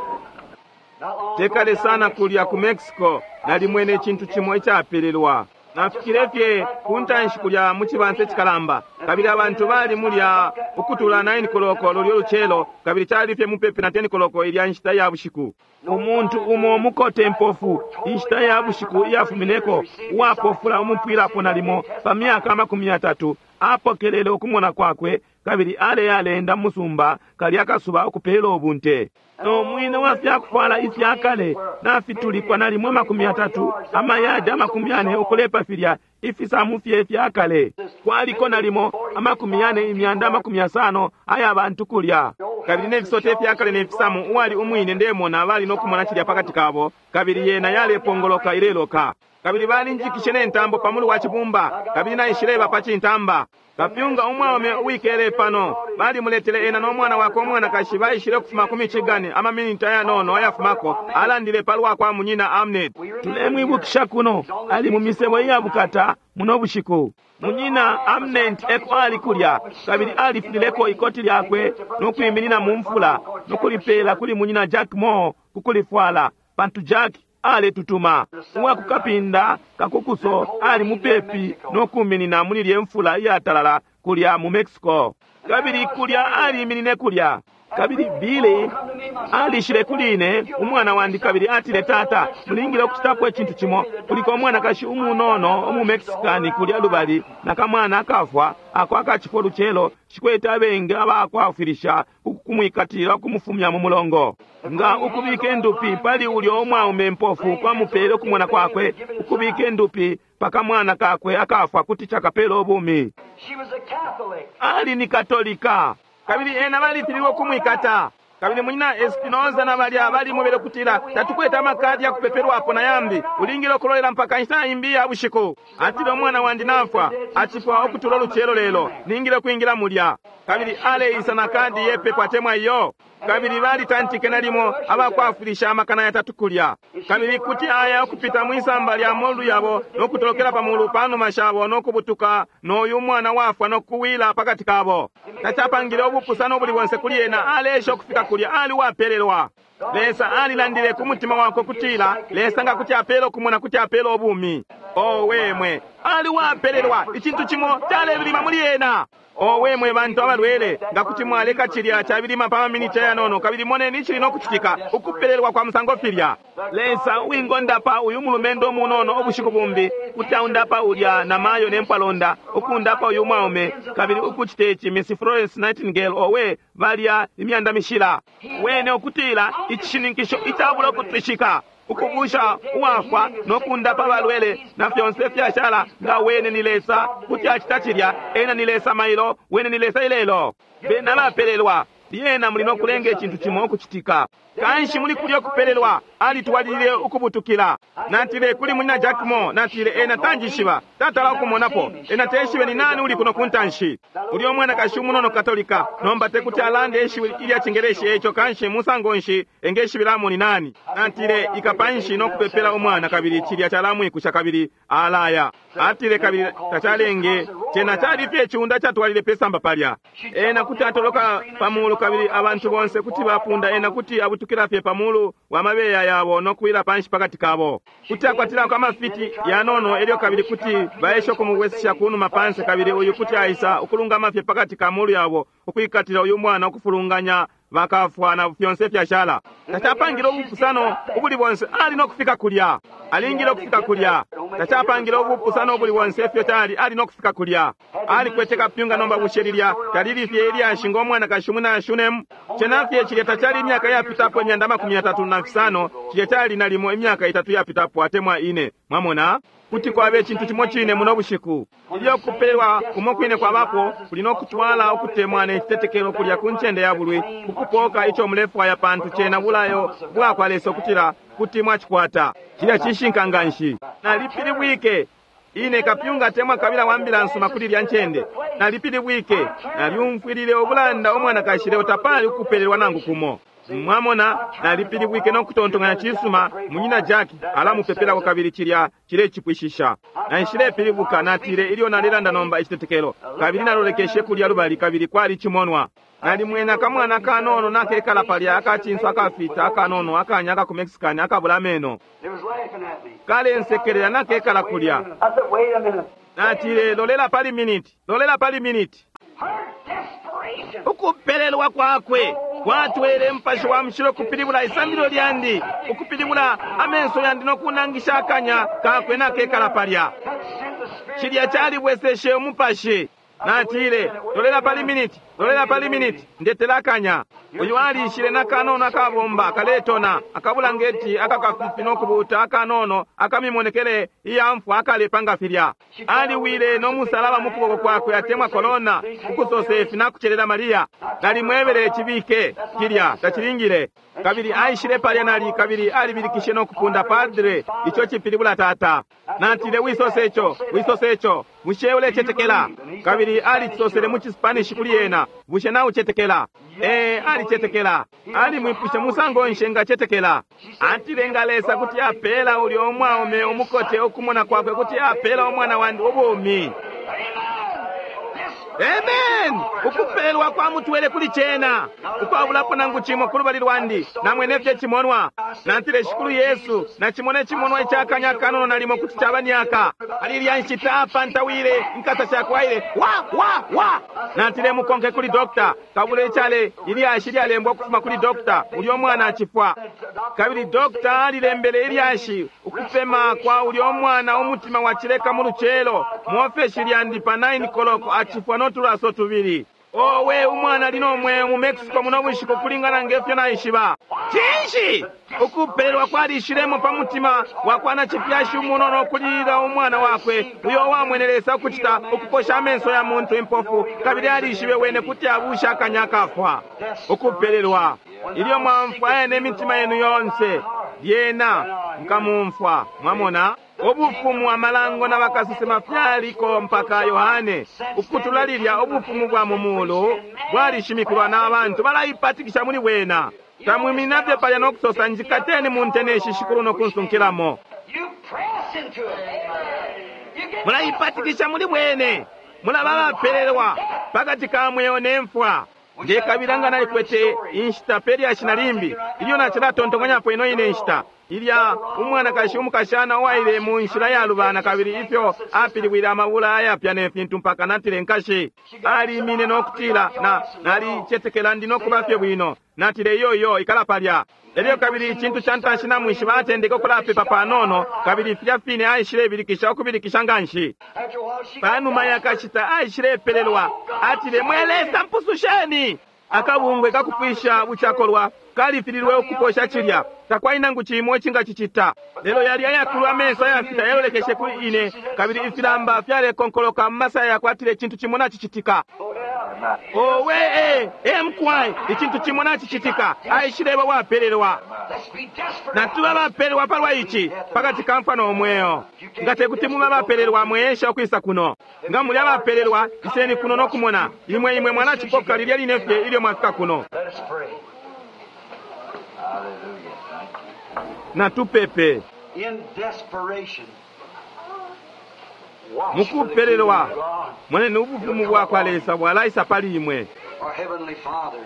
Tekale sana kulya ku Mexico nalimwene icintu cimo icapelelwa. Nafikile fye ku ntanshi kulya mu cibansa icikalamba, kabili abantu bali mulya ukutula nine koloko lulyo lucelo, kabili cali fye mupepi na ten koloko ilya nshita ya bushiku. Umuntu umo mukote mpofu inshita ya bushiku iyafumineko, uwapofula umupwilapo nalimo pa myaka amakumi yatatu, apokelele ukumona kwakwe, kabili aleyalenda musumba kalya kasuba ukupela ubunte. No mwine wa fyakufwala ifyakale nafitulikwa nalimo amakumi yatatu, amayadi amakumi yane ukulepa filya ifisamu fye fyakale. Kwaliko nalimo amakumi yane imyanda amakumi yasano aya bantu kulya. Kabili nefisote ifyakale nefisamu, uwali umwine ndemona bali nokumona cilya pakati kabo, kabili yena yalepongoloka ileloka. Kabili balinjikishe nentambo pamulu wa cibumba, kabili naishileba pa cintamba. Kapyunga umwaume uwikele pano balimuletele ena no mwana wakwe umwanakashi baishile kufuma ku Michigan amaminiti ayanono ayafumako, alandile palwa kwa munyina Amnet. Tulemwibukisha kuno ali mu misebo iyabukata muno bushiku. Munyina Amnet eko ali kulya, kabili alifulileko ikoti lyakwe no kwiminina mu mfula no kulipela kuli munyina Jack Moore kukulifwala, pantu Jack aletutuma. Uwakukapinda kakukuso ali mupepi no kuminina muli lye mfula iyatalala kulya mu Mexico, kabili kulya aliminine kulya. Kabili Billy alishile kuli ine umwana wandi, kabili atile, tata, mulingile ukucitapo icintu cimo. Kuliko umwanakashi umunono umu Mexicani kulya lubali na kamwana akafwa ako akacifo lucelo, shikwete abengi abakwafwilisha kumwikatilila kumufumya mu mulongo. Nga ukubika endupi pali ulyo umwaume mpofu kwamupele ukumona kwakwe, ukubika endupi pakamwana kakwe akafwa kuti chakapela ubumi. Ali ni Katolika, kabili ena balifililwe kumwikata. Kabili munyina Espinoza na balya balimwebele kutila tatukwete amakadi ya kupepelwapo na yambi, ulingile okulolela mpaka inshita imbi ya bushiku. Atile, umwana wandi nafwa, acifwa ukutula ulucelo lelo, ningile kwingila mulya. Kabili aleisa na kadi yepepo atemwa iyo. Kabili balitantike nalimo abakwafwilisha amakana yatatu kulya. Kabili kuti aya ukupita mwisamba lya molu yabo no kutolokela pamulu panuma shabo no kubutuka n'oyu mwana wafwa no kuwila pakati kabo. Tacapangile ubupusano buli bonse kuli ena, alesha ukufika kulya, ali wapelelwa. Lesa alilandile ku mutima wakwe kutila Lesa nga kuti apela okumona kuti apela obumi. Owe mwe, ali wapelelwa, icintu cimo calebilima muli ena. Owe mwe bantu abalwele, nga kuti mwaleka cilya cabilima pa maminiti ayanono, kabili moneni icili nokucitika, ukupelelwa kwa musango filya. Lesa uwingondapa uyu mulumendo umunono ubushiku bumbi, kuti aundapa ulya na mayo ne mpwalonda, ukundapa uyu mwaume, kabili ukucita ici Miss Florence Nightingale, owe balya imyanda mishila. Wene ukutila icishininkisho icabula ukutwishika, ukubusha uwafwa no kundapa balwele na fyonse fyashala, nga wene ni Lesa kuti acita cilya. Ena ni Lesa mailo, wene ni Lesa ilelo. Bena bapelelwa, Lyena muli no kulenga icintu cimo ukucitika. Kanshi muli kulyo kupelelwa, alitwalilile ukubutukila. Natile kuli munyina Jack Moore, natile ena tanjishiba, tatala ukumonapo, ena teshibe ni nani uli kuno kuntanshi. Ulyo mwanakashi umunono Katolika, nomba tekuti alande ishiwi ilya Cingeleshi, eco kanshi musango nshi engeshibilamo ni nani. Natile ikapanshi no kupepela umwana, kabili cilya calamwikusha kabili alaya. Atile kabili tacalenge, cena cali fye iciunda catwalile pesamba palya. Ena kuti atoloka pamulu kabili abantu bonse kuti bapunda, ena kuti abutukila fye pamulu wa mabeya yabo no kuwila panshi pakati kabo. Kuti akwatilako amafiti yanono elyo kabili kuti baesha ukumubwesesha kunuma pansi, kabili uyu kuti aisa ukulungama fye pakati ka mulu yabo ukwikatila uyu mwana ukufulunganya bakafwa na fyonse fyashala. Tacapangile ubupusano ubuli bonse, ali no kufika kulya. Alingile ukufika kulya. Tacapangile ubupusano ubuli bonse ifyo cali, ali no kufika kulya. Alikwete kapyunga nomba bushe lilya talili fye ilyashi ngo mwanakashi umwina Shunemu. Cena fye cilya tacali imyaka yapitapo imyanda makumi yatatu na fisano, cilya cali nalimo imyaka itatu yapitapo atemwa ine. Mwamona? Kuti kwabe icintu cimo cine muno bushiku. Ilyo kupelelwa kumo kwine kwabapo, kuli no kutwala ukutemwa ne citetekelo kulya ku ncende ya bulwi, kukupoka ico mulefwaya, pantu cena bulayo bwakwa Lesa ukutila kuti mwacikwata. Cilya cishinka nganshi. Nalipilibwike ine kapyunga atemwa kabila wa mbila nsuma kuli lya ncende. Nalipilibwike, nalyumfwilile ubulanda umwanakashi, lelo tapali ukupelelwa nangu kumo. Mwamona, nalipilibwike no kutontonkanya cisuma, munyina Jack alamupepelako kabili cilya cilecipwishisha. Naishilepilibuka, natile ilyo nalelanda nomba icitetekelo, kabili nalolekeshe kulya lubali kabili kwali cimonwa. Nalimwena akamwana kanono nakekala palya akacinso akafita akanono akanya aka ku Mexican akabula ameno. It was laughing at me. Kalensekelela nakekala kulya. I said, wait a minute. Natile lolela pali miniti, lolela pali miniti. Her desperation. Ukupelelwa kwakwe kwatwele Mupashi wa Mushilo kupilibula isambililo lyandi, ukupilibula amenso yandi no kunangisha akanya kakwe nakekala palya. That sent the Spirit. Cilya calibweseshe umupashi. Natile lolela pali miniti, lolela pali miniti, ndetela akanya. Uyu alishile nakanono akabomba kaletona akabulangeti akakafifi nokubuta akanono akamimonekele iyamfwa akalepa nga filya. Aliwile nomusalaba mu kuboko kwakwe atemwa kolona ukusosa ifi nakucelela Mariya. Nalimwebele cibike kilya tacilingile. Kabili aishile palya nali kabili alibilikishe nokupunda padre, ico cipilibula tata. Natile wisose ico, wisose ico, bushe ulecetekela? Kabili alicisosele mu Chispanish kuli ena, bushe naucetekela? Eh, alicetekela. Alimwipushe musango nshi engacetekela. Atile nga Lesa kuti apela ulyo umwaume umukote ukumona kwakwe kuti apela umwana wandi ubumi. Amen! Ukupelwa kwa mutwele kuli cena, ukwabulapo nangu cimo kulubali lwandi, namwene fye cimonwa. Natile Shikulu Yesu, nacimona icimonwa icakanya kanono nalimo kuti caba myaka. Ali lya nshita apantawile inkasa shakwaile wa wa wa. Natile mukonke kuli dokta, kabule icale ilyashi lyalembwa ukufuma kuli dokta, ulyo mwana acifwa. Kabili dokta alilembele ilyashi ukupema kwa ulyo mwana umutima wacileka mu lucelo mu ofeshi lyandi pa nine koloko acifwa no tulaso tubili. Owe umwana ali nomweo mu Mexico muno bushiku kulingana ngefyo naishiba. Cinshi? Ukupelelwa kwalishilemo pa mutima wa kwa nacifyashi umunono ukulilila umwana wakwe uyo wamwene Lesa ukucita ukuposha amenso ya muntu impofu, kabili alishibe wene kuti abusha akanya akafwa. Ukupelelwa. Ilyo mwamfwaya ne mitima yenu yonse, lyena nkamumfwa. Mwamona? Ubufumu amalango na bakasesema fyaliko mpaka Yohane. Ukutula lilya ubufumu bwa mu mulu bwalishimikilwa n'abantu balaipatikisha muli bwena. Tamwimina fye palya no kusosa njikateni munteneshi shikulu no kunsunkilamo. You press into it. You get Mulaipatikisha muli bwene. Mulaba bapelelwa pakati ka mweo ne mfwa. Ndekabila nga nalikwete inshita pe lyashi na limbi ilyo nacilatontonkanyapo ino ine nshita ilya umwanakashi umukashana uwaile mu nshila yalubana kabili ifyo apilibwile amabula ayapya ne fintu mpaka natile nkashi alimine no kutila na nalicetekela ndi no kuba fye bwino. Natile iyo iyo ikala palya. Elyo kabili icintu ca ntanshi namwishiba atendeke ukulapepa panono kabili filya fine aishilebilikisha ukubilikisha nganshi. After a while, she Panuma yakashita aishilepelelwa atile mwe Lesa mpususheni. Akabungwe kakupwisha bucakolwa kalifililwe ukuposha cilya takwali nangu cimo icingacicita. Lelo yali ayakulu amenso ayafita yalolekeshe kuli ine kabili ifilamba fyalekonkoloka mu masaya yakwatile icintu cimo nacicitika. Owe e e mukwai, icintu cimo nacicitika. Aishileba wapelelwa. Let's be desperate. Natuba abapelelwa palwa ici pakati ka mfwa no mweo. Nga tekuti mube abapelelwa, mwesha ukwisa kuno. Nga muli abapelelwa, iseni kuno no kumona. Imwe imwe mwalacipoka lilya line fye ilyo mwafika kuno. Let us pray. Hallelujah. Thank you. Natupepe. In desperation, watch for the kingdom Mukupelelwa, of God. moneni ubufumu bwa kwa Lesa bwalaisa pali imwe. Our Heavenly Father,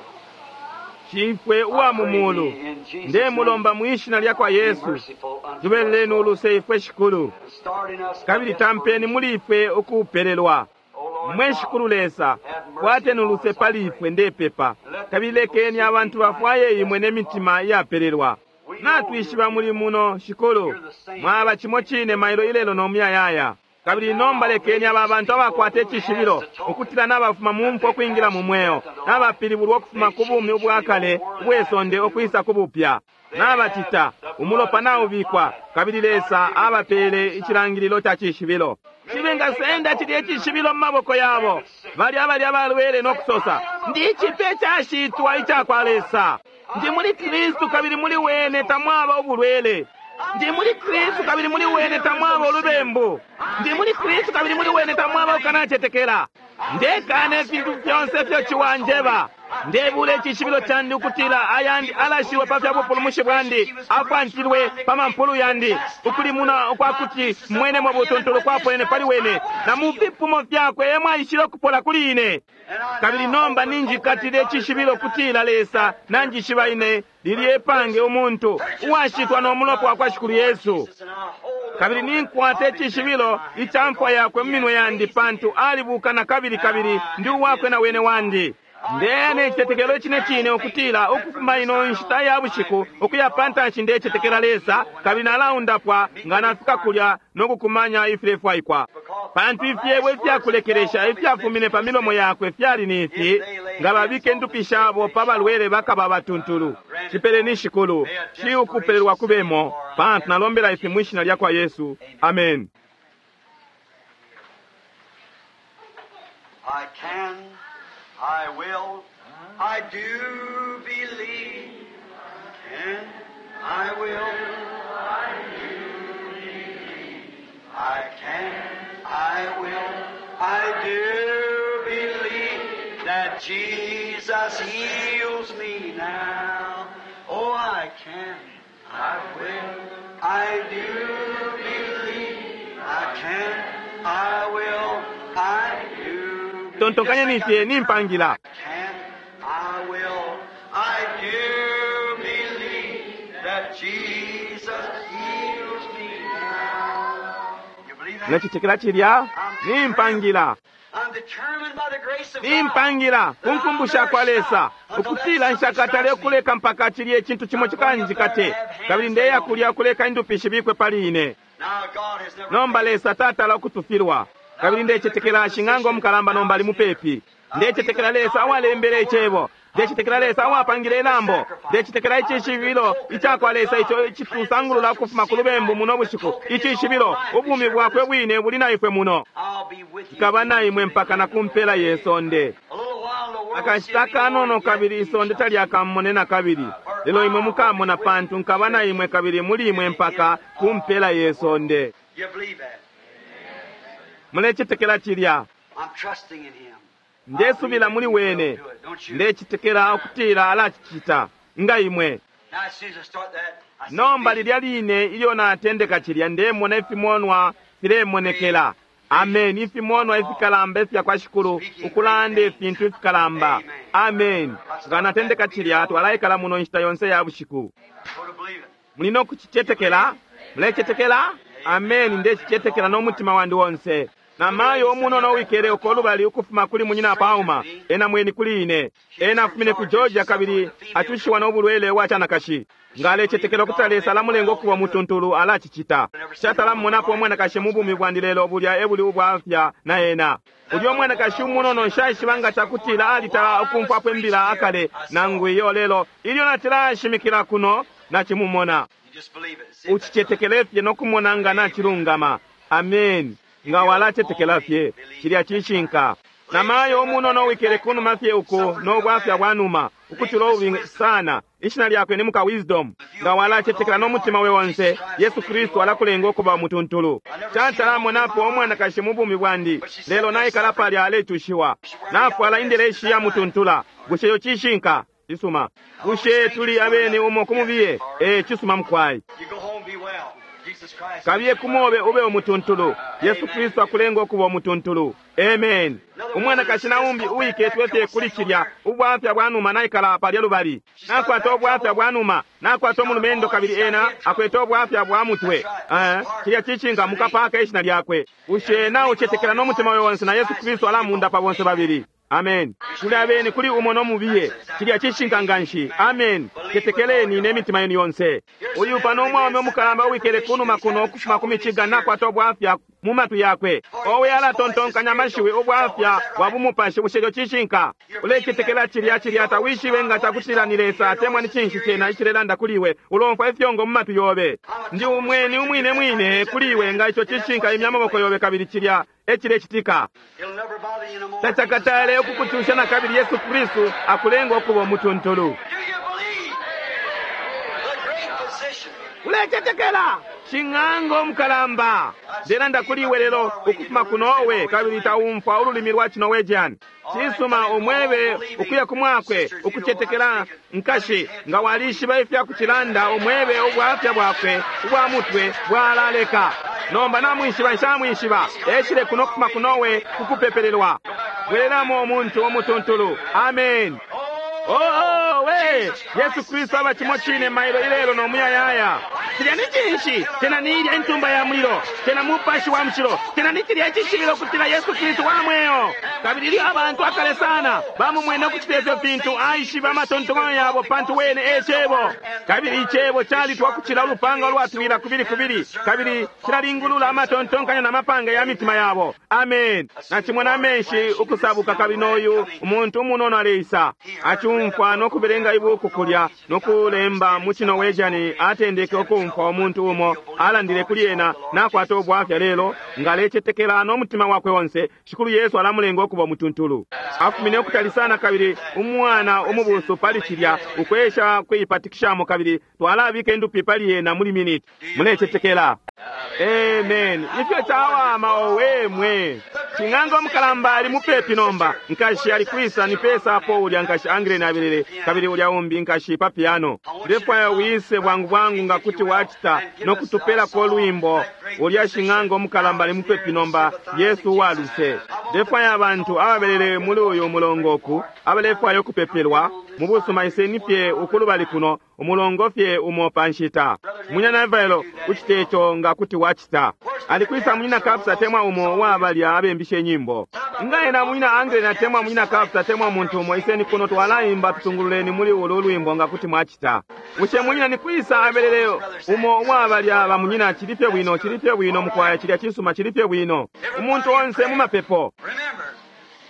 Shifwe uwa mu mulu, ndemulomba mu ishina lya kwa be Yesu, merciful unto tubeleleni us. uluse ifwe Shikulu, Start in us a kabili tampeni desperation. muli ifwe ukupelelwa. O Lord Mwe God, Shikulu Lesa, kwateni uluse pali ifwe ndepepa, kabili lekeni abantu bafwaye imwe n'emitima iyapelelwa. Natwishiba muli muno Shikulu, mwaba cimo cine mailo ilelo no muyayaya. Kabili nomba lekeni aba bantu abakwata icishibilo ukutila n'abafuma mu mfwa ukwingila mu mweo, n'abapilibulwa ukufuma ku bumi ubwakale ubwesonde ukwisa ku bupya. N'abacita umulopa naubikwa, kabili Lesa abapeele icilangililo ca cishibilo. Cibengasenda cilya icishibilo mu maboko yabo, bali abali abalwele no kusosa, ndi icipe cashitwa ica kwa Lesa. Ndi muli Kristu kabili muli wene tamwaba ubulwele. Ndi muli Kristu kabili muli wene tamwaba ulubembu. Ndi muli Kristu kabili muli wene tamwaba ukanacetekela. Ndekana ifintu fyonse ifyo ciwanjeba. Ndebula icishibilo candi ukutila ayandi alashiwe pa fya bupulumushi bwandi, afwantilwe pa mampulu yandi, ukulimuna ukwakuti mwenemo butuntulu kwaponene pali wene, na mu fipumo fyakwe emwaishile ukupola kuli ine. Kabili nomba ninjikatile icishibilo kutila Lesa nanjishiba ine lilye epange umuntu uwashitwa no mulopa wa kwa Shikulu Yesu. Kabili ninkwata icishibilo ica mfwa yakwe mu minwe yandi, pantu alibuka na kabili, kabili ndi uwakwe na wene wandi. Ndeya ne citetekelo icine cine ukutila ukufuma ino nshita ya bushiku ukuya pa ntanshi ndecetekela Lesa, kabili nalaundapwa nga nafika kulya no kukumanya ifilefwaikwa. Pantu ifyebo ifyakulekelesha ifyafumine pa milomo yakwe fyali ni ifi, nga babike ndupi shabo pa balwele bakaba batuntulu. Cipeleni Shikulu, shi ukupelelwa kubemo, pantu nalombela ifi mwi shina lya kwa Yesu. Amen. I can, I will, I do believe. Can, I will, I do believe. I can, I will, I do believe that Jesus heals me now. Oh, I can, I will, I do believe. I can, I will, I do. Tontonkanyeni fye nimpangila. Can, I will, I do believe that Jesus heals me now. You believe that? Nacitekela cilya nimpangila. I'm determined by the grace of God. Nimpangila kunkumbusha kwa Lesa ukutila nshakatale ukuleka mpaka cilye icintu cimo cikanjikate, kabili ndeya kulya kuleka indupi shibikwe pali ine. Now God has never Nomba Lesa tatala ukutufilwa, kabili ndecetekela shing'anga omukalamba nomba ali mupepi. Ndecetekela Lesa awalembele icebo. Ndecetekela Lesa awapangile ilambo. Ndecetekela icishibilo ica kwa Lesa ico icitusangulula ukufuma ku lubembu muno bushiku. Icishibilo, ubumi bwakwe bwine buli na ifwe muno. I'll be with you. Nkaba na imwe mpaka na ku mpela ye sonde. A little while the world Akashita kanono kabili isonde talyakamone na kabili, lelo imwe mukamona, pantu nkaba na imwe kabili muli imwe mpaka ku mpela ye sonde. You believe that? Mulecetekela cilya. I'm trusting in Him. Ndesubila muli wene. Don't you? Ndecetekela ukutila alacicita nga imwe. Now, as soon as I start that, I see Nomba vision. lilya line ilyo natendeka cilya, ndemona ifimonwa filemonekela. Amen. Ifimonwa ifikalamba ifya kwa Shikulu ukulanda ifintu ifikalamba. Amen. Nga natendeka cilya, twalaikala muno nshita yonse ya bushiku. Go to believe it. Muli no kucicetekela? Mulecetekela? Amen. Ndecicetekela no mutima wandi wonse. Na mayo umunono wikele uko lubali ukufuma kuli munyina Pauma, ena mweni kuli ine. Ena afumine ku Georgia kabili acushiwa n'obulwele bwa canakashi. Nga alecetekela ukuti Lesa alamulenga okuba mutuntulu, alacicita. Shatalamumonapo omwanakashi mu bumi bwandi, lelo bulya ebuli ubwafya na ena. Ulya omwanakashi umunono nshaishiba nga cakutila alitala ukumfwapo imbila akale nangu iyo, lelo ilyo natilashimikila kuno nacimumona. You just believe it. See if that's Ucicetekele fye nokumona nga nacilungama. Amen. Nga walacetekela fye cilya cishinka. Na mayo umunono wikele kunuma fye uko no bwafya bwa numa ukucula ububi sana. Ishina lyakwe ni muka Wisdom. Nga walacetekela no mutima we wonse, Yesu Kristu alakulenga ukuba umutuntulu. Cantalamonapo umwanakashi mu bumi bwandi, lelo naikala palya aletushiwa. Nafwala indeleshi ya mutuntula. Bushe yo cishinka? Cisuma. Bushe tuli abeni umo kumubiye? Eh, cisuma mukwai. You go home, be well. Jesus Christ. Kabiye kumobe ube umutuntulu. Yesu Kristu akulenga ukuba umutuntulu. Amen. Umwanakashi na umbi uwiketwe fye kuli cilya ubwafya bwa numa naikala palya lubali. Nakwata ubwafya bwa numa, nakwata umulumendo kabili ena akwete ubwafya bwa mutwe. Eh, cilya cishinka mukapaka ishina lyakwe. Bushe naucetekela no mutima wawe wonse na Yesu Kristu alamunda pa bonse babili. Amen. Kuli abeni kuli umo no mubiye. Cilya cishinka nganshi. Amen. Tetekeleni ne mitima yenu yonse. Uyu pano umwaume umukalamba uwikele kunuma kuno ukufuma ku Michigan nakwata ubwafya mu matwi yakwe. Owe alatontonkanya amashiwi ubwafya bwa bumupashi bushe ico cishinka. Ulecetekela cilya cilya tawishibe nga cakutila ni Lesa atemwa ni cinshi cena icilelanda kuli iwe. Ulomfwa ifyongo mu matwi yobe. Ndi umweni umwine mwine kuli iwe nga ico cishinka imya amaboko yobe kabili cilya ecilecitika. It'll never bother you no more. Tacakatale ukukucusha na kabili Yesu Kristu akulenga ukuba umutuntulu. Do you believe? The great physician. Ulecetekela shing'anga omukalamba ndelanda kuli iwe lelo ukufuma ku Norway kabili taumfwa ululimi lwa Norwegian. Cisuma umwebe ukuya kumwakwe ukucetekela nkashi nga walishiba ifya kucilanda umwebe ubwafya bwakwe ubwa mutwe bwalaleka. Nomba namwishiba nshamwishiba eshile kuno kufuma ku Norway kukupepelelwa. Bwelelamo omuntu omutuntulu. Amen. Oh, oh, we Yesu Kristu aba chimo chine mailo ilelo no muyayaya. Cilya ni cinshi? Tena ni ilya intumba ya mulilo, tena mupashi wa mushilo, tena ni cilya icishibilo kutila Yesu Kristu wa mweo. Kabili ilyo abantu akale sana bamumwene ukucita ifyo fintu, aishiba amatontonkanyo yabo pantu wene e cebo. Kabili icebo calitwa kucila ulupanga ulwatwila kubili kubili, kabili cilalingulula amatontonkanyo na mapanga ya mitima yabo. Amen. Nacimona amenshi ukusabuka kabili noyu umuntu umunono aleisa acumfwa nokubelenga ibuku kulya nokulemba mu Norwegian atendeke ukumfwa umuntu umo alandile kuli ena nakwata ubwafya lelo nga alecetekela n'omutima wakwe wonse Shikulu Yesu alamulenga okuba omutuntulu. Afumine ukutali sana kabili umwana umubusu pali cilya ukwesha kwipatikishamo kabili twalabika indupi pali ena muli miniti. Mulecetekela. Amen. Ifyo cawama owe mwe. Shing'anga omukalamba ali mupepi nomba. Nkashi ali kwisa ni pesa apo ulya nkashi Angre nabelele kabili ulya umbi nkashi pa piano. Ndefwaya wise bwangu bwangu nga kuti wacita nokutupelako lwimbo. Ulya shing'anga omukalamba ali mupepi nomba Yesu waluse. Ndefwaya abantu ababelele muli uyu mulongo oku abalefwaya okupepelwa mu busuma iseni fye ukulubali kuno umulongo fye umo pa nshita. Munyina Navailo ucite ico nga kuti wacita. Alikwisa munyina Kapsa temwa umo wabalya abembishe nyimbo. Nga ena munyina Angre na temwa munyina Kapsa temwa muntu umo iseni kuno twalaimba tutungululeni muli ulu lwimbo nga kuti mwacita. Bushe munyina ni kwisa abelele umo wabalya ba munyina chilifye bwino chilifye bwino mukwaya chilya chisuma chilifye bwino. Umuntu onse mu mapepo. Remember,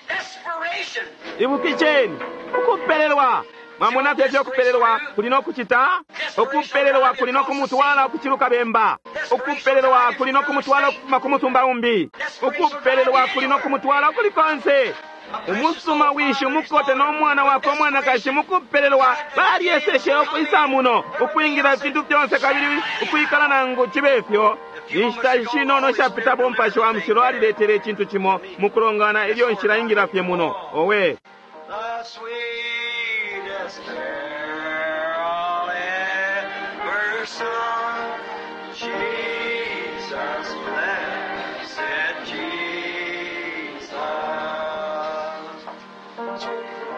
desperation. Ibukisheni ukupelelwa. Mwamona fye fyo kupelelwa kuli no kucita? Ukupelelwa kuli no kumutwala ukuciluka bemba. Ukupelelwa kuli no kumutwala ukufuma ku musumba umbi. Ukupelelwa kuli no kumutwala kuli konse. Umusuma wishi umukote n'omwana wakwe omwanakashi mukupelelwa balyeseshe okwisa muno ukwingira ifintu fyonse kabili ukwikala nangu chibe fyo. Inshita shinono shapitapo umupashi wa mushilo aliletele icintu cimo mukulongana ilyo nshila ingira fye muno. Owe. The sweetest carol ever sung. Jesus, blessed Jesus.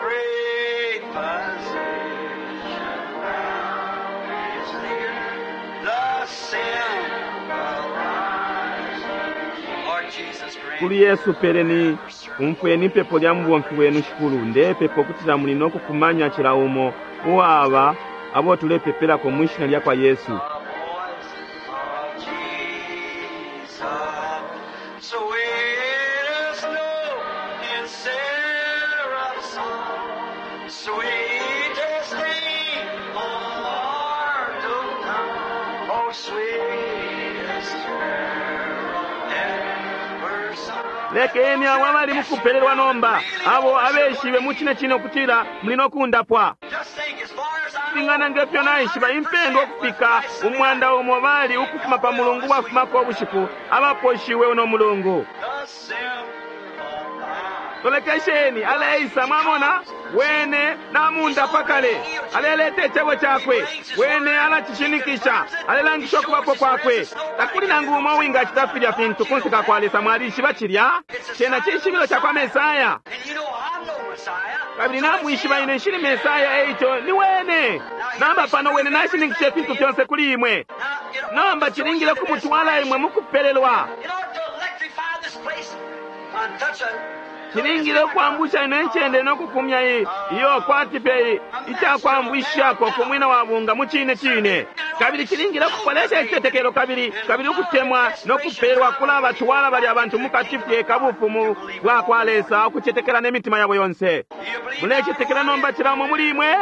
Great physician, thou is near. The simple rise. Lord Jesus, grant Kuli Yesu peleni umfweni ipepo lya mubomfi wenu Shikulu ndepepo kutila muli nokukumanya cila umo uwaba abo tulepepelako mu ishina lya kwa Yesu. The voice of Jesus, sweetest note in seraph's song, sweetest name on mortal tongue, oh sweetest carol ever sung. Lekeni abo abali mukupelelwa nomba, abo abeshibe mucine cine ukutila muli nokundapwa. Kulingana ngefyo naishiba impendwa ukufika umwanda umo bali ukufuma pa mulungu wafumako ubushiku abaposhiwe uno mulungu. Tolekesheni aleisa, mwamona wene namundapa kale, aleleta icebo cakwe, wene alacishinikisha, alelangisha ukubapo kwakwe. Takuli nangu umo uwingacita filya fintu kunse ka kwa Lesa. Mwalishiba cilya cena cishibilo ca kwa Mesaya, kabili namwishiba ine nshili Mesaya, eico ni wene. Namba pano wene nashininkisha ifintu fyonse kuli imwe. Nomba cilingile kumutwala imwe mukupelelwa, cilingile ukwambusha ino incende nokukumya iyo kwati fye icakwambwishako ku mwina wa bunga mu cine cine. Kabili cilingile ukupolesha icitetekelo kabili kabili ukutemwa nokupelwa kulabatwala balya abantu mukati fye kabufumu bwa kwa Lesa, ukucetekela n'emitima yabo yonse. Mulecetekela nomba cilamo muli imwe?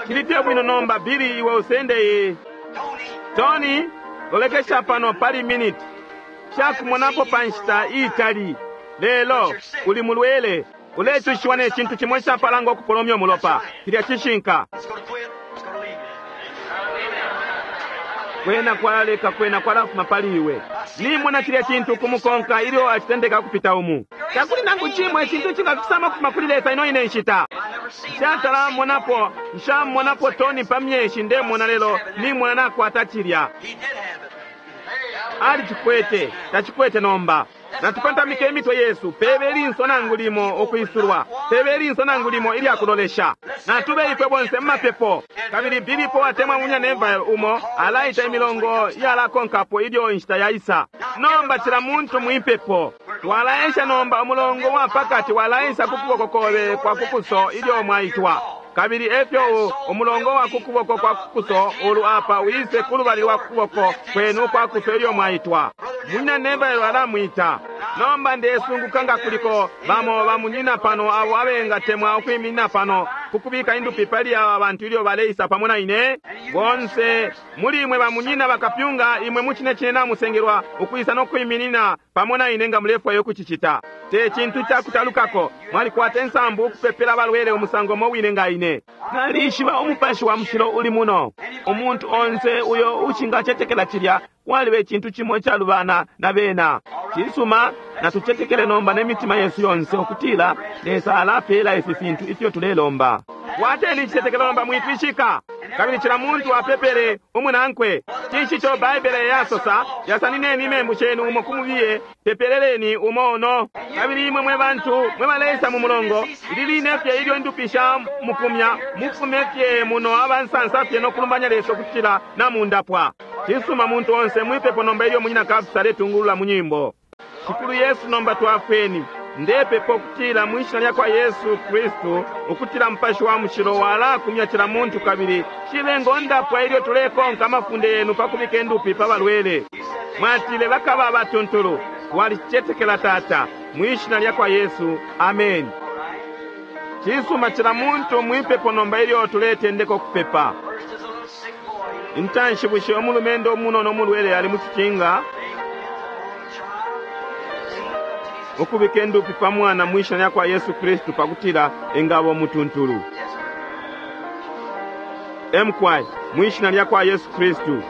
Cili fye bwino nomba. Bili, iwe usende iyi. Tony, lolekesha pano pali minute. Shakumonapo pa nshita iitali, lelo uli mulwele, ulecushiwa ne cintu cimo icapalanga ukupolomya umulopa. Cilya cishinka. Kwena kwalaleka, kwena kwalafuma pali iwe. Nimona cilya cintu kumukonka ilyo acitendeka kupita umu. Takuli nangu cimo icintu icingafisama kufuma kuli Lesa ino ine nshita. Nshatalamonapo, nshamonapo Tony pa myeshi ndemona, lelo nimona nakwata cilya. Alicikwete, tacikwete nomba. Natukontamike imitwe yesu, pebe linso nangu limo ukwisulwa, pebe linso nangu limo ilyakulolesha. Natube ifwe bonse mumapepo. Kabili Bilipo atemwa munya Neville umo alaita imilongo yalakonkapo ilyo inshita yaisa. Nomba cila muntu mwipepo. Twalaensha nomba umulongo wa pakati walaensa ku kuboko kobe kwa kukuso ilyo mwaitwa. Kabili efyo umulongo wa kukuboko kwa kukuso ulu apa wise kulubali lwa kukuboko kwenu kwa kuso ilyo mwaitwa. Munyina Neville alamwita. Nomba ndesunguka nga kuliko bamo bamunyina pano abo abengatemwa ukwiminina pano kukubika indupi pali aba bantu ilyo baleisa pamo na ine. Bonse muli imwe bamunyina bakapyunga, imwe mucine cine namusengelwa ukwisa nokwiminina pamo na ine nga mulefwayo kucicita. Te cintu cakutalukako, mwalikwata insambu ukupepela abalwele umusango umo wine nga ine. Nalishiba umupashi wa mushilo uli muno. Umuntu onse uyo ushingacetekela cilya, kwaliba icintu cimo icalubana na bena. Cisuma, natucetekele nomba n'emitima yesu yonse ukutila Lesa alapela ifi fintu ifyo tulelomba. Kwateni icitetekelo nomba, mwitwishika. Kabili cila muntu apepele umunankwe. Cinshi ico Baibele yasosa? Yasanineni imembu shenu umo kumubiye, pepeleleni umo ono. Kabili imwe mwe bantu mwe baleisa mu mulongo, ili line fye ilyo indupi sha mukumya, mufume fye muno abansansa fye nokulumbanya Lesa ukutila namundapwa. Cisuma, muntu onse mwipepo nomba ilyo munyina Kapsa aletungulula mu nyimbo. Shikulu Yesu, nomba twafweni. Ndepepa ukutila mwishina lya kwa Yesu Kristu, ukutila Mupashi wa Mushilo walakumya cila muntu, kabili cibe ngondapwa ilyo tulekonka amafunde yenu pa kubika indupi pa balwele. Mwatile bakaba abatuntulu. Twalicetekela Tata, mwishina lya kwa Yesu, amen. Cisuma, cila muntu mwipepo nomba ilyo tuletendeka ukupepa. Intanshi, bushe umulumendo umunono umulwele ali mu cicinga? Ukubika indupi pa mwana mwishina lya kwa Yesu Kristu pakutila engaba umutuntulu. Emkwai, mwishina lya kwa Yesu Kristu.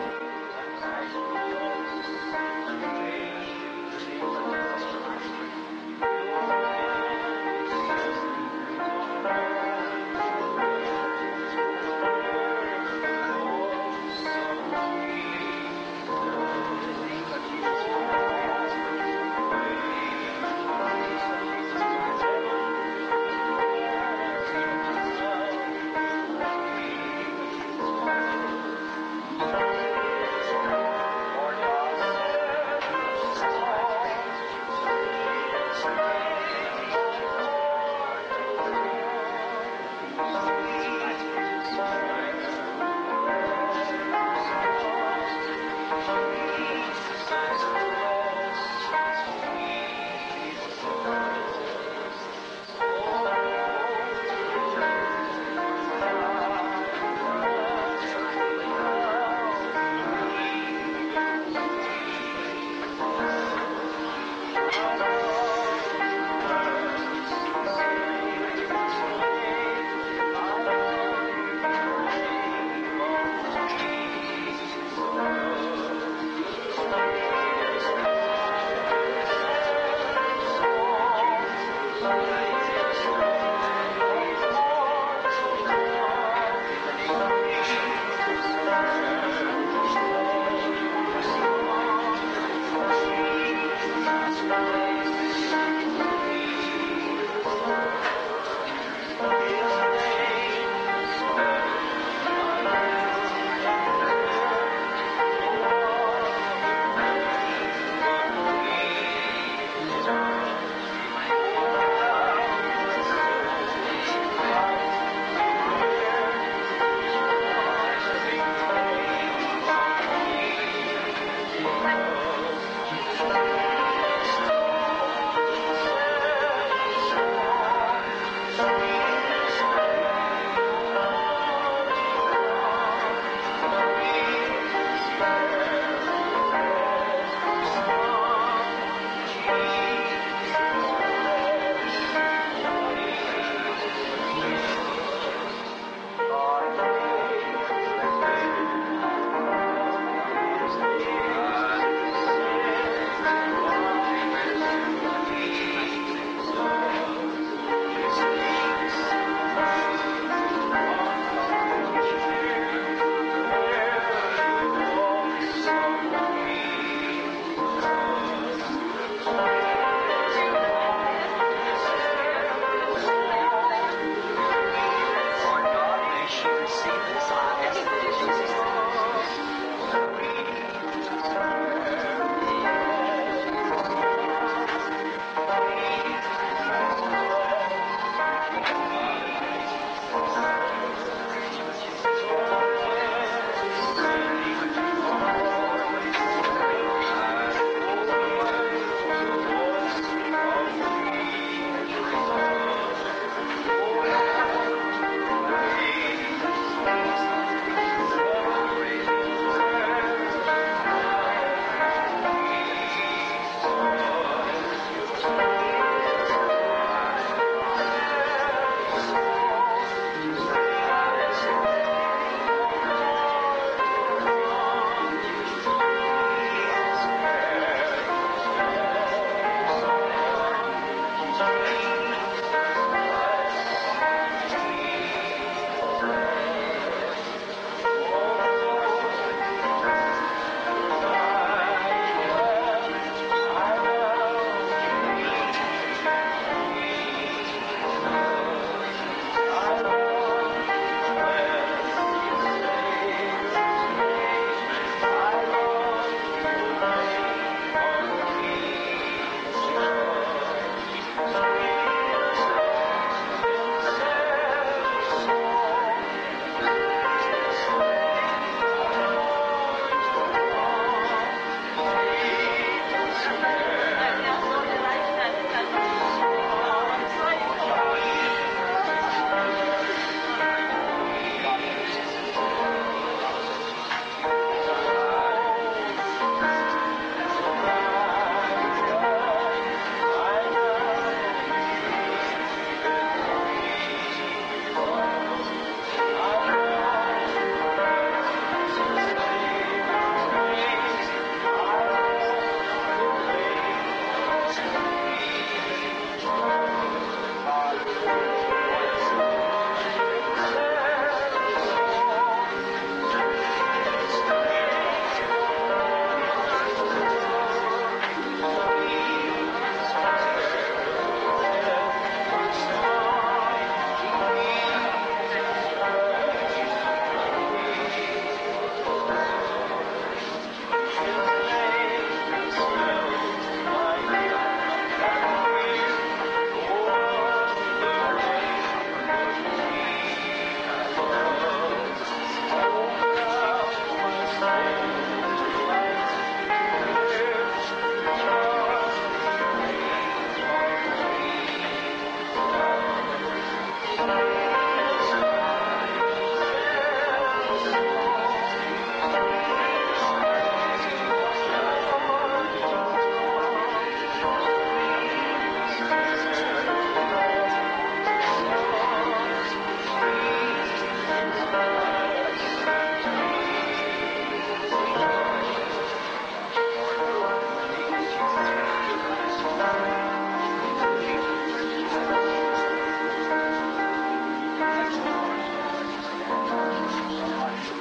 receive this, I ask it in Jesus'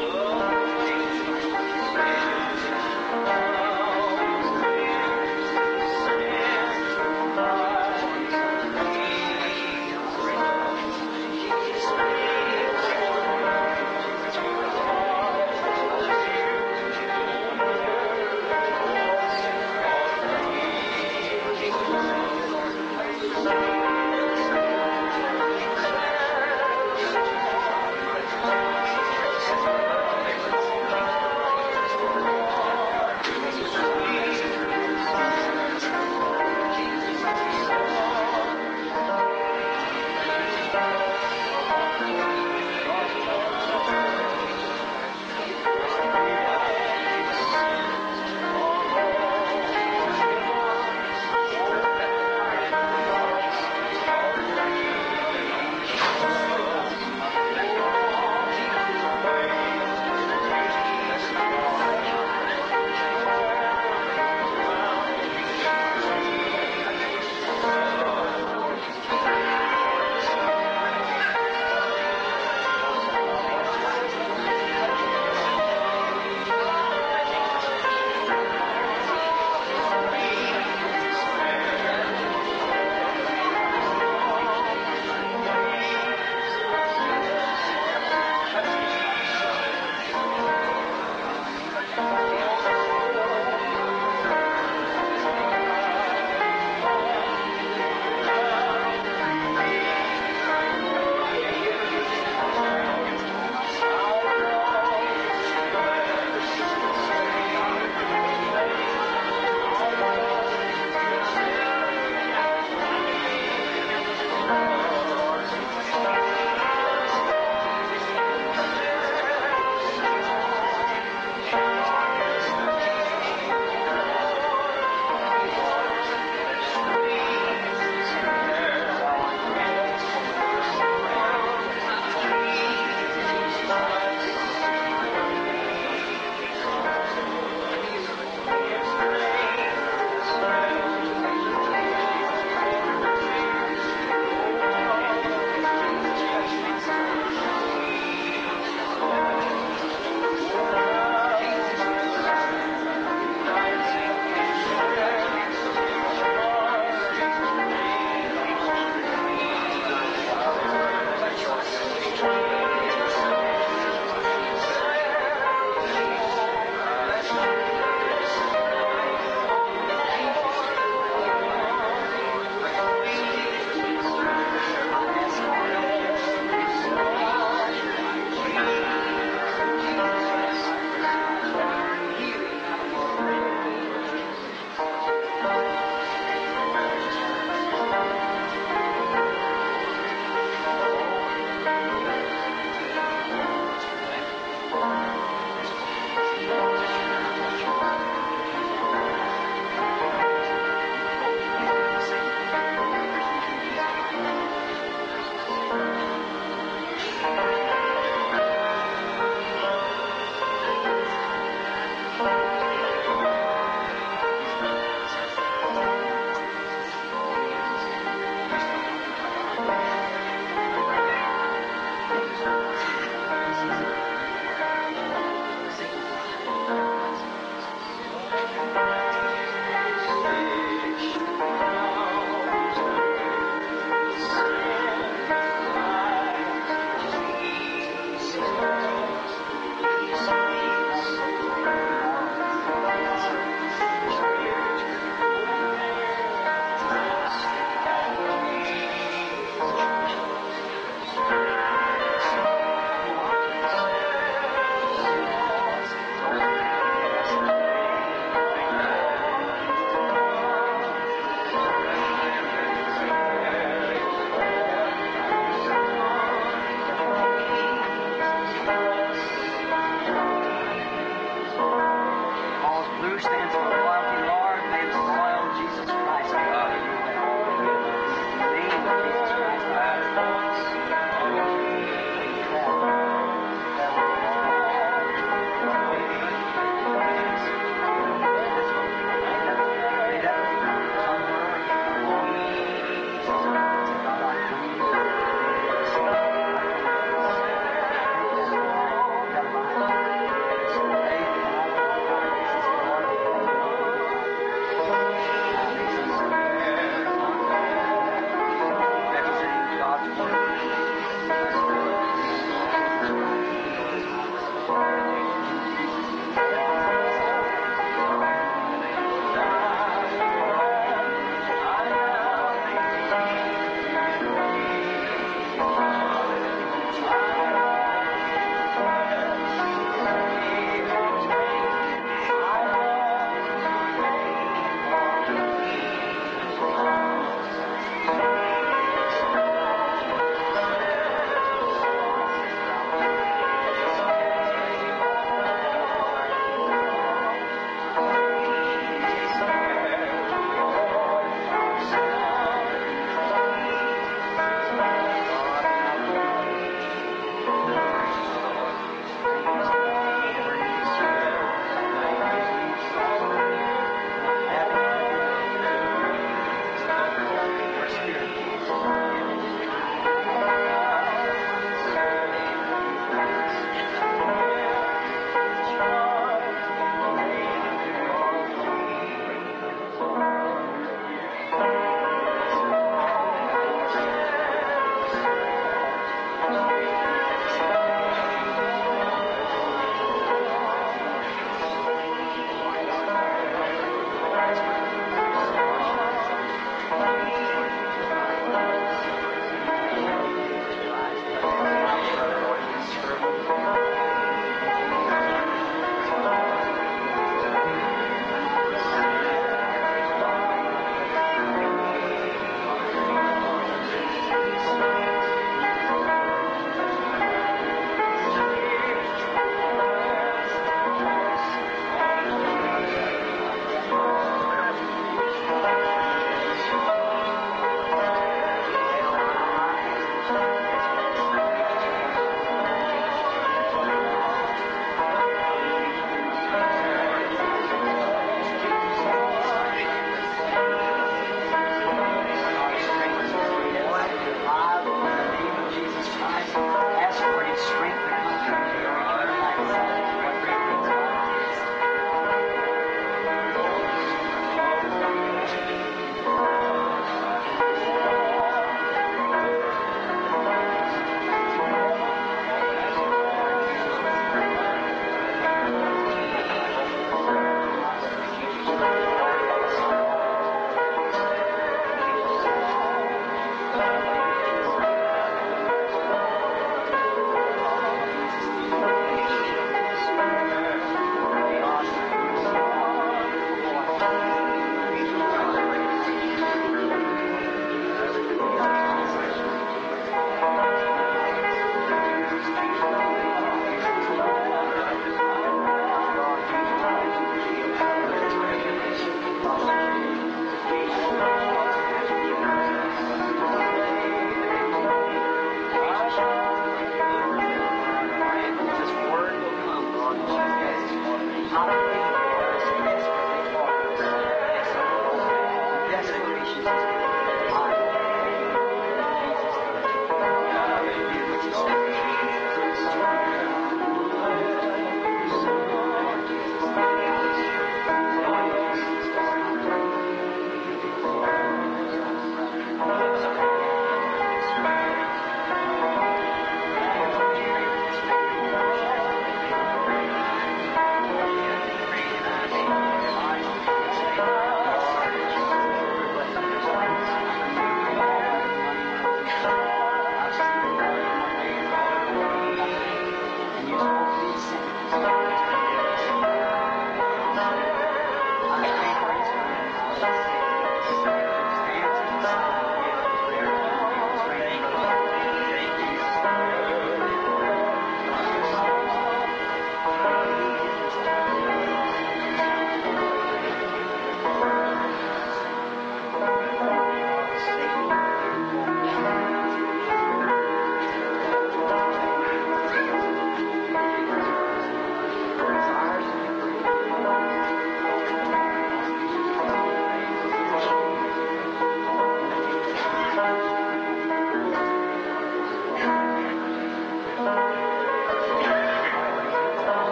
name.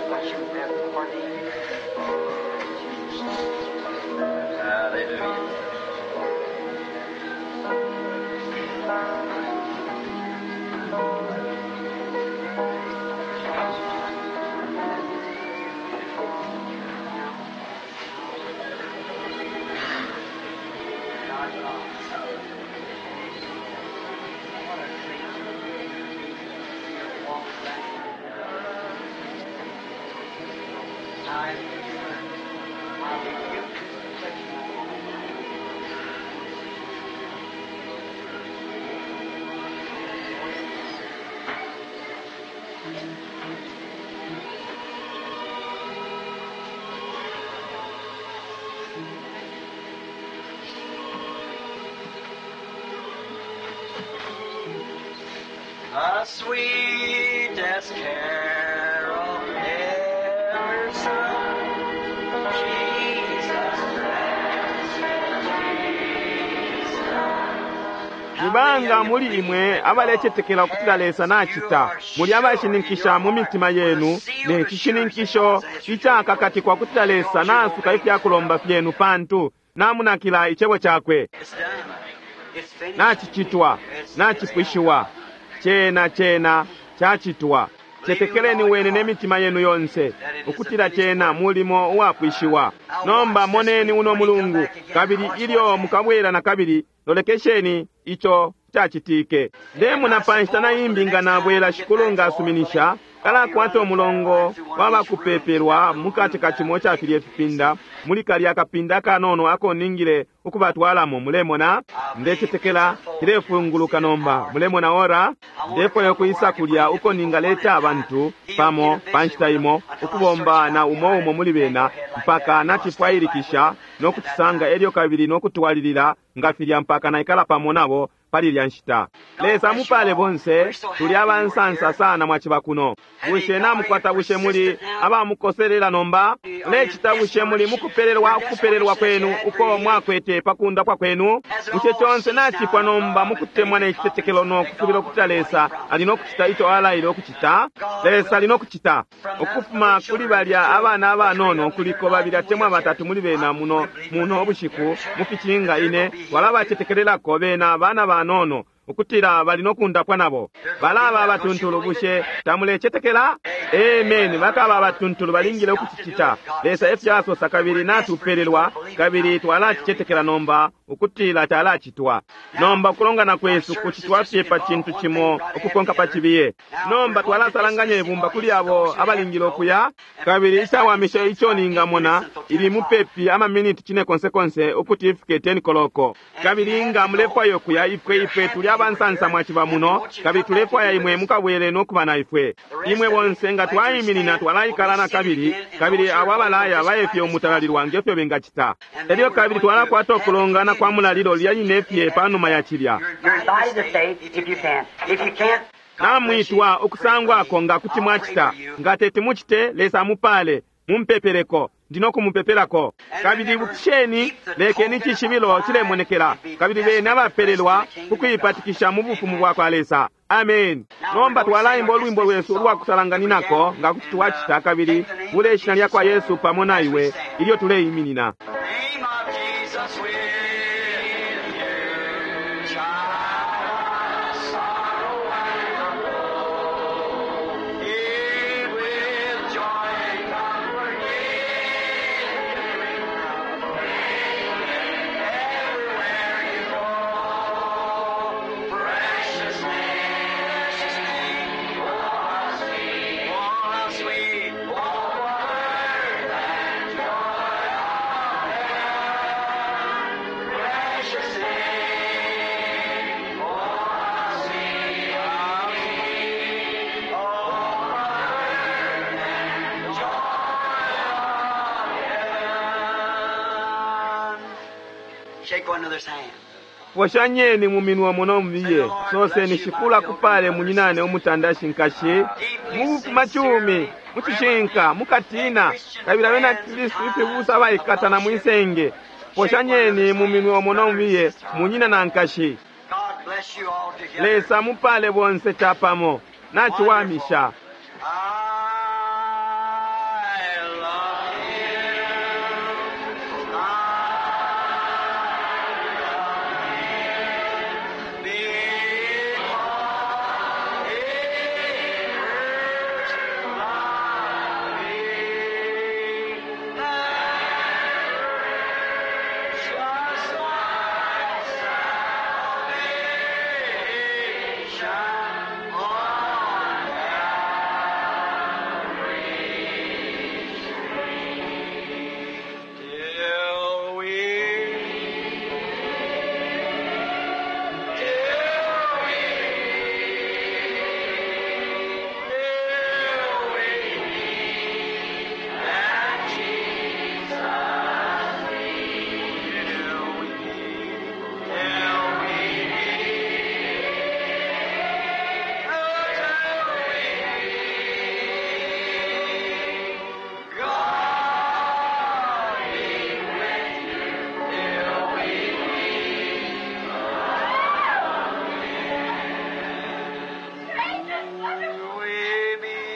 What you have ordained. Hallelujah. The sweetest carol ever sung. Jesus Christ, Jesus. Nibanga muli imwe abalecetekela ukutila Lesa nachita muli abashininkisha mu mitima yenu ne cishininkisho icakakatikwa kutila Lesa nasuka ifyakulomba fyenu pantu namunakila icebo cakwe. It's done. It's finished. Nachicitwa, nachipwishiwa, chena chena chachitwa. Cetekeleni wene ne mitima yenu yonse ukutila chena mulimo uwapwishiwa. Nomba moneni uno mulungu kabili ilyo mukabwera na kabili lolekesheni icho chachitike. Ndemuna pa nshita na imbi nga nabwera shikulu nga asuminisha kalakwata umulongo wabakupepelwa mukati ka chimo cha filye fipinda muli kalya kapinda kanono ako ningile ukubatwalamo. Mulemona ndecetekela cilefunguluka nomba. Mulemona ora ndefwayo kuisa kulya uko ningaleta abantu pamo pa nshita imo ukubomba na umo umo muli bena mpaka nachifwayilikisha nokucisanga elyo kabili nokutwalilila nga filya mpaka naikala pamo nabo pali lya nshita. Lesa mupale bonse tuli abansansa sana mwaciba kuno. Bushe namukwata bushe muli abamukoselela nomba? Lecita bushe muli mukupelelwa ukupelelwa kwenu uko mwakwete pakundapwa kwenu? Bushe conse nachipwa nomba mukutemwa ne citetekelo no kusubila ukutila Lesa ali nokucita ico alaile ukucita? Lesa ali nokucita. Ukufuma kuli balya abana abanono kuliko babili atemwa batatu muli bena muno muno ubushiku muficinga ine twalabacetekelelako bena bana banono ukutila bali nokundapwa nabo balaba abatuntulu. Bushe tamulecetekela? Amen. Bakaba abatuntulu balingile ukucicita. Lesa efyo asosa kabili natupelelwa kabili twalacicetekela nomba ukutila talacitwa. Nomba ukulongana kwesu kucitwa fye pa cintu cimo ukukonka pa cibiye. Nomba twalasalanganya ibumba kuli abo abalingile ukuya kabili icawamisha ico ningamona ili mupepi amaminiti cine konsekonse ukuti ifike ten koloko. Kabili nga mulefwaya ukuya ifwe ifwe tuli abansansa mwaciba muno kabili tulefwaya imwe mukabwele nokuba na ifwe. Imwe bonse nga twaiminina twalaikala na kabili kabili abo abalaya bayefye umutalalilwa ngefyo bengacita. Elyo kabili twalakwata ukulongana kwa mulalilo lya line fye panuma ya cilya. You're invited to stay if you can. If you can't, Namwitwa ukusangwako nga kuti mwacita. Nga teti mucite, Lesa amupale mumpepeleko ndino kumupepelako. Kabili ibukisheni lekeni icishibilo cilemonekela kabili bene abapelelwa kukuipatikisha mu bufumu bwa kwa Lesa. Amen. Nomba twalaimba ulwimbo lwesu ulwakusalanganinako nga kuti twacita kabili bule ishina lya kwa Yesu pamo na iwe ilyo tuleiminina. Name of Jesus with you, child of sorrow and woe. It with joy and comfort give everywhere you go. Precious name, precious name, oh how sweet, oh how sweet, oh what and joy of heaven. Precious name, oh how sweet, how sweet, oh what and joy of heaven. Shake one another's hand. Poshanyeni mu minwe muno mubiye soseni shikula kupale munyinane umutandashi nkashi mubufuma chumi mucishinka mukatina kabili abena Kristu ifibusa abaikatana mwisenge. Poshanyeni mu minwe muno mubiye munyina na nkashi. God bless you all together. Lesa mupale bonse chapamo. Naciwamisha. I love him. I love him. Because he first loved me. Precious my salvation on Till we, till we, till we meet at Jesus' feet. Till we, till we meet, oh, till we meet. God be with you till we meet again. We meet,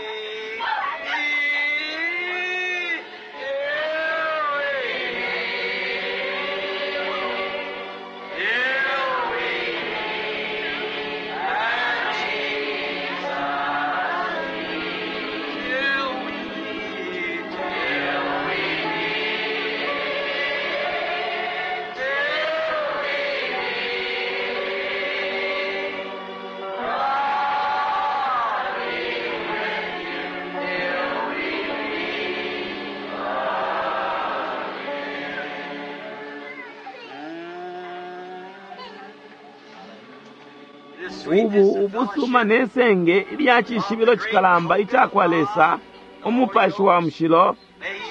till we meet, till we meet at Jesus' Till we meet, till we meet, till we meet. God be with you till we meet again. This sweetness Ubu of ubusuma fellowship ne senge ilya cishibilo cikalamba icakwa Lesa, umupashi wa mushilo,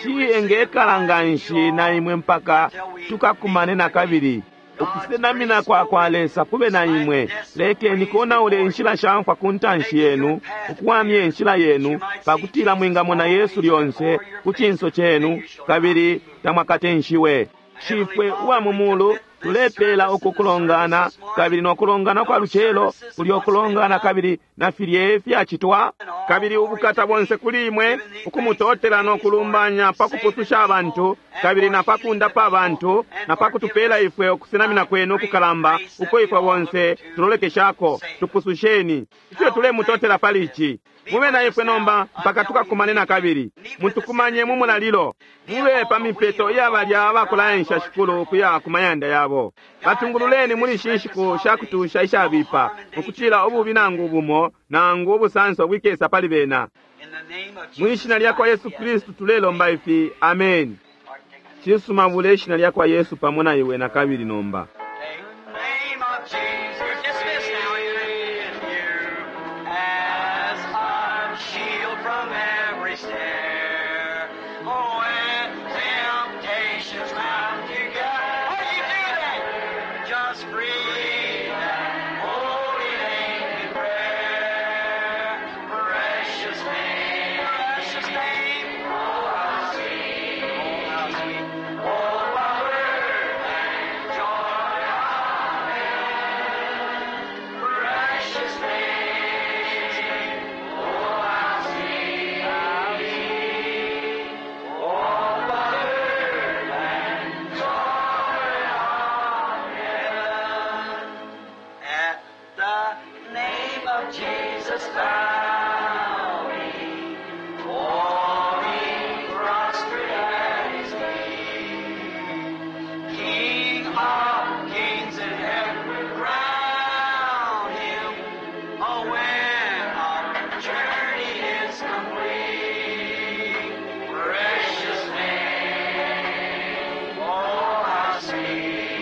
shi engekala nga nshi na imwe mpaka tukakumane na kabili. Ukusenamina kwa kwa Lesa kube na imwe. Lekeni konaule inshila shamfwa ku ntanshi yenu, ukuwamya inshila yenu, pakutila mwingamona Yesu lyonse ku cinso cenu, kabili tamwakatenshiwe. Shifwe uwa mu mulu, tulepela uku kulongana kabili nokulongana kwa lucelo kuli okulongana kabili na filye fyacitwa kabili ubukata bonse kuli imwe ukumutotela nokulumbanya pakupususha abantu kabili na pakundapa abantu na pakutupela ifwe ukusenamina kwenu ukukalamba uko ifwe bonse tulolekeshako. Tupususheni ifyo tulemutotela pali ici. Mube na ifwe nomba mpaka tukakumane na kabili. Mutukumanye mu mulalilo. Mube pa mipeto iya balya abakulaensha Shikulu kuya ku mayanda yabo. Batungululeni muli ishi nshiku shakutusha ishabipa, ukucila ububi nangu bumo nangu ubusanso bwikesa pali bena. in the name of Mu Jesus ishina lya kwa Yesu Kristu tulelomba ifi, amen. Cisuma bule ishina lya kwa Yesu pamo na iwe na kabili nomba. Take the name of Jesus. You're dismissed now. With you as our shield from every snare. Oh, when temptations round you gather. How do you do that? Just breathe that holy name in prayer. Precious name, precious name. Oh, how sweet, oh, how sweet. Oh, power and joy of heaven. Precious name, oh, how sweet, how sweet. Oh, power and joy of heaven. At the name of Jesus, bow we, falling prostrate at his feet. King of kings and heaven crown him. Oh, when our journey is complete, precious name, oh, how sweet,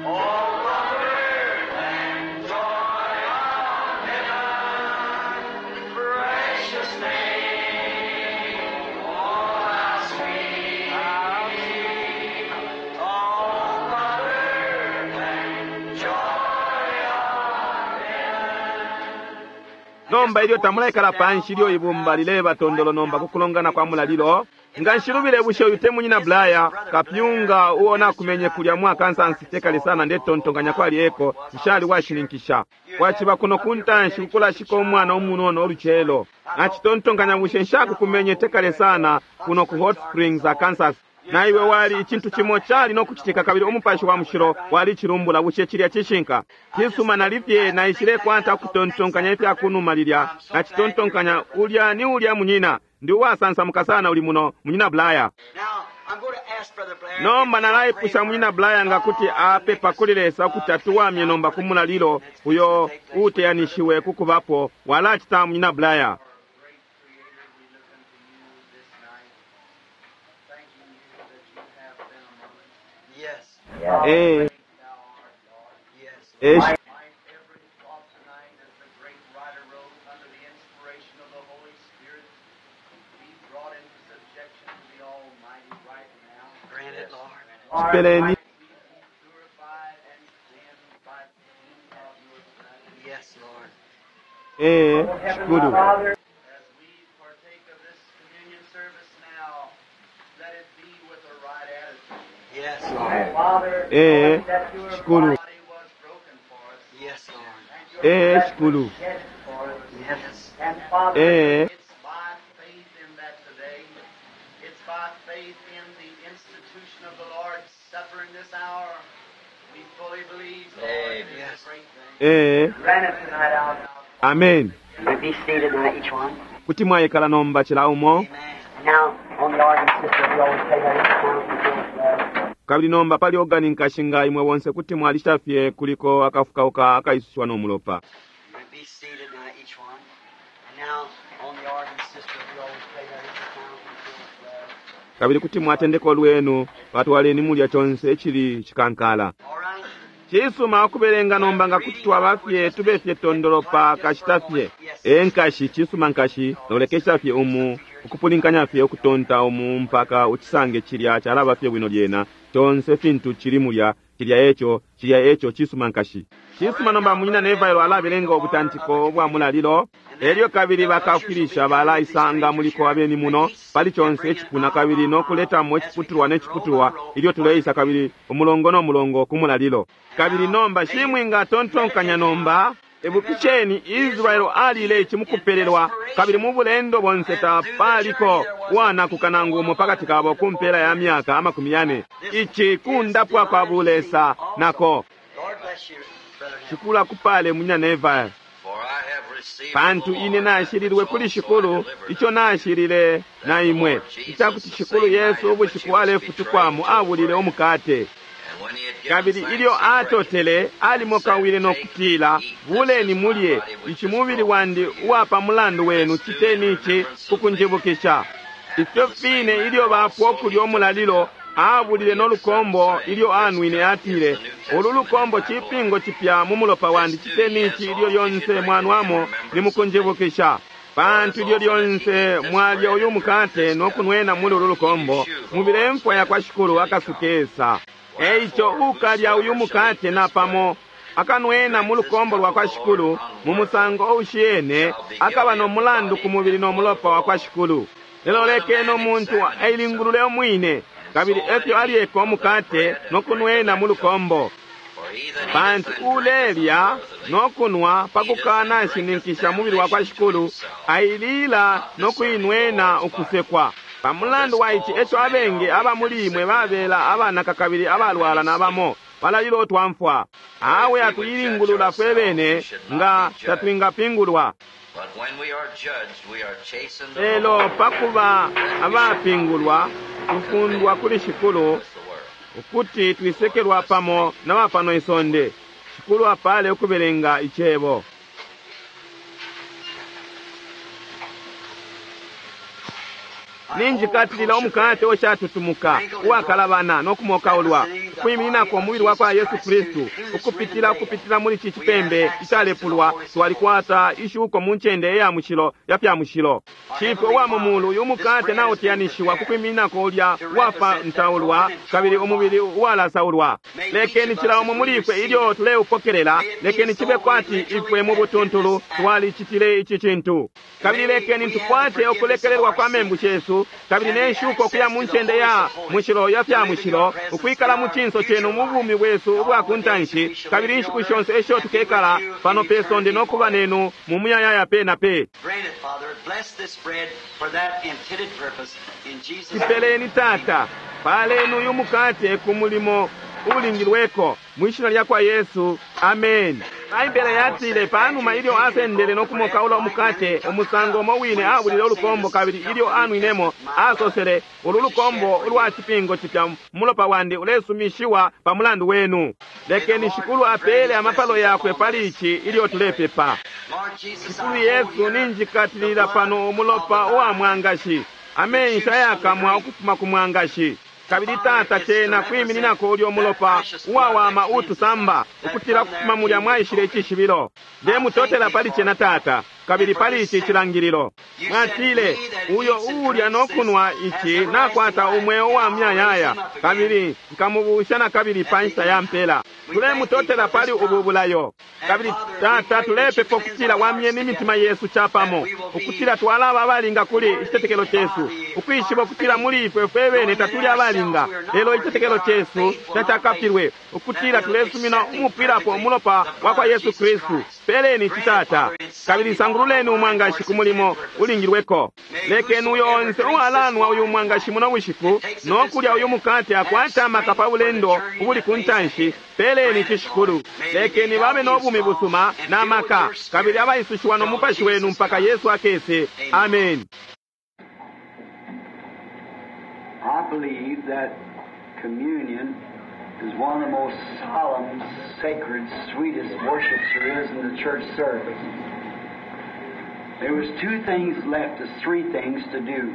oh, comfort and joy of heaven, precious name, oh, how sweet, how sweet, oh, comfort and joy of heaven. Nomba ilyo tamulaikala panshi ilyo ibumba lileba tondolo nomba ku kulongana kwa mulalilo, Nga nshilubile bushe uyu te munyina Blaya kapyunga uo nakumenye kulya mu Arkansas tekale sana ndetontonkanya kwali eko nshali washininkisha. Waciba kuno kuntanshi kukulashika umwana umunono oluchelo. Nacitontonkanya bushe nshakukumenye tekale sana kuno ku Hot Springs, Arkansas. Na iwe wali icintu cimo cali no kucitika kabili umupashi wa mushilo wali chilumbula bushe cilya cishinka. Cisuma nalifye naishile kwata kutontonkanya ifya kunuma lilya nacitontonkanya ulya ni ulya munyina ndi uwasansamuka sana uli muno munyina Blaya. Nomba nalaipusha munyina Blaya nga kuti apepa kuli Lesa ukuti atuwamye nomba ku mulalilo uyo uteyanishiwe kukubapo walacita munyina Blaya. Eh. Eh. Every thought tonight, as the great writer wrote, under the inspiration of the Holy Spirit, be brought into subjection to the Almighty right now. Grant it, Lord. Chipeleni. Be purified and cleansed by the of your blood. Yes, Lord. Eh. Shukuru. As we partake of this communion service now, let it be with the right attitude. Yes, Lord. Eh. Shukuru. Body was broken for us. Yes, Lord. And your Eh. Shukuru. Yes. Eh. It's by faith in that today. It's by faith in the institution of the Lord's Supper in this hour. We fully believe, Lord, it is Yes. a great thing. Eh. Amen. We be seated now, each one. Kuti mwayikala nomba chila umo. Amen. Now, on the organ system, we always play that sound before Kabili nomba pali organi nkashinga imwe bonse kuti mwalisha fye kuliko akafukauka akaisushiwa n'omulopa. We be seated now, each one. And now, on the organ system, we always play that sound before Kabili kuti mwatendeka olwenu patwaleni mulya chonse echili chikankala. All right. Chisuma okubelenga nomba nga kuti twaba fye tube fye tondolopa kashita fye. E nkashi chisuma nkashi nolekesha fye umu ukupulinkanya fye ukutonta umu mpaka uchisange chilya chalaba fye bwino lyena chonse fintu chili mulya chilya echo chilya echo chisuma nkashi. Chisuma nomba munyina Nevailo alabelenga obutantiko bwa mulalilo elyo kabili bakafilisha balaisanga muliko abeni muno pali chonse echipuna kabili nokuletamo echiputulwa n'echiputulwa ilyo tuleisa kabili umulongo n'omulongo ku mulalilo. Kabili nomba shimwinga tontonkanya nomba ebukisheni Israeli alile ichi mukupelelwa kabili mu bulendo bonse tapaliko wanakuka nangu umo pakati kabo kumpela ya myaka amakumi yane. Ichi kundapwa kwa bulesa nako. Lord bless you, Brother Neville. Shukula kupale munyina Neville. For I have received Pantu the ine Lord nashililwe that kuli which also shikulu I delivered icho nashilile na imwe ichakuti shikulu Yesu ubushiku alefutukwamo abulile umukate. And when he had given Kabili thanks, ilyo he brake it, atotele alimokawile nokutila buleni mulye ichi mubili wandi uwapa mulandu wenu chiteni ichi kukunjibukisha. Ifyo fine ilyo bafwa okulya omulalilo abulile n'olukombo ilyo anwine atile ulu lukombo chipingo chipya mu mulopa wandi chiteni ichi ilyo lyonse mwanwamo nimukunjibukisha. Pantu ilyo lyonse mwalya uyu mukate nokunwena muli ulu lukombo mubile mfwa ya kwa shikulu akasukesa. Eicho ukalya uyu mukate napamo akanwena mu lukombo lwa kwa shikulu mu musango oushiyene akaba n'omulandu ku mubili n'omulopa wa kwa shikulu. Lelo lekeni omuntu ailingulule omwine kabili efyo alyeka omukate nokunwena mu lukombo. For he that eateth Pantu and drinketh ulelya unworthily nokunwa pakukana nshininkisha mubili wa kwa shikulu ailila nokuinwena ukusekwa. Pamulandu wa ichi echo abengi aba muli imwe babela abanaka kabili abalwala nabamo balalila otwamfwa. Awe atuyilingulula fwe bene nga tatwingapingulwa. But when we are judged, we are chastened of the Lelo Lord, pakuba abapingulwa tufundwa kuli shikulu with the world. ukuti twisekelwa pamo na bapano isonde. Shikulu apale ukubelenga ichebo. Ninjikatilila omukate oshatutumuka uwakalabana n'okumokaulwa ukwimininako umubili wa kwa Yesu Kristu ukupitila ukupitila muli ci cipembe icalepulwa twalikwata ishuko mu ncende iya mushilo ya fya mushilo. Shifwe uwa mu mulu, uyu mukate nautiyanishiwa ku kwimininako ulya uwafantaulwa kabili umubili uwalasaulwa. Lekeni cila umo muli ifwe ilyo tuleupokelela, lekeni cibe kwati ifwe mu butuntulu twalicitile ici cintu. Kabili lekeni tukwate ukulekelelwa kwa membu shesu kabili ne nshuko kuya mu ncende ya mushilo ya fya mushilo, ukwikala mu cinso cenu mu bumi bwesu ubwa ku ntanshi, kabili inshiku shonse esho tukekala pano pe sonde no kuba nenu mu muyayaya pe na pe. Grant it, Father. Bless this bread for that intended purpose. In Jesus' name. Cipeleni Tata, paleni uyu mukate ku mulimo ulingilweko mwishina lya kwa Yesu, amen. Baibele yatile panuma ilyo asendele no kumokaula umukate umusango umo wine abulile ulukombo, kabili ilyo anwinemo asosele, ulu lukombo ulwa cipingo cipya mulopa wandi ulesumishiwa pa mulandu wenu. Lekeni Shikulu apele amapalo yakwe pali ici ilyo tulepepa. Lord Jesus, Shikulu I hold Yesu, here ninjikatilila pano umulopa uwa mwangashi, amenshi ayakamwa ukufuma ku mwangashi. Kabili Tata, cena kwimininako ulyo mulopa uwawama utusamba ukutila kufuma mulya mwaishile icishibilo. Ndemutotela pali cena Tata, kabili pali ici cilangililo. Mwatile, uyo uulya no kunwa ici nakwata umweo wa myayaya, kabili nkamubusha na kabili pa nshita ya mpela. Tulemutotela pali ubu bulayo. Kabili Tata, tulepepa ukutila wamyeni imitima yesu capamo, ukutila twalaba abalinga kuli icitetekelo cesu, ukwishiba ukutila muli ifwe fwe bene tatuli abalinga, lelo icitetekelo cesu tacakapilwe, ukutila tulesumina umupwilapo umulopa wa kwa Yesu Kristu. Peleni ici Tata, kabili sangululeni umwangashi ku mulimo ulingilweko. Lekeni uyo onse uwalanwa uyu mwangashi muno bushiku no kulya uyu mukate akwate amaka pa bulendo ubuli ku ntanshi. Peleni ici Shikulu. Lekeni babe no bumi busuma na maka, kabili abaisushiwa no mupashi wenu mpaka Yesu akese. Amen. I believe that communion is one of the most solemn, sacred, sweetest worships there is in the church service. There was two things left, there's three things to do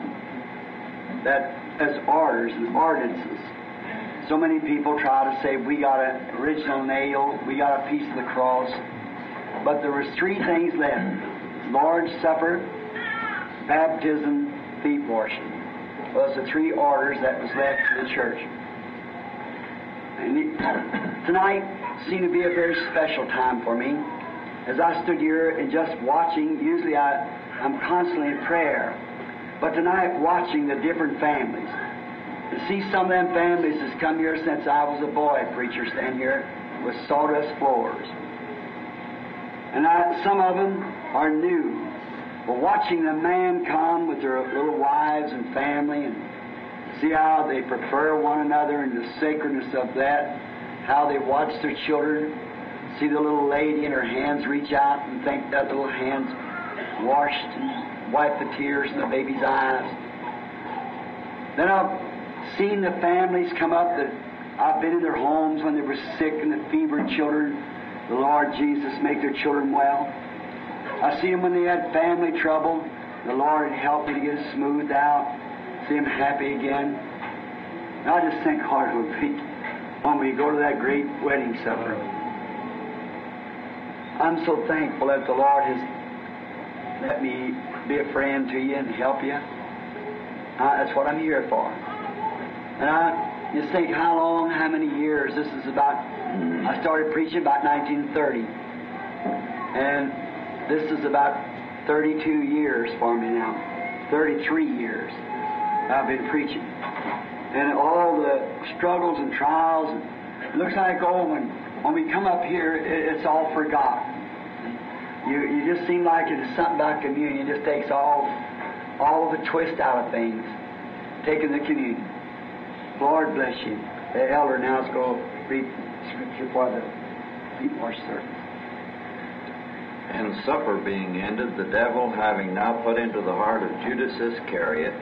that as orders and ordinances. So many people try to say we got an original nail, we got a piece of the cross, but there was three things left: Lord's Supper, baptism, feet washing. Was the three orders that was left to the church. And it, tonight seemed to be a very special time for me. As I stood here and just watching, usually I, I'm constantly in prayer, but tonight watching the different families. To see some of them families that's come here since I was a boy preacher stand here with sawdust floors. And I, some of them are new. But watching the man come with their little wives and family and see how they prefer one another and the sacredness of that, how they watch their children, see the little lady and her hands reach out and think that little hand's washed and wipe the tears in the baby's eyes. Then I've seen the families come up that I've been in their homes when they were sick and the fevered children. The Lord Jesus make their children well. I see them when they had family trouble. The Lord had helped me to get it smoothed out, see them happy again. And I just think how it would be when we go to that great wedding supper. I'm so thankful that the Lord has let me be a friend to you and help you. I, that's what I'm here for. And I just think how long, how many years. This is about, I started preaching about nineteen thirty. And this is about thirty-two years for me now. thirty-three years I've been preaching. And all the struggles and trials, and it looks like, oh, when, when we come up here, it, it's all forgotten. You, you just seem like it's something about communion. It just takes all, all the twist out of things, taking the communion. Lord bless you. The elder now is going to read scripture for the feet wash service. And supper being ended, the devil having now put into the heart of Judas Iscariot,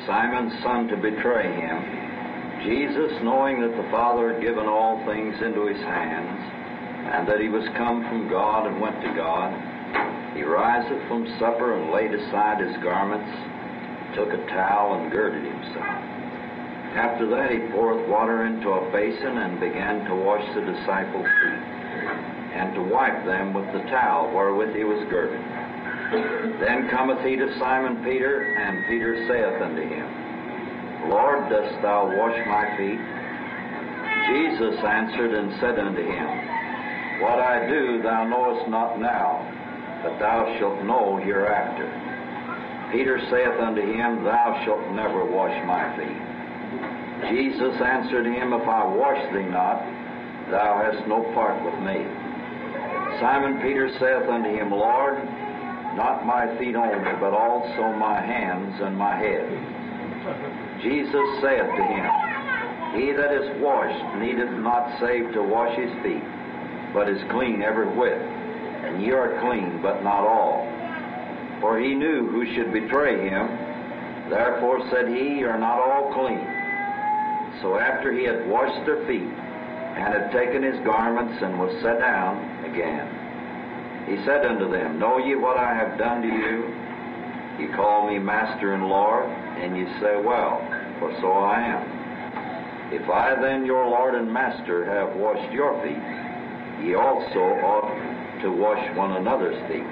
Simon's son, to betray him, Jesus, knowing that the Father had given all things into his hands, and that he was come from God and went to God, he riseth from supper and laid aside his garments, took a towel and girded himself. After that he poureth water into a basin, and began to wash the disciples' feet, and to wipe them with the towel wherewith he was girded. Then cometh he to Simon Peter, and Peter saith unto him, Lord, dost thou wash my feet? Jesus answered and said unto him, What I do thou knowest not now, but thou shalt know hereafter. Peter saith unto him, Thou shalt never wash my feet. Jesus answered him, If I wash thee not, thou hast no part with me. Simon Peter saith unto him, Lord, not my feet only, but also my hands and my head. Jesus saith to him, He that is washed needeth not save to wash his feet, but is clean every whit. And ye are clean, but not all. For he knew who should betray him. Therefore said he, Ye are not all clean. So after he had washed their feet, and had taken his garments, and was set down again, he said unto them, Know ye what I have done to you? Ye call me Master and Lord, and ye say, Well, for so I am. If I then, your Lord and Master, have washed your feet, ye also ought to wash one another's feet.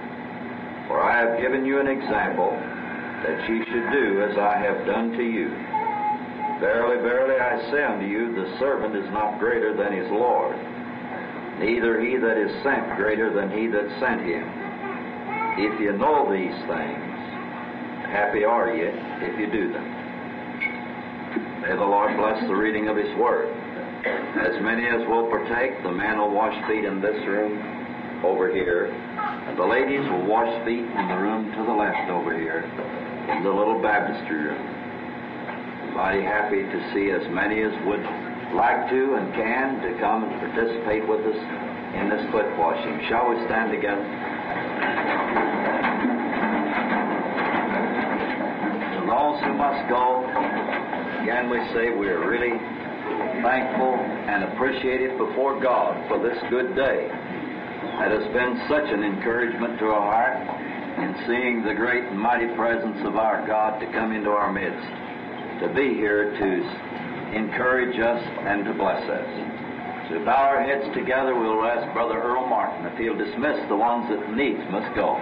For I have given you an example, that ye should do as I have done to you. Verily, verily, I say unto you, the servant is not greater than his Lord, neither he that is sent greater than he that sent him. If you know these things, happy are ye if you do them. May the Lord bless the reading of His Word. As many as will partake, the men will wash feet in this room over here, and the ladies will wash feet in the room to the left over here, in the little baptistry room. I'm mighty happy to see as many as would like to and can to come and participate with us in this foot washing. Shall we stand together? To those who must go, again we say we are really thankful and appreciative before God for this good day that has been such an encouragement to our heart in seeing the great and mighty presence of our God to come into our midst, to be here to encourage us and to bless us. So we bow our heads together, we'll ask Brother Earl Martin if he'll dismiss the ones that needs must go.